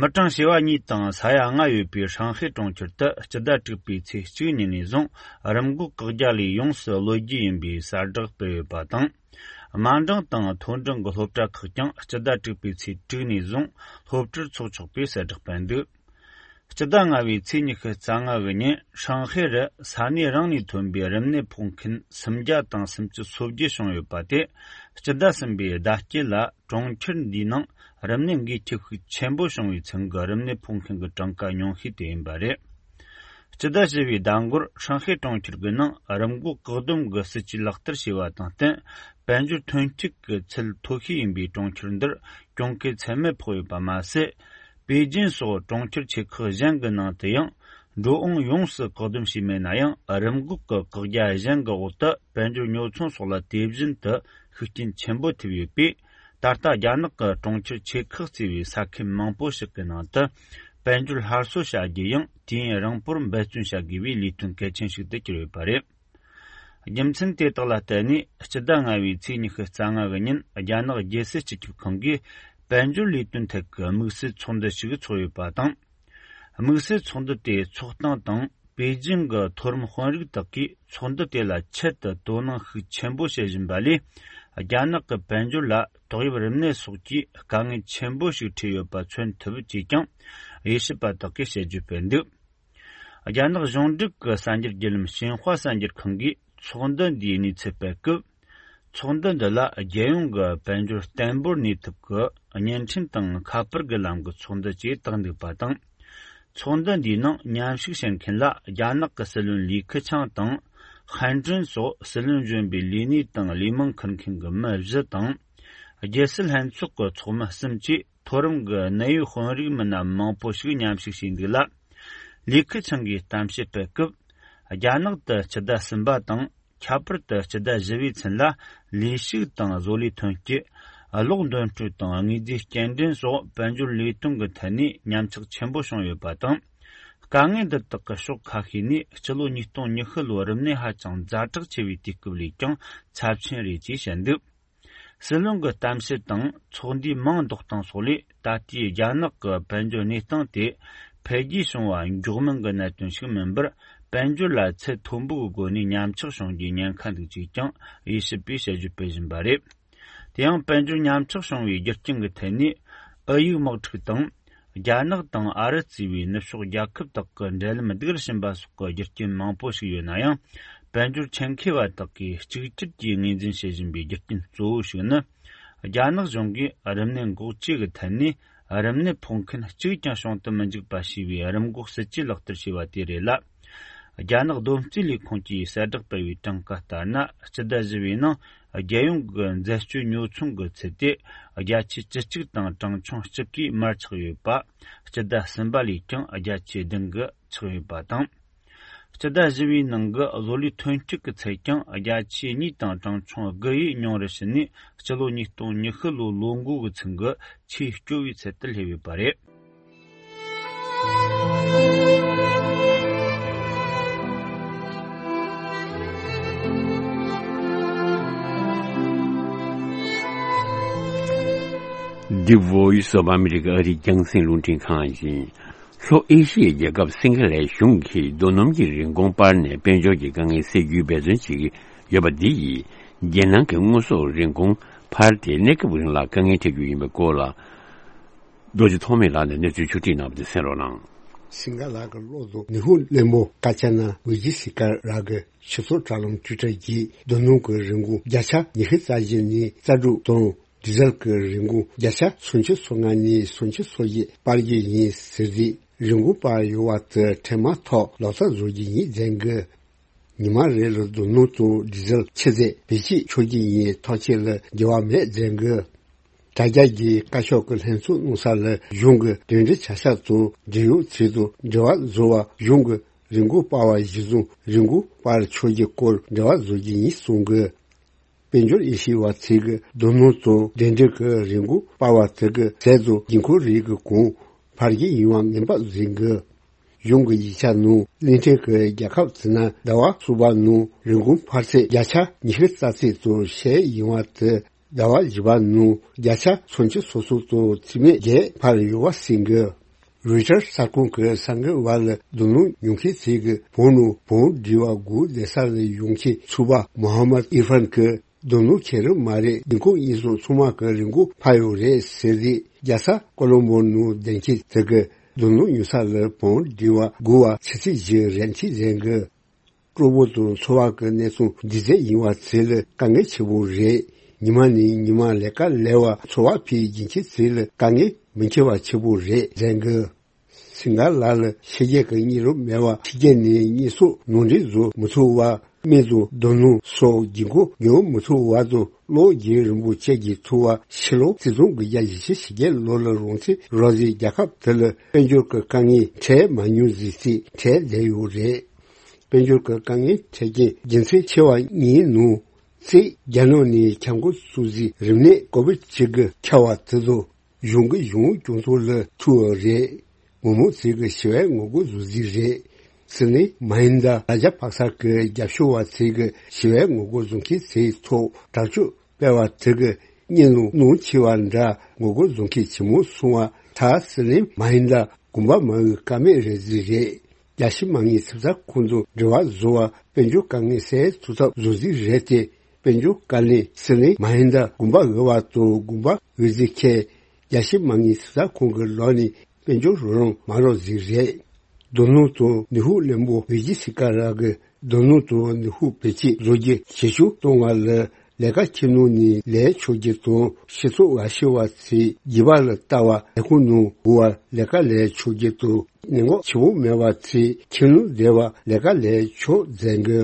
མི་གྲངས་བྱེ་བ་གཉིས་དང་ས་ཡ་ལྔ་ཡོད་པའི་ཧྲང་ཧའེ་གྲོང་ཁྱེར་དུ་སྤྱི་ཟླ་དྲུག་པའི་ཚེས་གཅིག་ཉིན་ནས་བཟུང་རིམས་འགོག་བཀག་རྒྱ་ལས་ཡོངས་སུ་གློད་རྒྱུ་ཡིན་པའི་གསལ་བསྒྲགས་སྤེལ་ཡོད་པ་དང་། དམའ་འབྲིང་དང་མཐོ་འབྲིང་གི་སློབ་གྲྭ་ཁག་ཀྱང་སྤྱི་ཟླ་དྲུག་པའི་ཚེས་དྲུག་ནས་བཟུང་སློབ་ཁྲིད་འཚོགས་ཆོག་པའི་གསལ་བསྒྲགས་སྤེལ་འདུག་སྤྱི་ཟླ་ལྔ་བའི་ཚེས་ཉི་ཤུ་རྩ་ལྔ་གི་ཉིན་ཧྲང་ཧའེ་རུ་ས་གནས་རང་ནས་ཐོན་པའི་རིམས་ནད་ཕོག་མཁན་སུམ་བརྒྱ་དང་སུམ་ཅུ་སོ་བརྒྱད་བྱུང་ཡོད་པ་དེ་སྤྱི་ཟླ་གསུམ་པའི་ཟླ་དཀྱིལ་ལ། གྲོང་ཁྱེར་འདིའི་ནང་རིམས་ནད་འགོས་མཁན་ཤུགས་ཆེན་པོ་བྱུང་བའི་ཚུན་གྱི་རིམས་ནད་ཕོག་མཁན་གྱི་གྲངས་ཀ་ཉུང་ཤོས་དེ་ཡིན་པ་རེད། སྤྱི་ཟླ་བཞི་པའི་ཟླ་འགོར་ཧྲང་ཧའེ་གྲོང་ཁྱེར་གྱི་ནང་རིམས་འགོག་བཀག་སྡོམ་གྱི་སྲིད་ཇུས་ལག་བསྟར་བྱས་པ་དང་བསྟུན། དཔལ་འབྱོར་ཐོན་སྐྱེད་ཀྱི་ཚད་མཐོ་ཤོས་ཡིན་པའི་གྲོང་ཁྱེར་འདིར་གྱོང་གུན་ཚད་མེད་ཕོག་ཡོད་པ་མ་ཟད། པེ་ཅིན་སོགས་གྲོང་ཁྱེར་ཆེ་ཁག་གཞན་གྱི་ནང་དུ་ཡང་། འགྲོ་འོང་ཡོངས་སུ་བཀག་སྡོམ་བྱས་མེད་ན་ཡང་། རིམས་འགོག་གི་བཀག་རྒྱ་གཞན་གྱི་འོག་ཏུ་དཔལ་འབྱོར་ཉོ་ཚོང་སོགས་ལ་དེ་བཞིན་དུ་ཤུགས་རྐྱེན་ཆེན་པོ་ཐེབས་ཡོད་པས། ད་ལྟ་རྒྱ་ནག་གི་གྲོང་ཁྱེར་ཆེ་ཁག་གཙོས་པའི་ས་ཁུལ་མང་པོ་ཞིག་གི་ནང་དུ། དཔལ་འབྱོར་སླར་གསོ་བྱ་རྒྱུ་ཡང་དུས་ཡུན་རིང་པོར་འབད་བརྩོན་བྱ་དགོས་པའི་ལས་དོན་གལ་ཆེན་ཞིག་ཏུ་གྱུར་ཡོད་པ་རེད། རྒྱུ་མཚན་དེ་དག་ལ་བརྟེན་ནས་སྤྱི་ཟླ་ལྔ་བའི་ཚེས་ཉི་ཤུ་རྩ་ལྔ་གི་ཉིན་རྒྱ་ནག་རྒྱལ་སྲིད་སྤྱི་ཁྱབ་ཁང་གིས་དཔལ་འབྱོར་ལས་དོན་ཐད་ཀྱི་དམིགས་བསལ་ཚོགས་འདུ་ཞིག་ཚོགས་ཡོད་པ་དང་། དམིགས་བསལ་ཚོགས་འདུ་དེ་ཚོགས་སྟངས་དང་པེ་ཅིང་གི་མཐོ་རིམ་དཔོན་རིགས་དག་གིས་ཚོགས་འདུ་དེ་ལ་ཆེད་དུ་དོ་སྣང་ཤུགས་ཆེན་པོ་བྱེད་བཞིན་པ་ལས། རྒྱ་ནག་གི་དཔལ་འབྱོར་ལ་ཏོག་དབྱིབས་རིམས་ནད་སོགས་ཀྱིས་དཀའ་ངལ་ཆེན་པོ་ཞིག་འཕྲད་ཡོད་པ་མཚོན་ཐུབ་ཅེས་ཀྱང་དབྱེ་ཞིབ་པ་དག་གིས་དཔྱད་བརྗོད་སྤེལ་འདུག་རྒྱ་ནག་གཞུང་འབྲེལ་གྱི་གསར་འགྱུར་བརྒྱུད་ལམ་ཤིན་ཧྭ་གསར་འགྱུར་ཁང་གིས་ཚོགས་འདུ་འདིའི་གནས་ཚུལ་སྤེལ་སྐབས། ཚོགས་འདུ་འདི་ལ་རྒྱལ་ཡོངས་ཀྱི་དཔལ་འབྱོར་བརྟན་པོར་གནས་ཐབས་ཀྱི་བརྙན་འཕྲིན་དང་ཁ་པར་གྱི་ལམ་གྱི་ཚོགས་འདུ་ཅེས་བཏགས་འདུག་པ་དང་། ཚོགས་འདུ་འདིའི་ནང་མཉམ་ཞུགས་བྱེད་མཁན་ལ་རྒྱ་ནག་གི་སྲིད་བློན་ལི་ཁི་ཆང་དང་། ཧན་ཀྲིན་སོགས་སྲིད་བློན་གཞོན་པའི་ལས་གནས་དང་ལས་མང་འཁུར་མཁན་གྱི་མི་བཞི་དང་། རྒྱལ་སྲིད་ལྷན་ཚོགས་ཀྱི་ཚོགས་མི་གསུམ་བཅས་མཐོ་རིམ་གྱི་གནད་ཡོད་དཔོན་རིགས་མི་སྣ་མང་པོ་ཞིག་མཉམ་ཞུགས་བྱས་འདུག་ལ། ལི་ཁི་ཆང་གིས་གཏམ་བཤད་སྤེལ་སྐབས། རྒྱ་ནག་ཏུ་སྤྱི་ཟླ་གསུམ་པ་དང་། ཁྱད་པར་དུ་སྤྱི་ཟླ་བཞི་བའི་ཚུན་ལ་ལས་ཞུགས་དང་བཟོ་ལས་ཐོན་སྐྱེད། གློག་འདོན་སྤྲོད་དང་དངོས་རྫས་སྐྱེལ་འདྲེན་སོགས་དཔལ་འབྱོར་ལས་དོན་གྱི་ཐད་ནས་ཉམས་ཆག་ཆེན་པོ་བྱུང་ཡོད་པ་དང་། དཀའ་ངལ་འདི་དག་གི་ཕྱོགས་ཁ་ཤས་ནས་སྤྱི་ལོ་ཉིས་སྟོང་ཉི་ཤུ་ལོའི་རིམས་ནད་ཧ་ཅང་ཛ་དྲག་ཆེ་བའི་དུས་སྐབས་ལས་ཀྱང་ཚབས་ཆེན་རེད་ཅེས་བཤད་འདུག་སྲིད་བློན་གྱི་གཏམ་བཤད་དང་ཚོགས་འདུའི་མིང་འདོགས་སྟངས་སོགས་ལས་ད་ལྟའི་རྒྱ་ནག་གི་དཔལ་འབྱོར་གནས་སྟངས་དེ་འཕེལ་རྒྱས་བྱུང་བ་མགྱོགས་མིན་གྱི་གནད་དོན་ཞིག་མིན་པར། དཔལ་འབྱོར་ལ་ཚད་མཐོན་པོའི་སྒོ་ནས་ཉམས་ཆག་བྱུང་རྒྱུའི་ཉེན་ཁ་འདུག་ཅེས་ཀྱང་དབྱེ་ཞིབ་པས་དཔྱད་བརྗོད་སྤེལ་བཞིན་པ་རེད། དེ་ཡང་དཔལ་འབྱོར་ཉམས་ཆག་བྱུང་བའི་རྒྱུ་རྐྱེན་གྱི་ཐད་ནས་ཨུ་ཡུག་དམག་འཁྲུག་དང་། རྒྱ་ནག་དང་ཨ་རི་གཙོས་པའི་ནུབ་ཕྱོགས་རྒྱལ་ཁབ་དག་གི་འབྲེལ་ལམ་སྡུག་རུ་ཕྱིན་པ་སོགས་ཀྱི་རྒྱུ་རྐྱེན་མང་པོ་ཞིག་ཡོད་ན་ཡང་། དཔལ་འབྱོར་ཆེད་མཁས་པ་དག་གིས་གཅིག་གྱུར་གྱིས་ངོས་འཛིན་བྱེད་བཞིན་པའི་རྒྱུ་རྐྱེན་གཙོ་བོ་ཞིག་ནི། རྒྱ་ནག་གཞུང་གིས་རིམས་ནད་འགོག་བཅོས་ཀྱི་ཐད་ནས་རིམས་ནད་ཕོག་མཁན་གཅིག་ཀྱང་བྱུང་དུ་མི་འཇུག་པ་ཞེས་པའི་རིམས་འགོག་སྲིད་ཇུས་ལག་བསྟར་བྱས་པ་དེ་རེད་ལ། རྒྱ་ནག་བསྡོམས་རྩིས་ལས་ཁུངས་ཀྱིས་གསལ་བསྒྲགས་སྤེལ་བའི་གྲངས་ཀ་ལྟར་ན། སྤྱི་ཟླ་བཞི་བའི་ནང་རྒྱལ་ཡོངས་ཀྱི་འཛད་སྤྱོད་ཉོ་ཚོང་གི་ཚད་དེ་བརྒྱ་ཆའི་བཅུ་གཅིག་དང་གྲངས་ཆུང་གཅིག་གིས་མར་ཆག་ཡོད་པ། སྤྱི་ཟླ་གསུམ་པ་ལས་ཀྱང་བརྒྱ་ཆའི་བདུན་གྱིས་ཆག་ཡོད་པ་དང་། སྤྱི་ཟླ་བཞི་བའི་ནང་གི་བཟོ་ལས་ཐོན་སྐྱེད་ཀྱི་ཚད་ཀྱང་བརྒྱ་ཆའི་གཉིས་དང་གྲངས་ཆུང་དགུ་ཡིས་ཉུང་རུ་ཕྱིན་ནས། སྤྱི་ལོ་ཉིས་སྟོང་ཉི་ཤུ་ལོའི་ལོ་འགོ་གི་ཚུན་གྱི་ཆེས་སྐྱོ་བའི་ཚད་དུ་སླེབས་ཡོད་པ་རེད། The Voice of America ཨ་རིའི་རྒྱང་སྲིང་རླུང་འཕྲིན་ཁང་ཡིན། ལྷོ་ཨེ་ཤི་ཡའི་རྒྱལ་ཁབ་སིང་ག་ལའི་གཞུང་གིས་རྡོ་སྣུམ་གྱི་རིན་གོང་སྤར་ནས་དཔལ་འབྱོར་གྱི་དཀའ་ངལ་སེལ་རྒྱུའི་འབད་བརྩོན་བྱེད་ཀྱི་ཡོད་པ་འདི་ཡིས་རྒྱལ་ནང་གི་དངོས་ཟོག་རིན་གོང་འཕར་ཏེ་གནས་སྐབས་རིང་ལ་དཀའ་ངལ་འཕྲད་རྒྱུ་ཡིན་པའི་སྐོར་ལ། རྡོ་རྗེ་ཐོགས་མེད་ལགས་ནས་གནས་ཚུལ་ཕྱོགས་སྒྲིག་གནང་བ་དེ་གསན་རོགས་གནང་། སིང་ག་ལ་གི་གློག་བཟོ་ནུས་ཤུགས་བརླན་པོ་ཀ་ཅ་ན་ཝི་ཇི་སི་ཀ་ར་གི་སྤྱི་ཚོགས་དྲ་ལམ་ཊུའི་ཊར་གྱིས་རྡོ་སྣུམ་གྱི་རིན་གོང་བརྒྱ་ཆ་ཉི་ཤུ་རྩ་བཞི་ནས་རྩ་དྲུག་དང་། ཌི་ཟེལ་གྱི་རིན་གོང་བརྒྱ་ཆ་སུམ་ཅུ་སོ་ལྔ་ནས་སུམ་ཅུ་སོ་བཞི་སྤར་རྒྱུ་ཡིན་ཟེར་ཏེ། རིན་གོང་སྤར་ཡོང་བ་དེ་འཕྲལ་མ་ཐོག་ལག་བསྟར་བཟོ་རྒྱུ་ཡིན་ཟེར་གི། ཉི་མ་རེ་ལ་རྡོ་སྣུམ་དང་ཌི་ཟེལ་ཆུ་ཚད་བེད་སྤྱོད་ཆོག་རྒྱུ་ཡིན། ཐོག་ཆེན་ལ་འགྱུར་བ་མེད་ཟེར་གི། དྲ་རྒྱ་གི་བཀའ་ཤག་གི་ལྷན་ཚོགས་གནང་ས་ལ་གཞུང་གི་དོན་འབྲེལ་བྱ་གཞག་དང་འབྲེལ་ཡོད་ཚུལ་དང་འབྲེལ་བ་བཟོ་བ། གཞུང་གི་རིན་གོང་སྤར་བ་གཞིར་བཟུང་རིན་གོང་སྤར་ཆོག་རྒྱུའི་སྐོར་འབྲེལ་བ་བཟོ་རྒྱུ་ཡིན་གསུང་གི། དཔལ་འབྱོར་དབྱེ་ཞིབ་པ་ཚོས་ཀྱི་རྡོ་སྣུམ་དང་འབྲེལ་འདྲིས་ཀྱི་རིན་གོང་སྤར་བ་དེ་གི་ཟད་དུ་དགོས་མཁོ་རིགས་ཀྱི་གོང་འཕར་རྒྱུ་ཡིན་པ་ངེས་པ་བཟོས་འགོད། གཞུང་གི་ཡིག་ཆ་ནང་གླིང་ཕྲན་གྱི་རྒྱལ་ཁབ་ཚོ་ནང་ཟླ་བ་གསུམ་པ་ནང་རིན་གོང་འཕར་ཚད་བརྒྱ་ཆ་ཉི་ཤུ་རྩ་གཅིག་ཙམ་བཤད་ཡོང་བ་དེ། ཟླ་བ་བཞི་པ་ནང་བརྒྱ་ཆ་སུམ་ཅུ་སོ་གསུམ་ཙམ་ཚད་མེད་བརྒལ་འཕར་ཡོང་བ་གསུངས་འགོད། རོའི་ཊར་གསར་ཁང་གི་གསར་འགོད་པ་ལ་རྡོ་སྣུམ་ཉོ་མཁན་ཚོས་ཀྱི་བོད་ནང་བོད་འབྲེལ་བ་དགོས་བསྡད་ས་ལ་ཡོང་མཁན་ཚོགས་པ་མོ་ཧམ་མད་ཨིར་ཧྥན་གྱིས། རྡོ་སྣུམ་ཁེ་རུ་མ་རེད། ཉིན་གུང་གཉིས་སོགས་ཚང་མ་གི་རིན་གོང་འཕར་ཡོད་རེད་ཟེར་ཏེ། རྒྱལ་ས་ཀོ་ལོམ་བྷོ་ནང་བསྡད་མཁན་དེ་གི་རྡོ་སྣུམ་ཉོ་ས་ལ་བོད་འབྲེལ་བ་དགོས་པ་ཆུ་ཚོད་བཞི་རེ་འཁྲིད་ཟེར་གི། སྤྲོ་པོ་དང་ཚོར་བ་གི་གནས་ཚུལ་འདི་ཚོ་ཡིན་པ་ཚོ་ལ་དཀའ་ངལ་ཆེ་པོ་རེད། ཉི་མ་ནས་ཉི་མ་ལས་ཀ་ལས་པ་ཚོར་བ་འཕེལ་རྒྱུ་མཁན་ཚོ་ལ་དཀའ་ངལ་མི་འཁྱོལ་བ་ཆེ་པོ་རེད་ཟེར་གི། སིང་ག་ལ་ལ་ཕྱི་རྒྱལ་གྱི་གཉེན་རོགས་མེད་པ། ཕྱི་རྒྱལ་ནས་གཉེན་སྲོག་ནང་འདྲེན་བཟོ་མི་ཐུབ་པ། སྨན་དང་རྡོ་སྣུམ་སོགས་དགོས་མཁོ་ཉོ་མི་ཐུབ་པ་དང་གློག་རྒྱུན་རིན་པོ་ཆེ་གི་ཐུབ་པ། ཕྱི་ལོ་ཆིག་སྟོང་དགུ་བརྒྱ་ཉི་ཤུ་ཕྱི་རྒྱལ་ལོ་ལ་རང་བཙན་རག་རྗེས་རྒྱལ་ཁབ་དེ་ལ་དཔལ་འབྱོར་གྱི་དཀའ་ངལ་འཕྲད་མ་མྱོང་ཟིག་ཅིག་འཕྲད་བསྡད་ཡོད་རེད། དཔལ་འབྱོར་གྱི་དཀའ་ངལ་འཕྲད་རྐྱེན་རྒྱུ་མཚན་ཆེ་བ་གཉིས་ནང་གཅིག་རྒྱ་ནག་ནས་ཁྱབ་ཁོངས་སྲུང་བརྩིའི་རིམས་ནད་ཀོ་བིད་བཅུ་དགུ་ཁྱབ་པ་དེ་ཚོ་གཞུང་གི་གཞུང་སྐྱོང་ཚོགས་ལ་ཐུག་པ་རེད། མི་མང་ཚོས་ཀྱི་ཞི་བའི་ངོ་རྒོལ་བཟོ་རྩིས་རེད། སྲིད་བློན་མ་ཧིན་དཱ་ར་ཇ་པག་ས་གི་རྒྱབ་ཕྱོགས་པ་ཚོས་ཀྱི་ཞི་བའི་ངོ་རྒོལ་བཟོ་མཁན་ཚོའི་ཐོག་དྲག་སྤྱོད་སྤེལ་བ་དེ་གི་གཉེན་ལུང་ནང་ཆེ་བ་འདྲ་ངོ་རྒོལ་བཟོ་མཁན་ཆེན་མོ་སོང་བ། ད་སྲིད་བློན་མ་ཧིན་དཱ་དགོངས་པ་མ་འོས་ཀ་མེད་རེད་རྩིས་རེད། རྒྱལ་སྤྱི་མ་དངུལ་ཚབ་ཚ་ཁོང་ཚོ་འབྲེལ་བ་བཟོ་བ་དཔལ་འབྱོར་དཀའ་ངལ་སེལ་ཐུབ་ཐབས་བཟོ་རྩིས་རེད་དེ། དཔལ་འབྱོར་བཀའ་བློན་སྲིད་བློན་མ་ཧིན་དཱ་དགོངས་པ་འོས་པ་དང་དགོངས་པ་འོས་རྩིས་ཁེལ། རྒྱལ་སྤྱི་མ་དངུལ་ཚབ་ཚ་ཁོང་གི་ལག་ནས་དཔལ་འབྱོར་རོགས་རམ་མ་རག་རྩིས་རེད། རྡོ་སྣུམ་དང་ནུས་ཤུགས་བརླན་པོ་ཝི་ཇི་སི་ཀ་ར་གི་རྡོ་སྣུམ་དང་ནུས་ཤུགས་བེད་སྤྱོད་བཟོ་རྒྱུ་ཞེ་ཆུང་གཏོང་བ་ལ་ལས་ཀ་ཁྱིམ་ནང་ནས་ལས་ཆོག་རྒྱུ་དང་། སྤྱི་ཚོགས་འགའ་ཤས་པ་ཚོས་རྒྱུད་པ་ལ་ལྟ་བ་ལས་ཁུངས་ནང་འགོར་བ་ལས་ཀ་ལས་ཆོག་རྒྱུ་དང་། ནད་འགོག་བྱེད་པོ་མེད་པ་ཚོས་ཁྱིམ་ནང་བསྡད་པ་ལས་ཀ་ལས་ཆོག་ཟེར་གི།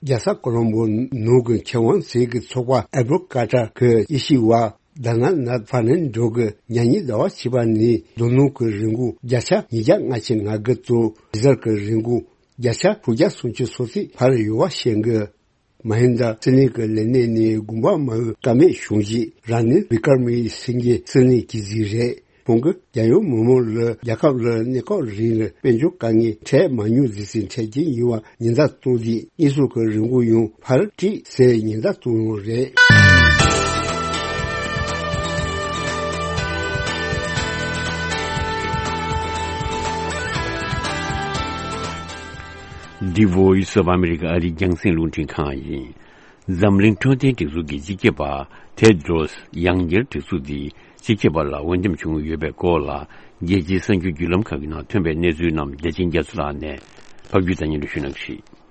རྒྱལ་ས་ཀོ་ལོམ་བོ་ནང་གི་མཁས་དབང་ཚོས་ཀྱི་ཚོགས་པ་ཨེ་བོ་ཀ་ཊ་གི་དབྱེ་ཞིབ་པ་དཱ་ན་ནཱ་ཕར་ནན་ཌོ་གི་ཉེ་ཉིན་ཟླ་བ་བཅུ་པ་ནས་རྡོ་སྣུམ་གྱི་རིན་གོང་བརྒྱ་ཆ་ཉིས་བརྒྱ་ལྔ་བཅུ་ང་དགུ་དང་ཌི་ཟེལ་གྱི་རིན་གོང་བརྒྱ་ཆ་དྲུག་བརྒྱ་སུམ་ཅུ་སོ་གཅིག་འཕར་ཡོད་པ་བཤད་གི། མ་ཧིན་དཱ་སྲིད་བློན་གྱི་ལས་གནས་ནས་དགོངས་པ་མ་འོས་ཀ་མེད་བྱུང་རྗེས་ར་ནིལ་བི་ཀར་མ་སིང་གྷེ་སྲིད་བློན་གྱི་རྩིས་རེད། ཁོང་གིས་རྒྱལ་ཡོངས་མི་མང་ལ་རྒྱལ་ཁབ་ལ་གནས་སྐབས་རིང་ལ་དཔལ་འབྱོར་དཀའ་ངལ་འཕྲད་མ་མྱོང་ཟིག་ཟིག་འཕྲད་ཀྱིན་ཡོད་པ་ཉེན་བརྡ་གཏོང་དུས་དངོས་ཟོག་གི་རིན་གོང་ཡང་འཕར་སྲིད་ཟེར་ཉེན་བརྡ་གཏོང་ཡོད་རེད། འདི་Voice of America ཨ་རིའི་རྒྱང་སྲིང་རླུང་འཕྲིན་ཁང་ཡིན། འཛམ་གླིང་འཕྲོད་བསྟེན་སྒྲིག་འཛུགས་ཀྱི་སྤྱི་ཁྱབ་པ་ཐེད་རོས་ཡང་བསྐྱར་སྒྲིག་འཛུགས་འདིས་སྤྱི་ཁྱབ་པ་ལ་འོས་འདེམས་བྱུང་ཡོད་པའི་སྐོར་ལ་རྒྱལ་སྤྱིའི་གསར་འགྱུར་བརྒྱུད་ལམ་ཁག་གི་ནང་ཐོན་པའི་གནས་ཚུལ་རྣམས་བདེ་ཆེན་རྒྱ་མཚོ་ལགས་ནས་ཕབ་སྒྱུར་དང་སྙན་སྒྲོན་ཞུ་གནང་གི་རེད།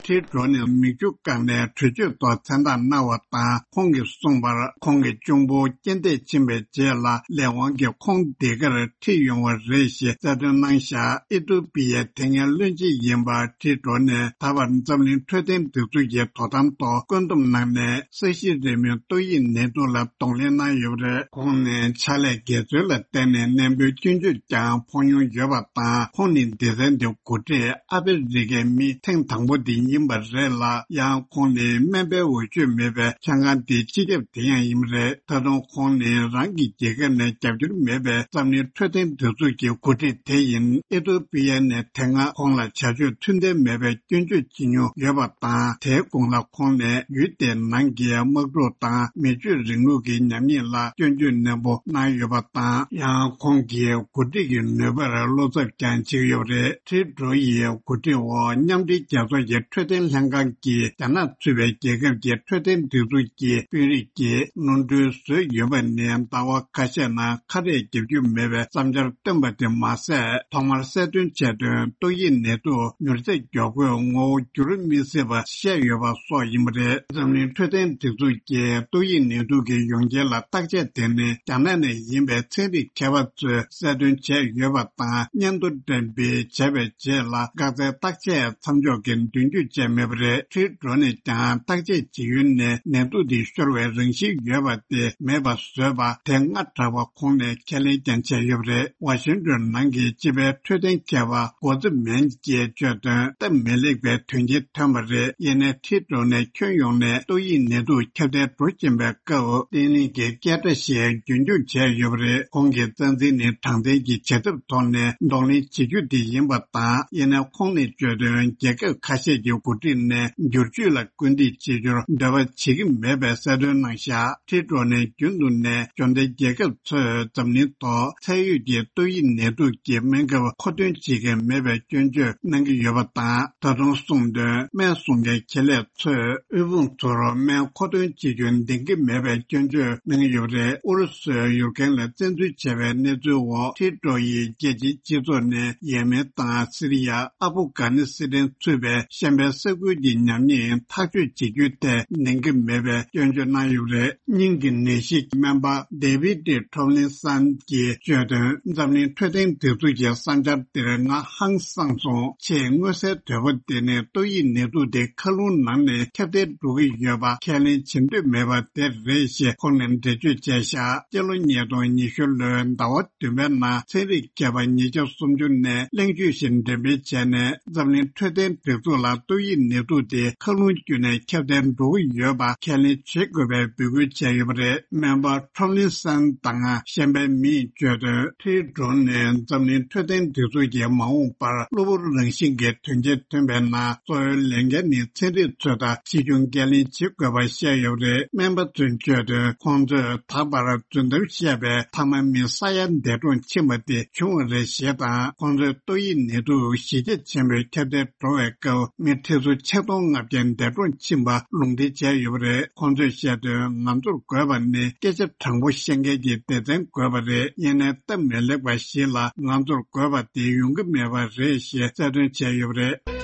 ཁྲིད་འགྲོ་ནས་མིག་ཆུ་བཀང་ནས་གྲོས་ཆོད་ཐོག་མཚན་རྟགས་གནང་བ་དང་ཁོང་གིས་གསུངས་པར་ཁོང་གི་གཅུང་པོ་རྐྱེན་འདས་ཕྱིན་པའི་རྗེས་ལ་ལས་དབང་གིས་ཁོང་འདི་གར་ཁྲིད་ཡོང་བ་རེད་ཞེས་གསལ་སྟོན་གནང་བཞག་ཨི་ཏུ་པི་ཡའི་དེ་སྔའི་བློན་ཆེན་ཡིན་པ་ཁྲིད་འགྲོ་ནས་ད་བར་འཛམ་གླིང་འཕྲོད་བསྟེན་སྒྲིག་འཛུགས་ཀྱི་དོ་དམ་ཐོག་བཀོད་འདོམས་གནང་ནས་ས་གཞི་རིལ་མོའི་ཏོག་དབྱིབས་ནད་དུག་ལ་གདོང་ལེན་གནང་ཡོད་པ་རེད། ཁོང་ནི་ཕྱག་ལས་དགེ་ཚུལ་ལ་བརྟེན་ནས་གནས་སྤོས་སྐྱོན་བརྗོད་ཀྱང་ཕོག་མྱོང་ཡོད་པ་དང་ཁོང་ནི་སྡེ་ཚན་འདིའི་འགོ་ཁྲིད་ཨ་ཕི་རི་ཀའི་མི་ཐེངས་དང་པོ་དེ་ཡིན། ཡིན་པ་རེད་ལ། ཡང་ཁོང་ནི་སྨན་པའི་འོས་ཆོས་མེད་པའི་ཆང་ཁང་དེའི་སྤྱི་ཁྱབ་དེ་ཡང་ཡིན་པ་རེད། ད་དུང་ཁོང་ནི་རང་གི་རྒྱལ་ཁབ་ནས་རྒྱབ་སྐྱོར་མེད་པའི་འཛམ་གླིང་འཕྲོད་བསྟེན་སྒྲིག་འཛུགས་ཀྱི་འགོ་ཁྲིད་དེ་ཡིན། ཨི་ཐོ་པི་ཡ་ནས་དེ་སྔ་ཁོང་ལ་བྱ་སྤྱོད་མཐུན་ལྡན་མེད་པའི་སྐྱོན་བརྗོད་བྱེད་མྱོང་ཡོད་པ་དང་། དེའི་གོང་ལ་ཁོང་ནས་ཡུལ་དེའི་ནང་གི་དམག་འཁྲུག་དང་མི་ཆོས་རིང་ལུགས་ཀྱི་ཉམས་ཉེས་ལ་སྐྱོན་བརྗོད་ནན་པོ་གནང་ཡོད་པ་དང་། ཡང་ཁོང་གིས་འགོ་ཁྲིད་ཀྱི་ནུས་པར་བློ་འཚབ་ཀྱང་བྱེད་ཀྱི་ཡོད་པ་རེད། ཁྲི་ཌོ་ཡིས་འགོ་ཁྲིད་འོག་མཉམ་འབྲེལ་རྒྱལ་ཚོགས་ཀྱི་འཕྲོད་བསྟེན་ལྷན་ཁང་གིས་རྒྱ་ནག་ཚུད་པའི་རྒྱལ་ཁབ་ཀྱི་འཕྲོད་བསྟེན་སྒྲིག་འཛུགས་ཀྱི་དཔོན་རིགས་ཀྱིས་གློད་གྲོལ་བཟོས་ཡོད་པ་ནི་ཟླ་བ་ཁ་ཤས་ནང་ཁ་རས་རྒྱབ་རྒྱུ་མེད་པའི་བསམ་འཆར་བཏོན་པ་དེ་མ་ཟད། ཐོག་མར་གསལ་སྟོན་བྱས་དོན། ཏོག་དབྱིབས་ནད་དུག་མྱུར་ཚད་མགྱོགས་པོས་ངོ་བོ་འགྱུར་མི་སྲིད་པ་བཤད་ཡོད་པ་སོགས་ཡིན་པ་རེད། འཛམ་གླིང་འཕྲོད་བསྟེན་སྒྲིག་འཛུགས་ཀྱིས་ཏོག་དབྱིབས་ནད་དུག་གི་ཡོང་རྐྱེན་ལ་བརྟག་དཔྱད་དེ་ནི་རྒྱ་ནག་ནས་ཡིན་པའི་ཚན་རིག་མཁས་པ་ཚོས་གསལ་སྟོན་བྱས་ཡོད་པ་དང་། སྙན་ཐོ་འགྲེམས་སྤེལ་བྱས་པའི་རྗེས་ལ་འགག་རྩའི་བརྟག་དཔྱད་མཚམས་འཇོག་གི་མདུན་སྐྱོད་བྱས་མེད་པ་རེད། ཁྲི་ཌོ་ནས་ཀྱང་བརྟག་དཔྱད་བྱེད་ཡུལ་ནས་ནད་དུག་དེ་ཤོར་བའི་རང་བཞིན་ཡོད་པ་དེ་མེད་པ་བཟོས་པ་དེ་སྔ་དྲགས་པ་ཁོང་ནས་ཁས་ལེན་ཀྱང་བྱས་ཡོད་པ་རེད། ཝ་ཤིང་ཏོན་ནང་གི་སྤྱི་པའི་འཕྲོད་བསྟེན་མཁས་པ་གོ་ཙི་མན་གྱིས་བརྗོད་དོན། སྟབས་མི་ལེགས་པའི་དོན་རྐྱེན་ཐོན་པ་རེད། ཡིན་ནའི་ཁྲི་ཌོ་ནས་ཁྱོན་ཡོངས་ནས་ཏོག་དབྱིབས་ནད་དུག་ཁྱབ་གདལ་འགྲོ་བཞིན་པའི་སྐབས་བརྟན་ལྷིང་གི་སྐད་སྒྲ་ཞིག་རྒྱུན་འཁྱོངས་བྱས་ཡོད་པ་རེད། ཁོང་གི་རྩ་འཛིན་ནི་དྲང་བདེན་གྱི་བྱ་ཐབས་ཐོག་ནས་གདོང་ལེན་བྱེད་རྒྱུ་དེ་ཡིན་པ་དང་། ཡིན་ནའི་ཁོང་ནས་བརྗོད་དོན། རྒྱལ་ཁབ་ཁ་ཤས་ཀྱི་འགོ་ཁྲིད་ནས་བསྒྱུར་བཅོས་ལ་སྐུལ་འདེད་བྱེད་རྒྱུར་འདོད་པ་བྱེད་ཀྱི་མེད་པའི་གསལ་སྟོན་གནང་བཞག་ཁྲི་ཌོ་ནས་རྒྱུན་དུ་ནས་འབྱོར་ལྡན་རྒྱལ་ཁབ་ཚོས་འཛམ་གླིང་ཐོག་ཚད་ཡོད་ཀྱི་ཏོག་དབྱིབས་ནད་དུག་གི་སྨན་ཁབ་མཁོ་འདོན་བྱེད་ཀྱི་མེད་པའི་སྐྱོན་བརྗོད་གནང་གི་ཡོད་པ་དང་། ད་དུང་གསུངས་དོན། སྨན་བཟོ་མཁན་ཁེ་ལས་ཚོས་དབུལ་ཕོངས་ཚོར་སྨན་མཁོ་འདོན་བྱེད་རྒྱུ་འདང་གི་མེད་པའི་སྐྱོན་བརྗོད་གནང་གི་ཡོད་པ་རེད། ཨུ་རུ་སུས་ཡུཀ་རེན་ལ་བཙན་འཛུལ་བྱས་པའི་གནས་ཚུལ་འོག་ཁྲི་ཌོ་ཡིས་རྒྱལ་སྤྱིའི་སྤྱི་ཚོགས་ནས་ཡེ་མེན་དང་སི་རི་ཡ། ཨ་ཕུ་གྷ་ནི་སི་ཐན་ཚུད་པའི་ཤམ་པའི་ས་ཁུལ་གྱི་ཉམས་ཉེས་ཐག་གཅོད་བྱེད་རྒྱུའི་ཐད་འདང་གི་མེད་པའི་སྐྱོན་བརྗོད་གནང་ཡོད་པ་རེད། སྙིང་གི་ནད་གཞི་སྨན་པ་David Tomlinson་གྱིས་བརྗོད་དོན། འཛམ་གླིང་འཕྲོད་བསྟེན་སྒྲིག་འཛུགས་ཀྱི་བསམ་འཆར་དེར་ང་ཧང་སངས་སོང་། ཆེས་མངོན་གསལ་དོད་པོ་དེ་ནི་ཏོག་དབྱིབས་ནད་དུག་དེ་མཁའ་རླུང་ནང་ནས་ཁྱབ་གདལ་འགྲོ་གི་ཡོད་པ་ཁས་ལེན་བྱེད་འདོད་མེད་པ་དེ་རེད་ཞེས་ཁོང་ནས་འགྲེལ་བརྗོད་བྱས་བཞག་སྤྱི་ལོ་ཉིས་སྟོང་ཉི་ཤུ་ལོའི་ཟླ་བ་བདུན་པའི་ནང་ཚན་རིག་མཁས་པ་ཉིས་བརྒྱ་སུམ་ཅུ་ནས་གླེང་བརྗོད་ཞིག་འགྲེམས་སྤེལ་བྱས་ནས། འཛམ་གླིང་འཕྲོད་བསྟེན་སྒྲིག་འཛུགས་ལ་ཏོག་དབྱིབས་ནད་དུག་དེ་མཁའ་རླུང་བརྒྱུད་ནས་ཁྱབ་གདལ་འགྲོ་གི་ཡོད་པ་ཁས་ལེན་བྱེད་དགོས་པའི་འབོད་སྐུལ་བྱས་ཡོད་པ་རེད། སྨན་པ་Tomlinson་དང་གཞན་པའི་མིས་བརྗོད་དོན། ཁྲི་ཌོ་ནས་འཛམ་གླིང་འཕྲོད་བསྟེན་སྒྲིག་འཛུགས་ཀྱིས་མ་འོངས་པར་གློ་བུར་རང་བཞིན་གྱི་དོན་རྐྱེན་ཐོན་པའི་ནང་གཙོ་བོའི་ལས་འགན་ནི་ཚན་རིག་ཚོ་དང་ཕྱིས་འབྱུང་འགན་ལེན་བྱེད་དགོས་པ་བཤད་ཡོད་པ་རེད། སྨན་པ་ཚོས་བརྗོད་དོན། ཁོང་ཚོས་ད་བར་རྫུན་གཏམ་བཤད་པའི་མཐའ་མ་མི་ས་ཡར་འདས་གྲོངས་ཕྱིན་པ་དེ་བྱུང་བ་རེད་ཞེས་དང་། ཁོང་ཚོས་ཏོག་དབྱིབས་ནད་དུག་གཞི་རྒྱ་ཆེན་པོས་ཁྱབ་གདལ་འགྲོ་བའི་སྐབས་མི་ཁྲི་ཚོ་ཆིག་སྟོང་ལྔ་བརྒྱ་འདས་གྲོངས་ཕྱིན་པ་ལུང་འདྲེན་བྱས་ཡོད་པ་རེད། ཁོང་ཚོས་བཤད་དོན། ང་ཚོར་དགོས་པ་ནི་སྐད་ཆ་དྲང་པོ་བཤད་མཁན་གྱི་སྡེ་ཚན་དགོས་པ་རེད། ཡིན་ནའི་སྟབས་མི་ལེགས་པ་ཞིག་ལ་ང་ཚོར་དགོས་པ་དེ་ཡོང་གི་མེད་པ་རེད་ཞེས་གསལ་སྟོན་བྱས་ཡོད་པ་རེད།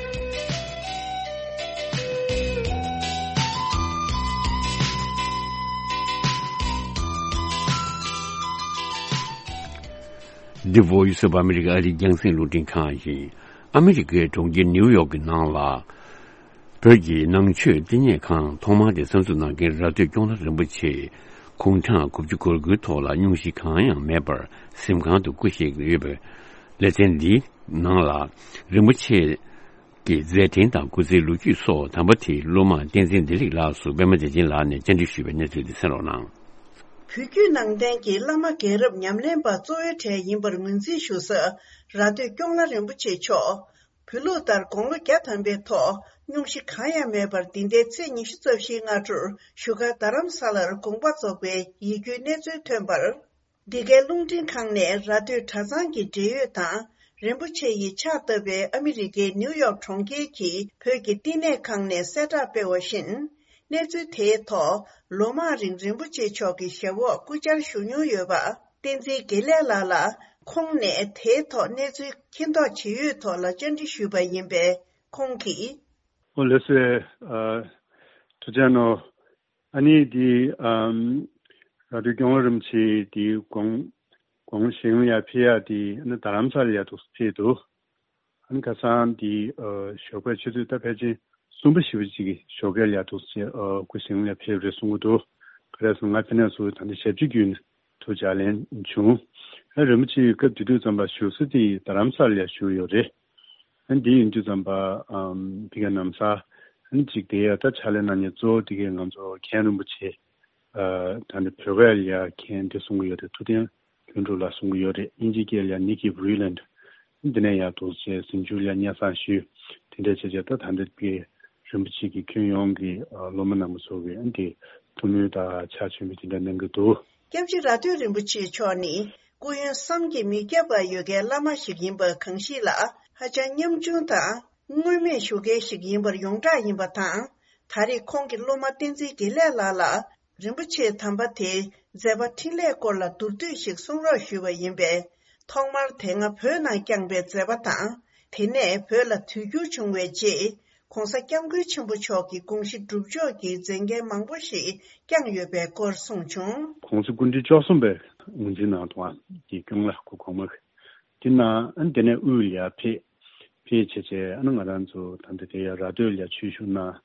འདི་Voice of America་ཨ་རིའི་རྒྱང་སྲིང་རླུང་འཕྲིན་ཁང་ཡིན། ཨ་མི་རི་ཀའི་གྲོང་ཁྱེར་ནིའུ་ཡོག་གི་ནང་ལ། བོད་ཀྱི་ནང་ཆོས་བསྟི་གནས་ཁང་ཐོག་མ་དེ་གསར་འཛུགས་གནང་མཁན་ར་སྟོད་སྐྱོང་ལྷ་རིན་པོ་ཆེས་དགུང་གྲངས་དགུ་བཅུ་གོ་དགུའི་ཐོག་ལ་སྙུང་གཞི་གང་ཡང་མེད་པར་གཟིམ་ཁང་དུ་སྐུ་གཤེགས་ཡོད་པའི་ལེ་ཚན་འདིའི་ནང་ལ། རིན་པོ་ཆེ་གི་མཛད་འཕྲིན་དང་སྐུ་ཚེའི་ལོ་རྒྱུས་སོགས་དམ་པ་དེའི་སློབ་མ་བསྟན་འཛིན་བདེ་ལེགས་ལགས་སུ་པད་མ་བདེ་ཆེན་ལགས་ནས་བཅར་འདྲི་ཞུས་པའི་གནས་ཚུལ་དེ་གསན་རོགས་གནང་། བོད་བརྒྱུད་ནང་བསྟན་གྱི་བླ་མ་རྒན་རབས་ཉམས་ལེན་པ་གཙོ་བོའི་གྲས་ཡིན་པར་ངོས་འཛིན་ཞུ་ས་ར་སྟོད་སྐྱོང་ལྷ་རིན་པོ་ཆེ་མཆོག་བོད་ལུགས་ལྟར་དགུང་ལོ་བརྒྱ་ཐམ་པའི་ཐོག་སྙུང་གཞི་གང་ཡང་མེད་པར་འདི་ཟླའི་ཚེས་ཉི་ཤུ་རྩ་བཞིའི་སྔ་དྲོར་བཞུགས་སྒར་རྡ་རམ་ས་ལར་དགོངས་པ་རྫོགས་པའི་ཡིད་སྐྱོའི་གནས་ཚུལ་ཐོན་པར། འདི་གའི་རླུང་འཕྲིན་ཁང་ནས་ར་སྟོད་གྲྭ་ཚང་གི་འབྲེལ་ཡོད་དང་། རིན་པོ་ཆེ་ཡིས་ཕྱག་བཏབ་པའི་ཨ་མི་རི་ཀའི་ནིའུ་ཡོག་གྲོང་ཁྱེར་གྱི་བོད་ཀྱི་བསྟི་གནས་ཁང་ནས་གསལ་བསྒྲགས་སྤེལ་བ་བཞིན། གནས་ཚུལ་དེའི་ཐོག་ལོ་མང་རིང་རིན་པོ་ཆེ་མཆོག་གི་ཞབས་འོག་སྐུ་བཅར་ཞུ་མྱོང་ཡོད་པ། བསྟན་འཛིན་དགེ་ལེགས་ལགས་ལ་ཁོང་ནས་དེའི་ཐོག་གནས་ཚུལ་མཁྱེན་རྟོགས་ཇི་ཡོད་ཐོག་ལ་བཅར་འདྲི་ཞུས་པ་ཡིན་པས། ཁོང་གིས། ཨོ་ལགས་སོ། ཨ། ཐུགས་རྗེ་གནང་། ཨ་ནི་འདི་ཨམ་ར་སྟོད་སྐྱོང་ལྷ་རིན་པོ་ཆེ་འདི་དགུང་དགུང་ཞིང་ལ་ཡར་ཕེབས་ཡག་འདི་ཨ་ནི་རྡ་རམ་ས་ལ་ཡར་འདུག་སེ་ཕེབས་འདུག་ཨ་ནི་ཁ་སང་འདི་ཨ་ཞོགས་པའི་ཆུ་ཚོད་ད་ཕལ་ཆེར་གསུམ་པ་བཞི་པ་ཅིག་གི་ཞོགས་ཀས་ལ་ཡར་འདུག་སེ་ཨ་སྐུ་ཞིང་ལ་ཡར་ཕེབས་རེད་གསུང་གི་འདུག་ག་རེ་ཟེར་ན་ང་ཕེབས་ནས་བཟུང་ད་ལྟ་ཞབས་ཕྱི་བརྒྱུད་ནས་ཐུགས་ལྗགས་ལན་བྱུང་། ཨ་རིན་པོ་ཆེ་སྐབས་དེ་དུས་ཙམ་པ་བཞུགས་ས་དེ་རྡ་རམ་ས་ལ་ཡར་བཞུགས་ཡོད་རེད། ཨ་འདི་ཡིན་དུས་ཙམ་པ་ཨམ་ཕི་ག་ནམ་ས་ ཨ་ནི་གཅིག་དེ་ཡ་ད་ཕྱག་ལས་གནང་མཁན་གཙོ་བོ་དེ་གས་ང་ཚོ་མཁན་རིན་པོ་ཆེ། ཨ་ད་ནི་བོད་སྐད་ལ་ཡ་མཁན་དེ་གསུང་གི་ཡོད་རེད། ཐུབ་བསྟན་ལྷུན་གྲུབ་ལགས་གསུང་གི་ཡོད་རེད། དབྱིན་ཇིའི་སྐད་ལ་ཡ་ནིག་ཀི་བྷི་རི་ལན་འདི་ནས་ཡ་འདུག་བྱས་ཟིང་ཆུ་ལ་ཡ་སྙན་སེང་ཞུས། དེ་འདྲ་བྱས་བྱས་ད་ད་འདི་གི་རིན་པོ་ཆེ་གི་ཁྱོན་ཡོངས་ཀྱི་ཨ་སློབ་མ་རྣམ་པ་ཚོ་གི་ཨ་འདི་ཐུགས་སྨོན་དང་ཕྱག་མཆོད་མེ་དེ་འདྲ་གནང་གི་འདུག་སྐྱབས་རྗེ་ར་སྟོད་རིན་པོ་ཆེ་མཆོག་ནི་སྐུ་ཡོན་བསམ་གྱིས་མི་ཁྱབ་པ་ཡོད་མཁན་བླ་མ་ཞིག་ཡིན་པ་གང་ཞིག་ལ་ཧ་ཅང་ཉམ་ཆུང་དང་། མངོན་མེད་ཞུ་མཁན་ཞིག་ཡིན་པར་ཡོངས་གྲགས་ཡིན་པ་དང་། ད་རེས་ཁོང་གི་སློབ་མ་བསྟན་འཛིན་དགེ་ལེགས་ལགས་ལ་རིན་པོ་ཆེ་དམ་པ་དེའི་མཛད་པ་འཕྲིན་ལས་སྐོར་ལ་མདོར་བསྡུས་ཤིག་གསུང་རོགས་ཞུས་པ་ཡིན་པས། ཐོག་མར་དེ་སྔ་བོད་ནང་བསྐྱངས་པའི་མཛད་པ་དང་། དེ་ནས་བོད་ལ་དུས་འགྱུར་བྱུང་བའི་རྗེས་༧གོང་ས་༧སྐྱབས་མགོན་ཆེན་པོ་མཆོག་གི་དགོངས་གཞི་སྒྲུབ་ཕྱོགས་ཀྱི་མཛད་འགན་མང་པོ་ཞིག་བསྐྱངས་ཡོད་པའི་སྐོར་གསུངས་བྱུང་། ༸གོང་ས་སྐུ་ཕྲེང་བཅུ་གསུམ་པའི་ངོས་འཛིན་གནང་འདུག་ཨ་ཀྱི་སྐྱོང་ལ་སྐུ་གོང་མ་དེ་ནང་ཨ་ནི་དེ་ནས་དབུས་ལ་ཡ་ཕེབས། ཕེབས་བྱས་བྱས་ཨ་ནི་ང་རང་ཚོ་ད་ལྟ་དེ་ཡ་ར་སྟོད་ལ་ཡ་ཆོས་ཞུགས་གནང་།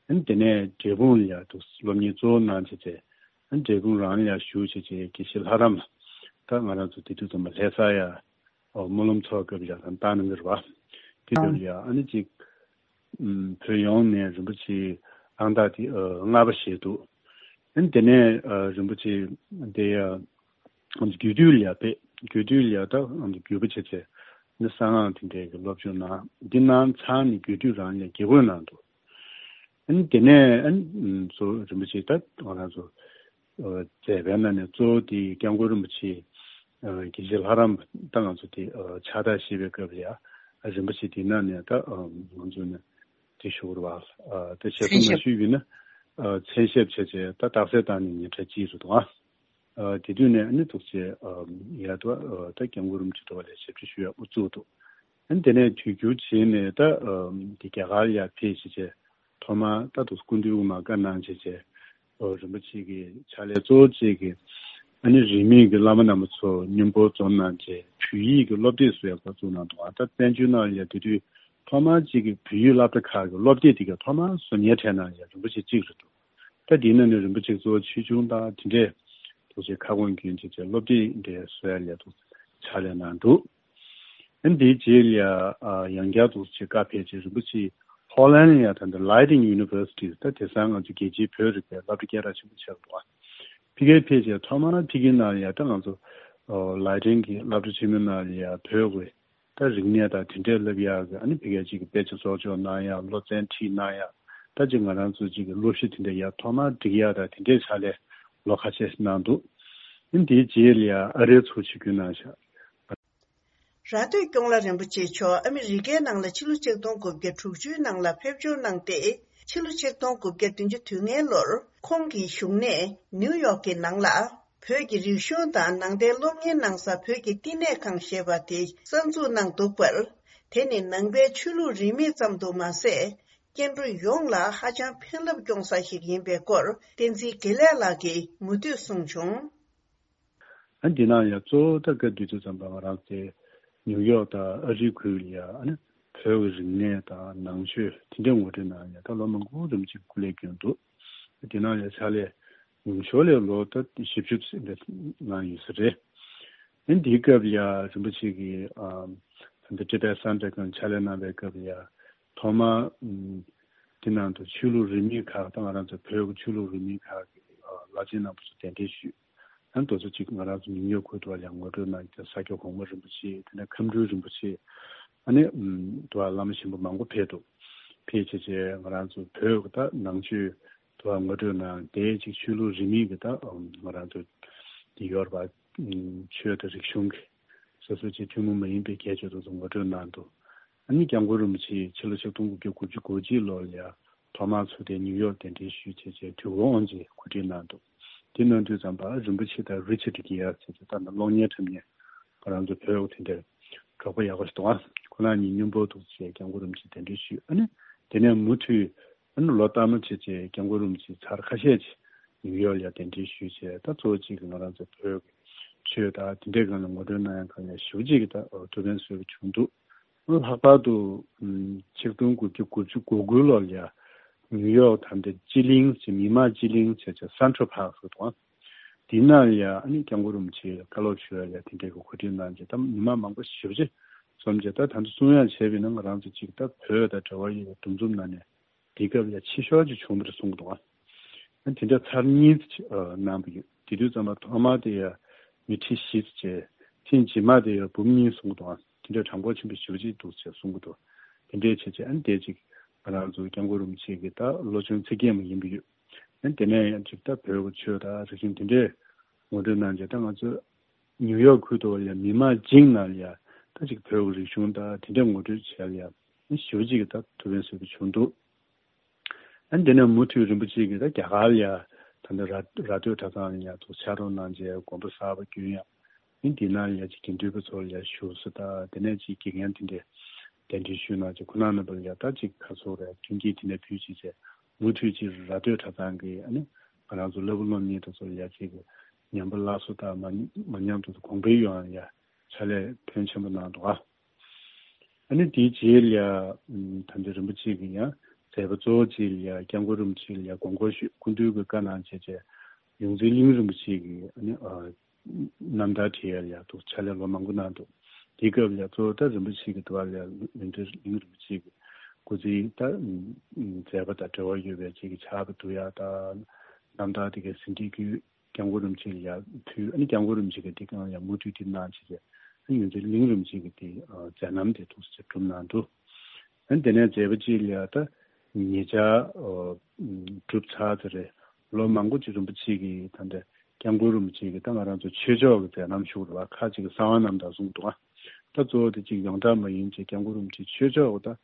ཨ་ནི་དེ་ནས་འབྲས་སྤུངས་ལ་ཡ་འདུག་སློབ་གཉེར་གཙོ་བོ་གནང་བྱས་བྱས་ཨ་ནི་འབྲས་སྤུངས་རང་ལ་ཡ་བཞུགས་བྱས་བྱས་དགེ་བཤེས་ལྷ་རམས་ལ་ད་ང་རང་ཚོ་དེ་དུས་ཙམ་པ་ལྷ་ས་ཡ་སྨོན་ལམ་ཚོགས་སྐབས་ལ་ཡ་ད་བཏང་གནང་གི་རེད་བ། དེ་དུས་ལ་ཡ་ཨ་ནི་ཅིག་བོད་ཡོངས་ནས་རིན་པོ་ཆེ་ཨང་རྟགས་དེ་ལྔ་པ་བཞེས་འདུག་ཨ་ནི་དེ་ནས་རིན་པོ་ཆེ་དེ་ཡ། རྒྱུད་སྟོད་ལ་ཡ་ཕེབས། རྒྱུད་སྟོད་ལ་ཡ་ད་རྒྱུད་པ་བྱས་བྱས་ནི་གསང་སྔགས་དེ་འདྲའི་གི་སློབ་སྦྱོང་གནང་། འདི་གནང་ཚར་ནས་རྒྱུད་སྟོད་རང་ལ་དགེ་བསྐོས་གནང་འདུག་ཨ་ནི་དེ་ནས་ཨ་ནི་ཚོ་རིན་པོ་ཆེ་ད་ང་རང་ཚོ་མཛད་པའི་ནང་ནས་གཙོ་བོ་དེ་སྐྱབས་མགོན་རིན་པོ་ཆེ་དགེ་བཤེས་ལྷ་རམས་ད་ང་ཚོ་དེ་ཕྱག་རྟགས་བཞེས་པའི་སྐབས་ལ་ཡ་རིན་པོ་ཆེ་དེ་ནང་ནས་ད་ང་ཚོ་ནས་དེ་ཞུ་དགོས་རེད་བ། དེ་ཞལ་གསུང་མ་ཞུས་པས་ན་མཚན་ཞབས་བྱས་བྱས་ད་རྟགས་གསལ་བཏང་ནས་ཉིན་གྲངས་གཅིག་རེད་འདུག་ཨ། ཨ། དེ་དུས་ནས་ཨ་ནི་ཐུགས་རྗེ་ཨ་ཡར་དུ་ཨ་ད་སྐྱབས་མགོན་རིན་པོ་ཆེ་དུ་བ་ལས་ཞབས་ཕྱི་ཞུ་ཡག་དབུ་བཙུགས་འདུག་ཨ་ནི་དེ་ནས་དུས་འགྱུར་རྗེས་ནས་ད་ཨ་དེ་རྒྱ་གར་ཡར་ཕེབས་བྱས་བྱས་ཐོག་མར་ད་དུ་སྐུ་མདུན་དབུ་མར་བཀའ་གནང་བྱས་བྱས་ཨ་རིན་པོ་ཆེ་གི་ཕྱག་ལས་གཙོ་བོ་བཅས་ཀྱི་ཨ་ནི་རིས་མེད་ཀྱི་བླ་མ་རྣམ་པ་ཚོ་མཉམ་པོ་འཛོམས་གནང་བྱས་བོད་ཡིག་གི་སློབ་དེབ་བཟོ་ཡག་འགོ་བཙུགས་གནང་འདུག་ཨ་ད་བཙན་བྱོལ་ནང་ལ་ཡ་དེ་དུས་ཐོག་མར་གཅིག་གི་བོད་ཡིག་སློབ་གྲྭ་ཁག་གི་སློབ་དེབ་དེ་ག་ཐོག་མར་བཟོ་མཁན་གྲས་ནང་ཡ་རིན་པོ་ཆེ་གཅིག་རེད་འདུག་ད་དེའི་ནང་ནས་རིན་པོ་ཆེ་གཙོ་བོ་ཆེ་ཆུང་དང་དེ་འདྲས་ཐུགས་རྗེ་ཁ་སྐོང་རྒྱུན་ཆད་ཀྱི་སློབ་ཁྲིད་འདྲས་བཟོ་ཡ་ལས་ཐུགས་ཕྱག་ལས་གནང་འདུག་ཨ་ནི་དེའི་རྗེས་ལ་ཡང་བསྐྱར་ཐུགས་རྗེ་བཀའ་ཕེབས་ཆེད་རིན་པོ་ཆེ་ཧོ་ལན་ལ་ཡང་ད་ལྟ་Leiden University ད་དེང་སང་ང་ཚོ་རྒྱལ་སྤྱིའི་བོད་རིག་པའི་སློབ་གྲྭ་སྐད་གྲགས་ཆེན་པོ་ཆགས་འདུག་ཕ་གིར་ཕེབས་ཆེད་ཐོག་མར་ཕ་གིའི་ནང་ལ་ཡང་ད་ང་ཚོ་Leiden གི་སློབ་གྲྭ་ཆེན་མོའི་ནང་ལ་ཡང་བོད་ཀྱི་ད་རིག་གནས་དང་དེ་འདྲས་བསླབ་ཡག་གི་ཨ་ནི་ཕ་གིར་ཅིག་གི་དཔེ་ཆ་བཙོག་འཇོག་གནང་ཡག་སློབ་ཚན་ཁྲིད་གནང་ཡག་ད་ཅིག་ང་རང་ཚོ་ཅིག་གི་སློབ་གཞི་དེ་འདྲས་ཡར་ཐོག་མར་སྒྲིག་ཡག་དང་དེ་འདྲས་ཕྱག་ལས་ལོ་ཁ་ཤས་གནང་འདུག་ཨ་ནི་དེའི་རྗེས་ལ་ཡང་ཨ་རིར་ཚུར་ཆིབས་བསྒྱུར་གནང་བཞག་ར་སྟོད་སྐྱོང་ལ་རིན་པོ་ཆེ་མཆོག་ཨ་མི་རི་ཀའི་ནང་ལ་ཕྱི་ལོ་ཆིག་སྟོང་དགུ་བརྒྱ་དྲུག་ཅུའི་ནང་ལ་ཕེབས་འབྱོར་གནང་སྟེ། ཕྱི་ལོ་ཆིག་སྟོང་དགུ་བརྒྱ་བདུན་ཅུ་དོན་ལྔའི་ལོར་ཁོང་གི་བཞུགས་གནས་ནིའུ་ཡོག་གི་ནང་ལ། བོད་ཀྱི་རིག་གཞུང་དང་ནང་བསྟན་སློབ་གཉེར་གནང་ས་བོད་ཀྱི་བསྟི་གནས་ཁང་ཞེས་པ་དེ་གསར་འཛུགས་གནང་འདུག་པར། དེ་ནི་ནང་པའི་ཆོས་ལུགས་རིས་མེད་ཙམ་དུ་མ་ཟད། སྐྱེ་འགྲོ་ཡོངས་ལ་ཧ་ཅང་ཕན་རླབས་སྐྱོང་ས་ཞིག་ཡིན་པའི་སྐོར་བསྟན་འཛིན་དགེ་ལེགས་ལགས་ཀྱིས་མུ་མཐུད་གསུངས་བྱུང་། ཨ་འདི་ནང་ཡང་གཙོ་བོ་ད་སྐབས་དེ་དུས་ཙམ་པ་ང་རང་ཚོའི་ནིའུ་ཡོག་དང་ཨ་རིའི་ཁུལ་ལ་ཡང་ཨ་ནི་བོད་ཀྱི་རིག་གནས་དང་ནང་ཆོས་དེ་འདྲའི་ངོ་སྤྲོད་གནང་ཡང་ད་ལོ་མང་པོ་རིམ་གྱིས་སྐུ་ལས་བསྐྱོན་འདུག་དེ་ནང་ཡང་ཕྱག་ལས་ཉུང་ཤོས་ལས་ལོ་ད་བཞི་བཅུ་ཙམ་གནང་ཡོད་ས་རེད། ཨ་ནི་འདིའི་སྐབས་ལ་ཡང་རིན་པོ་ཆེ་གིས་ཨ་ད་ལྟ་ཊི་བེཊ་སེན་ཊར་སྒང་ཕྱག་ལས་གནང་བའི་སྐབས་ལ་ཡང་ཐོག་མར་ཨམ་དེ་ནང་དུ་ཆོས་ལུགས་རིས་མེད་ཁག་དང་ང་རང་ཚོ་བོད་ཀྱི་ཆོས་ལུགས་རིས་མེད་ཁག་གི་ཨ་བླ་ཆེན་རྣམ་པ་ཚོ་གདན་འདྲེན་ཞུས། ཨ་ནི་དེ་ཚོ་གཅིག་ང་རང་ཚོ་ཉིའུ་ཡོག་ཁུལ་དུ་ཡང་ངོ་སྤྲོད་གནང་སྟེ་ས་སྐྱ་གོང་མ་རིན་པོ་ཆེ་དེ་ནས་ཁམས་སྤྲུལ་རིན་པོ་ཆེ་ཨ་ནི་ཨམ་དུ་བླ་མ་ཆེན་པོ་མང་པོ་ཕེབས་འདུག་ཕེབས་བྱས་བྱས་ང་རང་ཚོ་བོད་ཀྱི་ད་ནང་ཆོས་དུ་ངོ་སྤྲོད་གནང་དེ་གཅིག་ཆོས་ལུགས་རིས་མེད་ཀྱི་ད་ང་རང་ཚོ་དེ་ཡོད་རེད་པ། ཆོས་དང་རིག་གཞུང་གི་སོ་སོ་གཅིག་ཐུན་མོང་མ་ཡིན་པའི་ཁྱད་ཆོས་དེ་ཚོ་ངོ་སྤྲོད་གནང་འདུག་ཨ་ནི་སྐྱབས་མགོན་རིན་པོ་ཆེ་ཕྱི་ལོ་ཆིག་སྟོང་དགུ་བརྒྱ་དགུ་བཅུ་གོ་གཅིག་ལོ་ལ་ཡ་ཐོག་མར་ཚུར་དེ་ནིའུ་ཡོག་གདན་འདྲེན་ཞུས་བྱས་བྱས་དུས་འཁོར་དབང་ཆེན་གོ་སྒྲིག་གནང་འདུག་དེ་གནང་དུས་ཙམ་པ་རིན་པོ་ཆེ་དང་རི་ཆར་ཌི་གིར་བྱས་བྱས་ད་ནི་གློག་བརྙན་འཁྲབ་མཁན་ང་རང་ཚོ་བོད་དེ་འདྲ་གྲོགས་པོ་ཡག་པོ་ཞིག་འདུག་ཨ་ཁོ་རང་གཉིས་མཉམ་པོ་འདུག་བྱས་སྐྱབས་མགོན་རིན་པོ་ཆེ་གདན་འདྲེན་ཞུས། ཨ་ནི་དེ་ནས་མུ་མཐུད་ཨ་ནི་ལོ་ལྟར་མ་བྱས་བྱས་སྐྱབས་མགོན་རིན་པོ་ཆེ་ཚར་ཁ་ཤས་ཅིག་ནིའུ་ཡོག་ལ་གདན་འདྲེན་ཞུས་བྱས་ད་གཙོ་བོ་གཅིག་གི་ང་རང་ཚོ་བོད་ཀྱི་ཆོས་དང་དེ་འདྲའི་སྒང་ལ་ངོ་སྤྲོད་གནང་ཡག་སྒང་ལ་ཞེ་པོ་ཅིག་གི་ད་ཐུགས་ཕན་གསོས་པ་བྱུང་འདུག་ལྷག་པར་དུ་ཆིག་སྟོང་དགུ་བརྒྱ་དགུ་བཅུ་གོ་དགུ་ལོ་ལ་ཡ་ནིའུ་ཡོག་ད་ལྟ་སྤྱི་གླིང་ཟེར་མི་དམངས་སྤྱི་གླིང་ཟེར་བྱས་སེན་ཊྲལ་པཱརཀ་ཟེར་འདུག་དེའི་ནང་ལ་ཡ་ཨ་ནི་སྐྱབས་མགོན་རིན་པོ་ཆེ་བཀའ་སློབ་ཞུ་བ་ལ་དེ་འདྲའི་གི་གོ་སྒྲིག་གནང་རྗེས་ད་མི་མང་མང་པོ་ཞེ་པོ་ཅིག་འཛོམས་རྗེས་ད་ད་ཚོ་གསུང་ཡག་བྱས་པས་ན་ང་རང་ཚོ་གཅིག་ད་བོད་དང་འབྲེལ་བ་ཡོད་པའི་འདུ་འཛོམས་ནང་ནས་ དེའི་སྐབས་ལ་ཕྱི་ཤོག་ཅིག་བྱུང་བ་རེད་གསུང་གི་འདུག་ཨ། དེ་འདྲ་ཚར་གཉིས་ཅིག་ཨ་གནང་བ་ཡོད། དེ་དུས་ཙམ་པ་ཐོག་མ་དེ་ཡ་མི་ཁྲི་བཞི་ཙམ་བྱས། ཐེངས་རྗེས་མ་དེ་ཡ་འབུམ་གཉིས་གསུང་གི་འདུག་ཨ། དེ་འདྲ་གྲངས་འབོར་ཆེན་པོ་ཞེ་པོ་ཅིག་འདུག་ཅེས་གསུང་གི་འདུག་དེ་འདྲའི་བྱས་བྱས་ཨ་ནི་དེ་ཅིག་ང་རང་ཚོ་སྐྱབས་མགོན་རིན་པོ་ཆེ་གི་ད་བློ་ཆུང་ཚིག་རྒྱན་མ་ཡིན་པ་ཡོད། ཨ་ནི་དེ་ནས་ཡང་ཅིག་ད་བོད་ཀྱི་ཆོས་དང་རིག་གཞུང་དེ་འདྲའི་ངོ་སྤྲོད་གནང་བྱས། ད་ང་ཚོ་ནིའུ་ཡོག་ཁུལ་དུ་ཡ་མི་མང་བྱིངས་ནང་ལ་ཡ་ད་ཅིག་བོད་ཀྱི་རིག་གཞུང་དང་དེ་འདྲའི་ངོ་སྤྲོད་བྱས་ལ་ཡ་ཞེ་པོ་ཅིག་གི་ད་ཐུགས་ཕན་གསོས་པ་བྱུང་འདུག་ཨ་ནི་དེ་ནས་མུ་མཐུད་རིན་པོ་ཆེ་གིས་ད་རྒྱ་གར་ལ་ཡ་ད་ལྟ་ར་ར་སྟོད་གྲྭ་ཚང་ལ་ཡ་ཐུགས་ཕྱག་རོགས་གནང་བྱས་དགོན་པ་གསར་པ་བསྐྲུན་ཡ། ཨ་ནི་དེ་ནང་ལ་ཡ་ཅིག་དགེ་འདུན་པ་ཚོ་ལ་ཡ་བཞུགས་ས་དང་དེ་ནས་ཅིག་དགེ་རྒན་དེ་འདྲས་གདན་འདྲེན་ཞུས་གནང་བྱས་ཁོང་རྣམ་པ་ལ་ཡ་ད་ཅིག་ག་ཚོད་རེད་མཐུན་རྐྱེན་དེ་འདྲ་ཕུལ་བྱས་བྱས་མུ་མཐུད་ཅིག་ར་སྟོད་གྲྭ་ཚང་གི་ཨ་ནི་ང་རང་ཚོ་བླ་སྤུ་སློབ་གཉེར་དེ་ཚོ་ལ་ཡ་ཅིག་ཉམས་པ་སླར་གསོ་དང་མ་མ་ཉམས་དུ་གོང་འཕེལ་ཡོང་བ་ལ་ཡ་ཕྱག་ལས་ཕོན་ཆེན་པོ་གནང་འདུག་ཨ། ཨ་ནི་དེའི་རྗེས་ལ་ཡ་ད་ལྟ་རིན་པོ་ཆེ་གིས་ཡང་མཛད་པ་གཙོ་བོ་ཅིག་ལ་ཡ་སྐྱབས་མགོན་རིན་པོ་ཆེ་ལ་ཡ་དགོངས་སྐོར་ཞུས། སྐུ་མདུན་གྱིས་བཀའ་གནང་བྱས་བྱས་ཡོངས་འཛིན་གླིང་རིན་པོ་ཆེ་གི་ཨ་ནི་ཨ་རྣམ་ཐར་བྲིས་ཡ་ལ་ཡ་ཐུགས་ཕྱག་ལས་ལོ་མང་པོ་གནང་འདུག་དེའི་སྐབས་ལ་ཡ་གཙོ་བོ་ད་རིན་པོ་ཆེ་གི་དུ་བ་ལ་ཡ་ཡོངས་འཛིན་གླིང་རིན་པོ་ཆེ་གི་སྐུ་ཚེའི་ད་མཛད་པ་དང་འབྲེལ་བ་ཡོད་པའི་ཅིག་གི་ཕྱག་དཔེ་བསྡུ་ཡ་དང་རྣམ་ཐར་དེ་གའི་ཟིན་བྲིས་བརྒྱུད། སྐྱབས་མགོན་རིན་པོ་ཆེ་ལ་ཡ་ཕུལ། ཨ་ནི་སྐྱབས་མགོན་རིན་པོ་ཆེ་གིས་དེ་གང་ཡང་མུ་མཐུད་དེ་གནང་བྱས་བྱས། ཨ་ནི་ཡོངས་འཛིན་གླིང་རིན་པོ་ཆེ་གིས་དེ་ཨ་མཛད་རྣམ་དེ་ཐུགས་སུ་ཆེ་གྲུབ་གནང་འདུག་ཨ་ནི་དེ་ནས་མཛད་པ་ཅིག་ལ་ཡ་ད་ཉེ་ཆར་ཨ་གྲུབ་ཚར་ཚར་རེད། ལོ་མང་པོ་ཅིག་རིན་པོ་ཆེ་གིས་ད་ལྟ་སྐྱབས་མགོན་རིན་པོ་ཆེ་གིས་ད་ང་རང་ཚོ་ཆོས་ཕྱོགས་ཀྱི་མཛད་རྣམ་ཞུ་བ་ཁ་ཅིག་གསང་བ་རྣམ་དག་གསུངས་འདུག་ཨ། ད་གཙོ་བོ་དེ་ཅིག་ཡོངས་གྲགས་མ་ཡིན་ཅིག་སྐྱབས་མགོན་རིན་པོ་ཆེ་ཆོས་ཕྱོགས་ཀྱི་ད་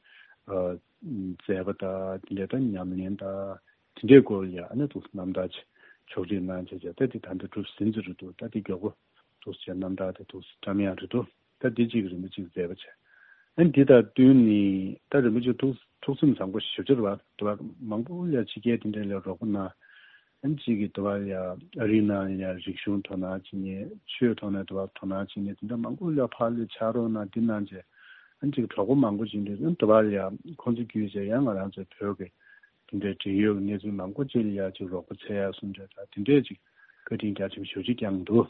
ཨ་མཛད་པ་དང་དེ་འདྲ་ད་ཉམས་ལེན་དང་། དེ་འདྲའི་སྐོར་ལ་ཡང་ཨ་ནི་ཐུགས་རྣམ་ཐར་ཕྱོགས་སྒྲིག་གནང་བྱས་བྱས་ད་དེ་ད་ལྟ་གྲུབ་ཟིན་ཚར་རེད་འདུག་ད་དེ་མགྱོགས་པོ་ཐུགས་རྗེ་རྣམ་ཐར་དེ་ཐུགས་བཀྲམ་ཡག་རེད་འདུག་ད་དེ་གཅིག་རིན་པོ་ཆེས་མཛད་པ་བྱས། ཨ་ནི་འདི་དང་བསྟུན་ནས་ད་རིན་པོ་ཆེ་ཐུགས་ཐུགས་སེམས་བཟང་པོ་ཞེ་པོ་ཅིག་རེད་བ། དུ་བ་མང་པོ་ལ་ཕྱི་རྒྱལ་དེ་འདྲ་ལ་རོགས་པ་གནང་། ཨ་ནི་གཅིག་གིས་དུ་བ་ལ་ཨ་རིའི་ནང་ལ་རིག་གཞུང་དོ་སྣང་བྱེད་མཁན། ཆོས་ཐོག་ནས་དུ་བ་དོ་སྣང་བྱེད་མཁན་དེ་འདྲ་མང་པོ་ལ་ཕར་ལ་ཕྱག་རོགས་གནང་འདི་གནང་བྱས། ཨ་ནི་གཅིག་གྲོགས་པོ་མང་པོ་ཅིག་འདུག་ཨ་ནི་དུ་བ་ལ་ཁོང་ཚོ་བརྒྱུད་བྱས་ཡང་ང་རང་ཚོའི་བོད་ཀྱི་དེ་འདྲའི་འབྲེལ་ཡོད་ཀྱི་གནས་ཚུལ་མང་པོ་ཅིག་ལ་ཡ་ཅིག་རོགས་པ་འཚོལ་ཡ་གསུང་གྲོས་དང་དེ་འདྲའི་ཅིག་བཀའ་དྲིན་རྒྱ་ཆེན་པོ་ཞེ་པོ་ཅིག་བསྐྱངས་འདུག་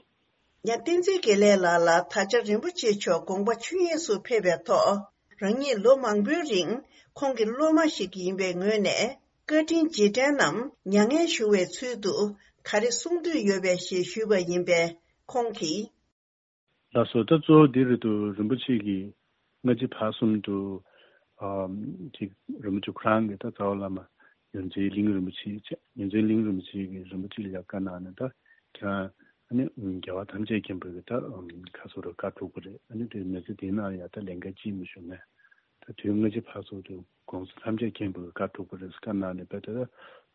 ཡང་བསྟན་འཛིན་དགེ་ལེགས་ལགས་ལ་ད་ཆ་རིན་པོ་ཆེ་མཆོག་དགོངས་པ་ཆོས་དབྱིངས་སུ་ཕེབས་པའི་ཐོག་རང་ཉིད་ལོ་མང་པོའི་རིང་ཁོང་གི་སློབ་མ་ཞིག་ཡིན་པའི་ངོས་ནས་བཀའ་དྲིན་རྗེས་དྲན་ནམ་མྱ་ངན་ཞུ་བའི་ཚུལ་དུ་ག་རེ་གསུང་འདོད་ཡོད་པས་ཞེས་ཞུས་པ་ཡིན་པས་ཁོང་གིས། ལགས་སོ། ད་གཙོ་བོ་འདི་རེད་འདུག་རིན་པོ་ཆེ་གིས་སྔ་ཕྱི་བར་གསུམ་དུ་ཨམ་ཅིག་རིན་པོ་ཆེ་ཁོ་རང་གིས་ད་རྩ་བ་བླ་མ་ཡོངས་འཛིན་གླིང་རིན་པོ་ཆེ་བྱས། ཡོངས་འཛིན་གླིང་རིན་པོ་ཆེ་གིས་རིན་པོ་ཆེ་ལ་བཀའ་གནང་ནས་ད་ཁྱེད་རང་ཨ་ནི་རྒྱལ་བ་ཐམས་ཅད་མཁྱེན་པ་གི་ད་ཁ་སོ་རུ་བཀའ་སྒྲུབ་པ་རེད། ཨ་ནི་དེ་མི་ཚེ་འདིའི་ནང་ཡང་ད་ལས་འགན་ཅི་མི་ཞུ་མེད། ད་དུས་སྔ་ཕྱི་བར་གསུམ་དུ་གོང་ས་ཐམས་ཅད་མཁྱེན་པ་གི་བཀའ་སྒྲུབ་པ་རེད་བཀའ་གནང་ནས་བས་ད་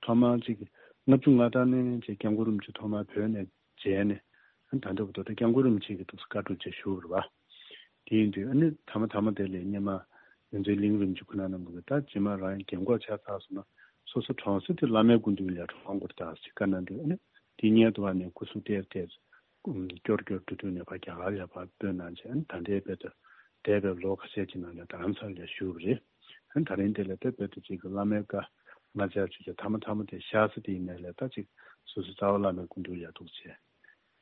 ཐོག་མར་ཅིག་ལྔ་བཅུ་ང་ལྔ་ནས་ཅིག་སྐྱབས་མགོན་རིན་པོ་ཆེ་ཐོག་མར་བོད་ནས་མཇལ་ནས། ཨ་ནི་ད་ལྟ་བར་དུ་ད་སྐྱབས་མགོན་རིན་པོ་ཆེ་གིས་འདུག་སེ་བཀའ་སྒྲུབ་བྱས་བཞུགས་པ་རེད་བ། དེ་ཡིན་དུས་ཨ་ནི་མཐའ་མ་མཐའ་མ་དེ་ལ་སྔོན་མ་ཡོངས་འཛིན་གླིང་རིན་པོ་ཆེ་ཁོ་ན་རྣམས་ཀྱིས་ད་རྗེས་མ་རང་རྒན་གོག་ཆགས་ཚར་སོང་ན་སོ་སོ་གྲོངས་ཚེ་དེ་བླ་མའི་སྐུ་མདུན་ལ་གྲོངས་དགོས་རེད་ད་ཅེས་བཀའ་གནང་དུས། ཨ་ནི་དེ་སྔོན་དུ་བ་ནས་སྐུ་གཟུགས་བལྟས་བལྟས་སྐྱོར་སྐྱོར་བྲོ་བྲོ་ནས་ཕར་རྒྱ་གར་ལ་ཕར་སྤོས་གནང་བྱས། ཨ་ནི་ད་ལྟའི་བར་དུ་འདས་པའི་ལོ་ཁ་ཤས་ཀྱི་ནང་ལ་རྡ་རམ་ས་ལ་བཞུགས་པ་རེད། ཨ་ནི་ད་རིང་དེ་ལ་ད་བར་དུ་ཅིག་གི་བླ་མའི་བཀའ་མ་བཅག་བྱས་ཀྱི་མཐའ་མ་མཐའ་མ་དེ་གཤེགས་ས་དེ་ཡིན་ནའི་ལས་ད་ཅིག་སོ་སོའི་རྩ་བ་བླ་མའི་སྐུ་མདུན་ལ་འདུག་བྱས།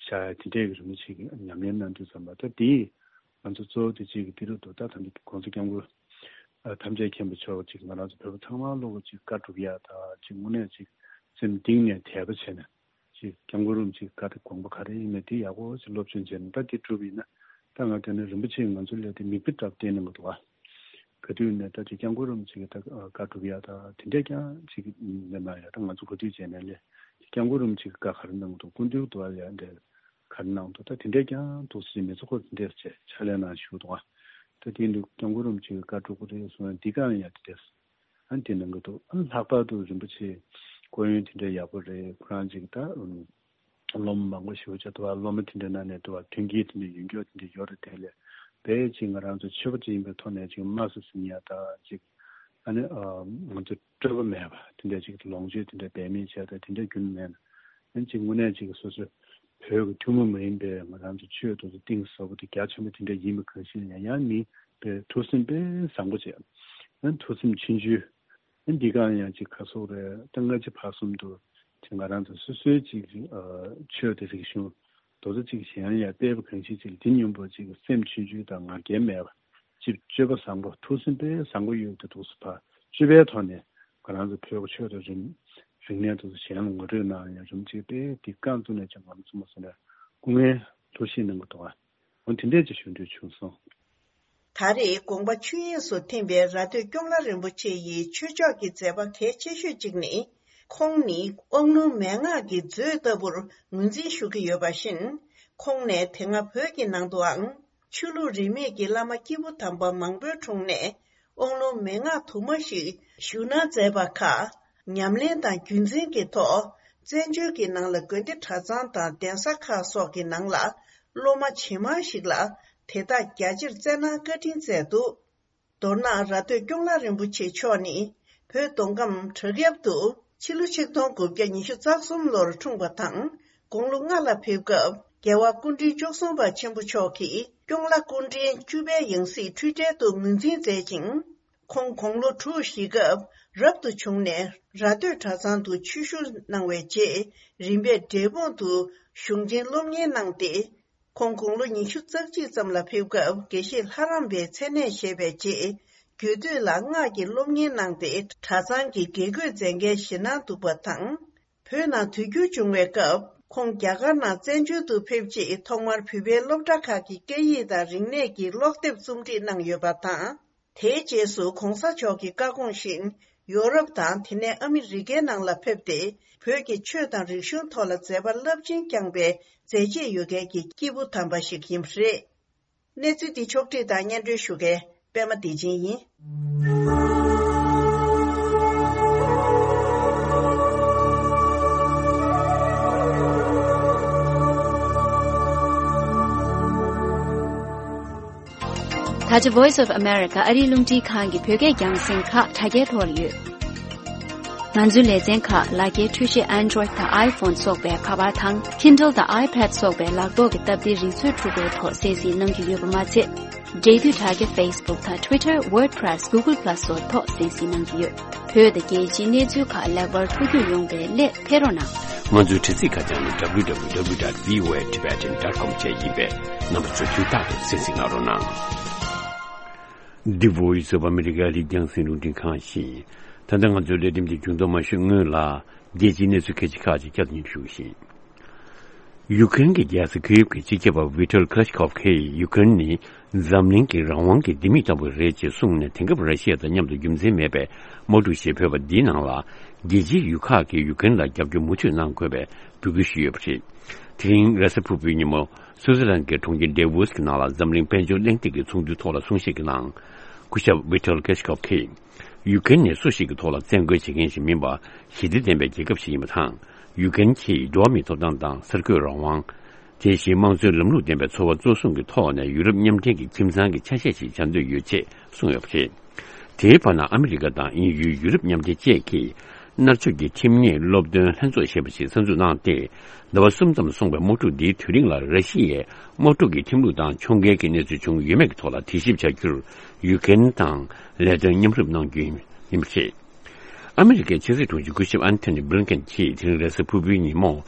ཤ་ཡ་དེ་འདྲས་ཀྱི་རིན་པོ་ཆེ་གི་ཉམས་ལེན་གནང་དུས་ཙམ་པ་ད་དེ་ང་ཚོ་གཙོ་བོ་དེ་གཅིག་གི་དེ་རུ་འདུག་ད་ད་འདི་གོང་ས་སྐྱབས་མགོན་ཨ་ཐམས་ཅད་མཁྱེན་པ་མཆོག་ཅིག་ང་རང་ཚོ་བོད་པ་ཚང་མ་ལོག་གི་ཅིག་བཀའ་སྒྲུབ་ཡ་ད་ཅིག་དངོས་གནས་ཅིག་སེམས་གཏིང་ནས་དད་པ་བྱས་ནས་ཅིག་སྐྱབས་མགོན་རིན་པོ་ཆེ་གི་བཀའ་དེ་དགོངས་པ་ག་རེ་ཡིན་མིན་དེ་ཡག་པོ་ཅིག་སློབ་སྦྱོང་བྱས་ནས་ད་དེ་སྒྲུབ་ཡིན་ན་ད་ང་དེ་ནས་རིན་པོ་ཆེ་ང་ཚོ་ལ་དེ་མིག་དཔེ་འདྲ་བསྟན་གནང་གི་འདུག་ཨ། ག་དུས་ནས་ད་ཅིག་སྐྱབས་མགོན་རིན་པོ་ཆེ་གི་ད་བཀའ་སྒྲུབ་ཡ་ད་དེ་འདྲས་ཀྱང་ཅིག་མི་གནང་ཡ་ད་ང་ཚོ་ག་དུས་བྱས་ནས་ལས་སྐྱབས་མགོན་རིན་པོ་ཆེ་གི་བཀའ་ག་རེ་གནང་འདུག་སྐུ་མདུན་དུ་བ་ལ་ཡ་འདྲ་ག་རེ་གནང་འདུག་ད་དེ་འདྲས་ཀྱང་འདུག་སེ་མི་ཚོ་ཁོ་དེ་འདྲས་བྱས་ཕྱག་ལས་གནང་ཞུ་འདུག་ཨ། ད་དེ་འདུག་སྐྱབས་མགོན་རིན་པོ་ཆེ་གི་བཀའ་སྒྲུབ་ཀྱི་རེད་གསུང་ཡ་འདི་གང་ཡ་དེ་འདྲས་ཨ་ནི་དེ་གནང་གི་འདུག་ཨ་ནི་ལྷག་པར་དུ་རིན་པོ་ཆེ་སྐུ་ཡོན་དེ་འདྲས་ཡག་པོ་རེད། ཁོ་རང་ཅིག་ད་སློབ་མ་མང་པོ་ཞེ་པོ་ཅིག་འདུག་བ། སློབ་མ་དེ་འདྲའི་ནང་ནས་འདུག་བ་མཐུན་རྐྱེན་དེ་འདྲ་ཡོད་མཁན་དེ་འདྲ་ཡོད་རེད། དེ་ལས་དཔེ་ཅིག་ང་རང་ཚོ་ཆོས་པ་ཅིག་ཡིན་པའི་ཐོག་ནས་ཅིག་དམའ་སུ་ཟིན་ཡ་ད་ཅིག་ཨ་ནི་ང་ཚོ་སྤྲོས་པ་མེད་པ་དེ་འདྲ་ཅིག་ལོངས་སྤྱོད་དེ་འདྲ་འབད་མེད་བྱས་ད་དེ་འདྲ་རྒྱུན་མེད་ན། ཨ་ནི་ཅིག་དངོས་གནས་ཅིག་སོ་སོ་བོད་ཀྱི་ཐུན་མོང་མ་ཡིན་པའི་ང་རང་ཚོ་ཆོས་དེ་ཚོ་གཏིང་ཟབ་པོ་དེ་རྒྱ་ཆེན་པོ་དེ་འདྲ་ཡིན་པ་གང་ཞིག་ཡང་ཡང་མི་དཔེ་ཐུགས་སེམས་དཔེ་བཟང་པོ་བྱས། ཨ་ནི་ཐུགས་སེམས་ཆུང་ཆུང་། ཨ་འདི་གང་ཡང་ཅིག་ག་སོག་རེད། ད་སྔ་ཕྱི་བར་གསུམ་དུ་ཅིག་ང་རང་ཚོ་སོ་སོའི་ཅིག་ཨ་ཆོས་དང་རིག་གཞུང་དེ་ཚོ་ཅིག་གཞན་ཡང་དཔེ་བ་གང་ཞིག་ཅིག་འདི་སྙོམས་པོ་ཅིག་སེམས་ཆུང་ཆུང་དང་ང་རྒྱལ་མེད་པ་ཅིག་སྤྱོད་པ་བཟང་པོ་ཐུགས་སེམས་དཔེ་བཟང་པོ་ཡོད་དེ་འདུག་སེ་ཕར་སྤྱོད་པའི་ཐོག་ནས་ ང་རང་ཚོ་བོད་ཀྱི་ཆོས་དང་རིག་རིག་གནས་དེ་ཚོ་གཞན་ལ་ངོ་སྤྲོད་གནང་ཡ་རིམ་གཅིག་དཔེ་འདི་རྐང་བཙུགས་ནས་ཀྱང་ང་ཚོ་མ་སོང་ནས་སྐུ་ངལ་ཐུགས་ཞིབ་གནང་གི་འདུག་ཨ། འོ་དེ་འདྲས་ཀྱི་ཞུ་འདོད་བྱུང་སོང་། ད་རེས་དགོངས་པ་ཆོས་དབྱིངས་སུ་ཐིམ་པའི་ར་སྟོད་ཀོང་ལ་རིན་པོ་ཆེ་ཡི་ཆོས་ཕྱོགས་ཀྱི་མཛད་པ་གལ་ཆེ་ཤོས་གཅིག་ནི། ཁོང་ནི་དབང་ལུང་མན་ངག་གི་མཛོད་ལྟ་བུར་ངོས་འཛིན་ཞུ་གི་ཡོད་པ་བཞིན། ཁོང་ནས་དེ་སྔ་བོད་ཀྱི་ནང་དུའང་ཆོས་ལུགས་རིས་མེད་ཀྱི་བླ་མ་སྐྱེས་བུ་དམ་པ་མང་པོའི་དྲུང་ནས་དབང་ལུང་མན་ངག་དུ་མ་ཞིག་ཞུ་གནང་མཛད་པ་ཁག་ཉམས་ལེན་དང་རྒྱུན་འཛིན་གྱི་ཐོག་བཙན་བྱོལ་གྱི་ནང་ལ་དགོན་སྡེ་གྲྭ་ཚང་དང་གདན་ས་ཁག་སོགས་ཀྱི་ནང་ལ་སློབ་མ་ཇེ་མང་ཞིག་ལ་དེ་དག་རྒྱ་ཆེར་སྩལ་གནང་བཀའ་དྲིན་སྩལ་འདུག་མདོར་ན་ར་སྟོད་ཀོང་ལ་རིན་པོ་ཆེ་མཆོག་ནི་བོད་མདོ་ཁམས་བྲག་གཡབ་ཏུ་ཕྱི་ལོ་ཆིག་སྟོང་དགུ་བརྒྱ་ཉི་ཤུ་རྩ་གསུམ་ལོར་འཁྲུངས་པ་དང་དགུང་ལོ་ལྔ་ལ་ཕེབས་སྐབས་རྒྱལ་བ་སྐུ་ཕྲེང་བཅུ་གསུམ་པ་ཆེན་པོ་མཆོག་གིས་ཀོང་ལ་སྐུ་ཕྲེང་བཅུ་པའི་ཡང་སྲིད་འཁྲུལ་བྲལ་དུ་ངོས་འཛིན་མཛད་ཅིང་། ཁོང་དགུང་ལོ་དྲུག་བཞེས་སྐབས་རབ་ཏུ་བྱུང་ནས་ར་སྟོད་གྲྭ་ཚང་དུ་ཆོས་ཞུགས་གནང་བའི་རྗེས་རིམ་པས་འབྲས་སྤུངས་དུ་གཞུང་ཆེན་སློབ་གཉེར་གནང་སྟེ། ཁོང་དགུང་ལོ་ཉི་ཤུ་རྩ་གཅིག་ཙམ་ལ་ཕེབས་སྐབས་དགེ་བཤེས་ལྷ་རམས་པའི་མཚན་གནས་བཞེས་པའི་རྗེས་རྒྱུད་སྟོད་ལ་སྔགས་ཀྱི་སློབ་གཉེར་གནང་སྟེ་གྲྭ་ཚང་གི་དགེ་བསྐོས་མཛད་འགན་བཞེས་གནང་འདུག་པ་དང་། བོད་ནང་དུས་འགྱུར་བྱུང་བའི་སྐབས་ཁོང་རྒྱ་གར་ནང་བཙན་བྱོལ་དུ་ཕེབས་རྗེས་ཐོག་མར་བོད་པའི་སློབ་གྲྭ་ཁག་གི་སྐད་ཡིག་དང་རིག་གནས་ཀྱི་ཀློག་དེབ་རྩོམ་སྒྲིག་གནང་ཡོད་པ་དང་། དེའི་རྗེས་སུ་གོང་ས་མཆོག་གི་བཀའ་དགོངས་བཞིན་ཡོ་རོབ་དང་དེ་ནས་ཨ་མི་རི་ཀའི་ནང་ལ་ཕེབས་ཏེ་བོད་ཀྱི་ཆོས་དང་རིག་གཞུང་ཐོག་ལ་མཛད་པ་རླབས་ཆེན་བསྐྱངས་པའི་མཛད་རྗེས་ཡོད་མཁན་གྱི་སྐྱེས་བུ་དམ་པ་ཞིག་ཡིན་པ་རེད། གནས་ཚུལ་འདི་ཕྱོགས་བསྒྲིགས་དང་སྙན་སྒྲོན་ཞུ་མཁན་པད་མ་བདེ་ཆེན་ཡིན། ད་ཆ་Voice of America ཨ་རིའི་རླུང་འཕྲིན་ཁང་གི་བོད་སྐད་རྒྱང་སྲིང་ཁག་དྲ་རྒྱའི་ཐོག་ལ་ཡོད། ང་ཚོའི་ལེ་ཚན་ཁག་ལག་འཁྱེར་འཕྲུལ་ཆས་Android དང་iPhone སོགས་པའི་ཁ་པར་དང་Kindle དང་iPad སོགས་པའི་ལག་ཐོག་གི་སྟབས་བདེའི་རིག་མཛོད་འཕྲུལ་འཁོར་ཐོག་གསན་གཟིགས་གནང་རྒྱུ་ཡོད་པ་མ་ཚད། འབྲེལ་མཐུད་དྲ་རྒྱ་Facebook དང་Twitter, WordPress, Google Plus སོགས་ཐོག་གསན་གཟིགས་གནང་རྒྱུ་ཡོད། བོད་དང་རྒྱལ་སྤྱིའི་གནས་ཚུལ་ཁག་ལེགས་པར་ཐུགས་རྒྱུས་ཡོང་བའི་སླད་ཕེབས་རོགས་གནང་། ང་ཚོའི་དྲ་ཚིགས་ཁ་བྱང་ནི་www dot voatibetan dot com བཅས་ཡིན་པས་རྣམ་པ་ཚོས་དུས་རྟག་ཏུ་གསན་གཟིགས་གནང་རོགས་གནང་། འདི་Voice of America ཨ་རིའི་རྒྱང་སྲིང་རླུང་འཕྲིན་ཁང་ཡིན། ད་ལྟ་ང་ཚོའི་ལས་རིམ་འདི་མཇུག་སྡོམ་མ་ཞུས་སྔོན་ལ་རྒྱལ་སྤྱིའི་གནས་ཚུལ་གལ་ཆེ་ཁག་ཅིག་བསྐྱར་དུ་སྙན་ཞུ་ཞུ་གི་ཡིན། ཡུ་ཀེ་རེན་གྱི་རྒྱལ་ས་ཁི་ཡེབ་ཀྱི་སྤྱི་ཁྱབ་པ་ཝི་ཏོལ་ཁ་ལ་ཤི་ཁོབ་ཀྱིས་ཡུ་ཀེ་རེན་ནི་འཛམ་གླིང་གི་རང་དབང་གི་ལྡེ་མིག་ལྟ་བུ་རེད་ཅེས་གསུངས་ནས། དེང་སྐབས་ར་ཤི་ཡ་དང་མཉམ་དུ་རྒྱུ་མཚན་མེད་པའི་དམག་འཁྲུག་ཞིག་ཕོག་པ་འདིའི་ནང་ལ་རྒྱལ་སྤྱིའི་ཡུལ་ཁག་གིས་ཡུ་ཀེ་རེན་ལ་རྒྱབ་སྐྱོར་མུ་མཐུད་གནང་དགོས་པའི་འབོད་སྐུལ་ཞུས་ཡོད་པ་རེད། དེ་རིང་རེས་གཟའ་ཕུར་བུའི་ཉིན་མོ་སུའུ་ཙི་ལན་གྱི་གྲོང་ཁྱེར་ཌེ་ཝོ་སི་ནང་ལ་འཛམ་གླིང་དཔལ་འབྱོར་གླེང་སྟེགས་ཀྱི་ཚོགས་འདུའི་ཐོག་ལ་གསུང་བཤད་ཀྱི་ནང་། སྐུ་ཞབས་ཝི་ཏོལ་ཁ་ལ་ཤི་ཁོབ་ཀྱིས། ཡུ་ཀེ་རེན་ནས་སུ་ཞིག་གི་ཐོག་ལ་བཙན་རྒོལ་བྱེད་མཁན་ཞིག་མིན་པར། ཞི་བདེ་ལྡན་པའི་རྒྱལ་ཁབ་ཞིག་ཡིན་པ་དང་། ཡུ་ཀེ་རེན་གྱིས་འགྲོ་བ་མིའི་ཐོབ་ཐང་དང་གསར་འགོད་རང་དབང་། དེ་བཞིན་དམངས་གཙོའི་ལམ་ལུགས་ལྡན་པའི་འཚོ་བ་གཙོ་བཟུང་གི་ཐོག་ནས་ཡུ་རོབ་མཉམ་འབྲེལ་གྱི་ཁྱིམ་ཚང་གི་ཆ་ཤས་ཤིག་བྱ་འདོད་ཡོད་ཅེས་གསུངས་ཡོད་པ་རེད། དེའི་བར་ན་ཨ་མི་རི་ཀ་དང་དབྱིན་ཡུལ། ཡུ་རོབ་མཉམ་འབྲེལ་བཅས་ཀྱིས་མནར་གཅོད་ཀྱི་ཁྲིམས་ཉེས་སློབ་སྟོན་ལྷན་ཚོགས་ཞེས་པ་ཞིག་གསར་འཛུགས་གནང་སྟེ། ཟླ་བ་གསུམ་ཙམ་སོང་བའི་དམག་འཁྲུག་འདིའི་དུས་རིང་ལ་ར་ཤི་ཡས་དམག་འཁྲུག་གི་ཁྲིམས་ལུགས་དང་ཕྱོགས་འགལ་གྱི་གནས་ཚུལ་བྱུང་ཡོད་མེད་ཀྱི་ཐོག་ལ་དྲི་ཞིབ་བྱ་རྒྱུར་ཡུ་ཀེ་རེན་དང་ལས་དོན་མཉམ་རུབ་གནང་རྒྱུ་ཡིན་པ་རེད། ཨ་མི་རི་ཀའི་ཕྱི་སྲིད་དྲུང་ཆེ་སྐུ་ཞབས་ཨན་ཐོ་ནི་བྷི་ལིན་ཀེན་གྱིས་དེ་རིང་རེས་གཟའ་ཕུར་བུའི་ཉིན་མོ།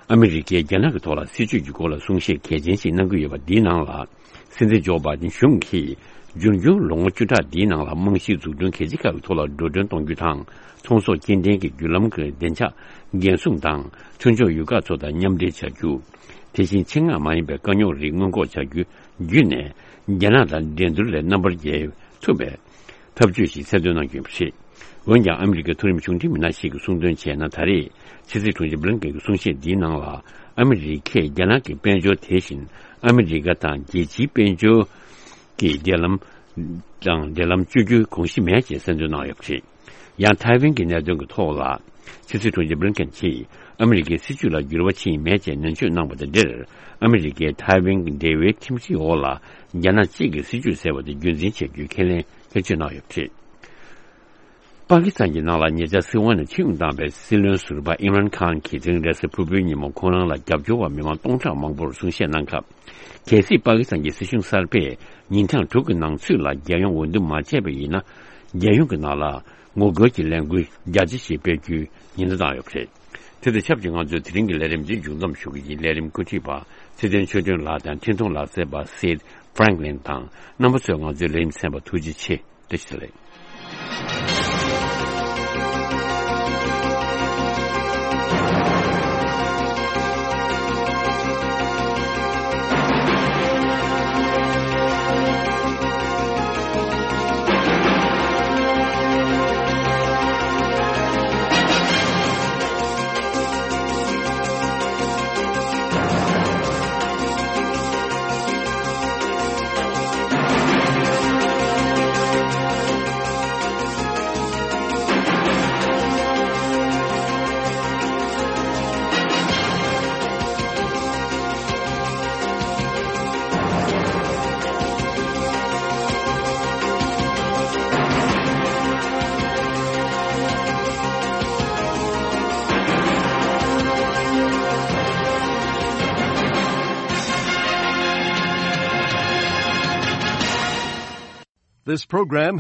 ཨ་མི་རི་ཀས་རྒྱ་ནག་གི་ཐོག་ལ་སྲིད་བྱུས་ཀྱི་སྐོར་ལ་གསུང་བཤད་གལ་ཆེན་ཞིག་གནང་གི་ཡོད་པ་འདིའི་ནང་ལ། སྲིད་འཛིན་ཇོ་བྷའི་ཌེན་གཞུང་གིས་འབྱུང་འགྱུར་ལོ་ངོ་བཅུ་ཕྲག་འདིའི་ནང་ལ་རྨང་གཞིའི་འཛུགས་སྐྲུན་གལ་ཆེ་ཁག་གི་ཐོག་ལ་འགྲོ་གྲོན་གཏོང་རྒྱུ་དང་། ཚོང་ཟོག་སྐྱེལ་འདྲེན་གྱི་བརྒྱུད་ལམ་གྱི་བདེ་འཇགས་འགན་སྲུང་དང་། མཐུན་ཕྱོགས་ཡུལ་ཁག་ཚོ་དང་མཉམ་འབྲེལ་བྱ་རྒྱུ། དེ་བཞིན་ཆེད་མངགས་མ་ཡིན་པའི་དཀའ་རྙོག་རིགས་སྔོན་འགོག་བྱ་རྒྱུ་བརྒྱུད་ནས། རྒྱ་ནག་དང་འགྲན་བསྡུར་ལས་རྣམ་པར་རྒྱལ་ཐུབ་པའི་ཐབས་ཇུས་ཤིག་གསལ་སྟོན་གནང་རྒྱུ་ཡིན་པ་རེད། འོན་ཀྱང་ཨ་མི་རི་ཀའི་མཐོ་རིམ་གཞུང་འབྲེལ་མི་སྣ་ཞིག་གིས་གསུངས་དོན་བྱས་ན། ད་རེས་ཕྱི་སྲིད་དྲུང་ཆེ་བྷི་ལིན་ཀེན་གྱི་གསུང་བཤད་འདིའི་ནང་ལ་ཨ་མི་རི་ཀས་རྒྱ་ནག་གི་དཔལ་འབྱོར། དེ་བཞིན་ཨ་མི་རི་ཀ་དང་རྒྱལ་སྤྱིའི་དཔལ་འབྱོར་གྱི་འབྲེལ་ལམ་དང་འབྲེལ་ལམ་གཅོད་རྒྱུའི་དགོངས་གཞི་མེད་ཅེས་གསལ་འདོན་གནང་ཡོད་པ་རེད། ཡང་ཐའེ་ཝན་གྱི་གནད་དོན་གྱི་ཐོག་ལ་ཕྱི་སྲིད་དྲུང་ཆེ་བྷི་ལིན་ཀེན་གྱིས་ཨ་མི་རི་ཀའི་སྲིད་བྱུས་ལ་འགྱུར་བ་ཕྱིན་མེད་ཅེས་ནན་བརྗོད་གནང་བ་དང་འབྲེལ། ཨ་མི་རི་ཀས་ཐའེ་ཝན་གྱི་འབྲེལ་བའི་ཁྲིམས་སྒྲིག་འོག་ལ་རྒྱ་ནག་གཅིག་གི་སྲིད་བྱུས་ཟེར་བ་དེ་རྒྱུན་འཛིན་བྱེད་རྒྱུའི་ཁས་ལེན་ཁྱེར་ཆོད་གནང་ཡོད་པ་རེད། པ་ཀི་སི་ཐན་གྱི་ནང་ལ་ཉེ་ཆར་སྲིད་དབང་ནས་ཕྱིར་འོང་བཏང་བའི་སྲིད་བློན་ཟུར་པ་ཨིམ་རན་ཁཱན་གྱིས་དེ་རིང་རེས་གཟའ་ཕུར་བུའི་ཉིན་མོ་ཁོང་རང་ལ་རྒྱབ་སྐྱོར་བ་མི་མང་སྟོང་ཕྲག་མང་པོར་གསུང་བཤད་གནང་སྐབས། གལ་སྲིད་པ་ཀི་སི་ཐན་གྱི་སྲིད་གཞུང་གསར་པས་ཉིན་གྲངས་དྲུག་གི་ནང་ཚུད་ལ་རྒྱལ་ཡོངས་འོས་བསྡུ་མ་བྱས་པ་ཡིན་ན། རྒྱལ་ཡོངས་ཀྱི་ནང་ལ་ངོ་རྒོལ་གྱི་ལས་འགུལ་རྒྱ་ཆེ་ཞིག་སྤེལ་རྒྱུའི་ཉེན་བརྡ་བཏང་ཡོད་པ་རེད། དེ་དང་ཆབས་ཅིག་ང་ཚོས་དེ་རིང་གི་ལས་རིམ་འདི་མཇུག་བསྡོམས་ཞུ་གི་ཡིན། ལས་རིམ་འགོ་ཁྲིད་པ་ཚེ་བརྟན་ཆོས་སྒྲོན་ལགས་དང་འཕྲིན་གཏོང་ལག་རྩལ་པ་སེད་ཕྲེང་ལིན་དང་། རྣམ་པ་ཚོས་ང་ཚོའི་ལས་རིམ་གསན་པར་ཐུགས་རྗེ་ཆེ། བཀྲ་ཤིས་བདེ་ལེགས། This program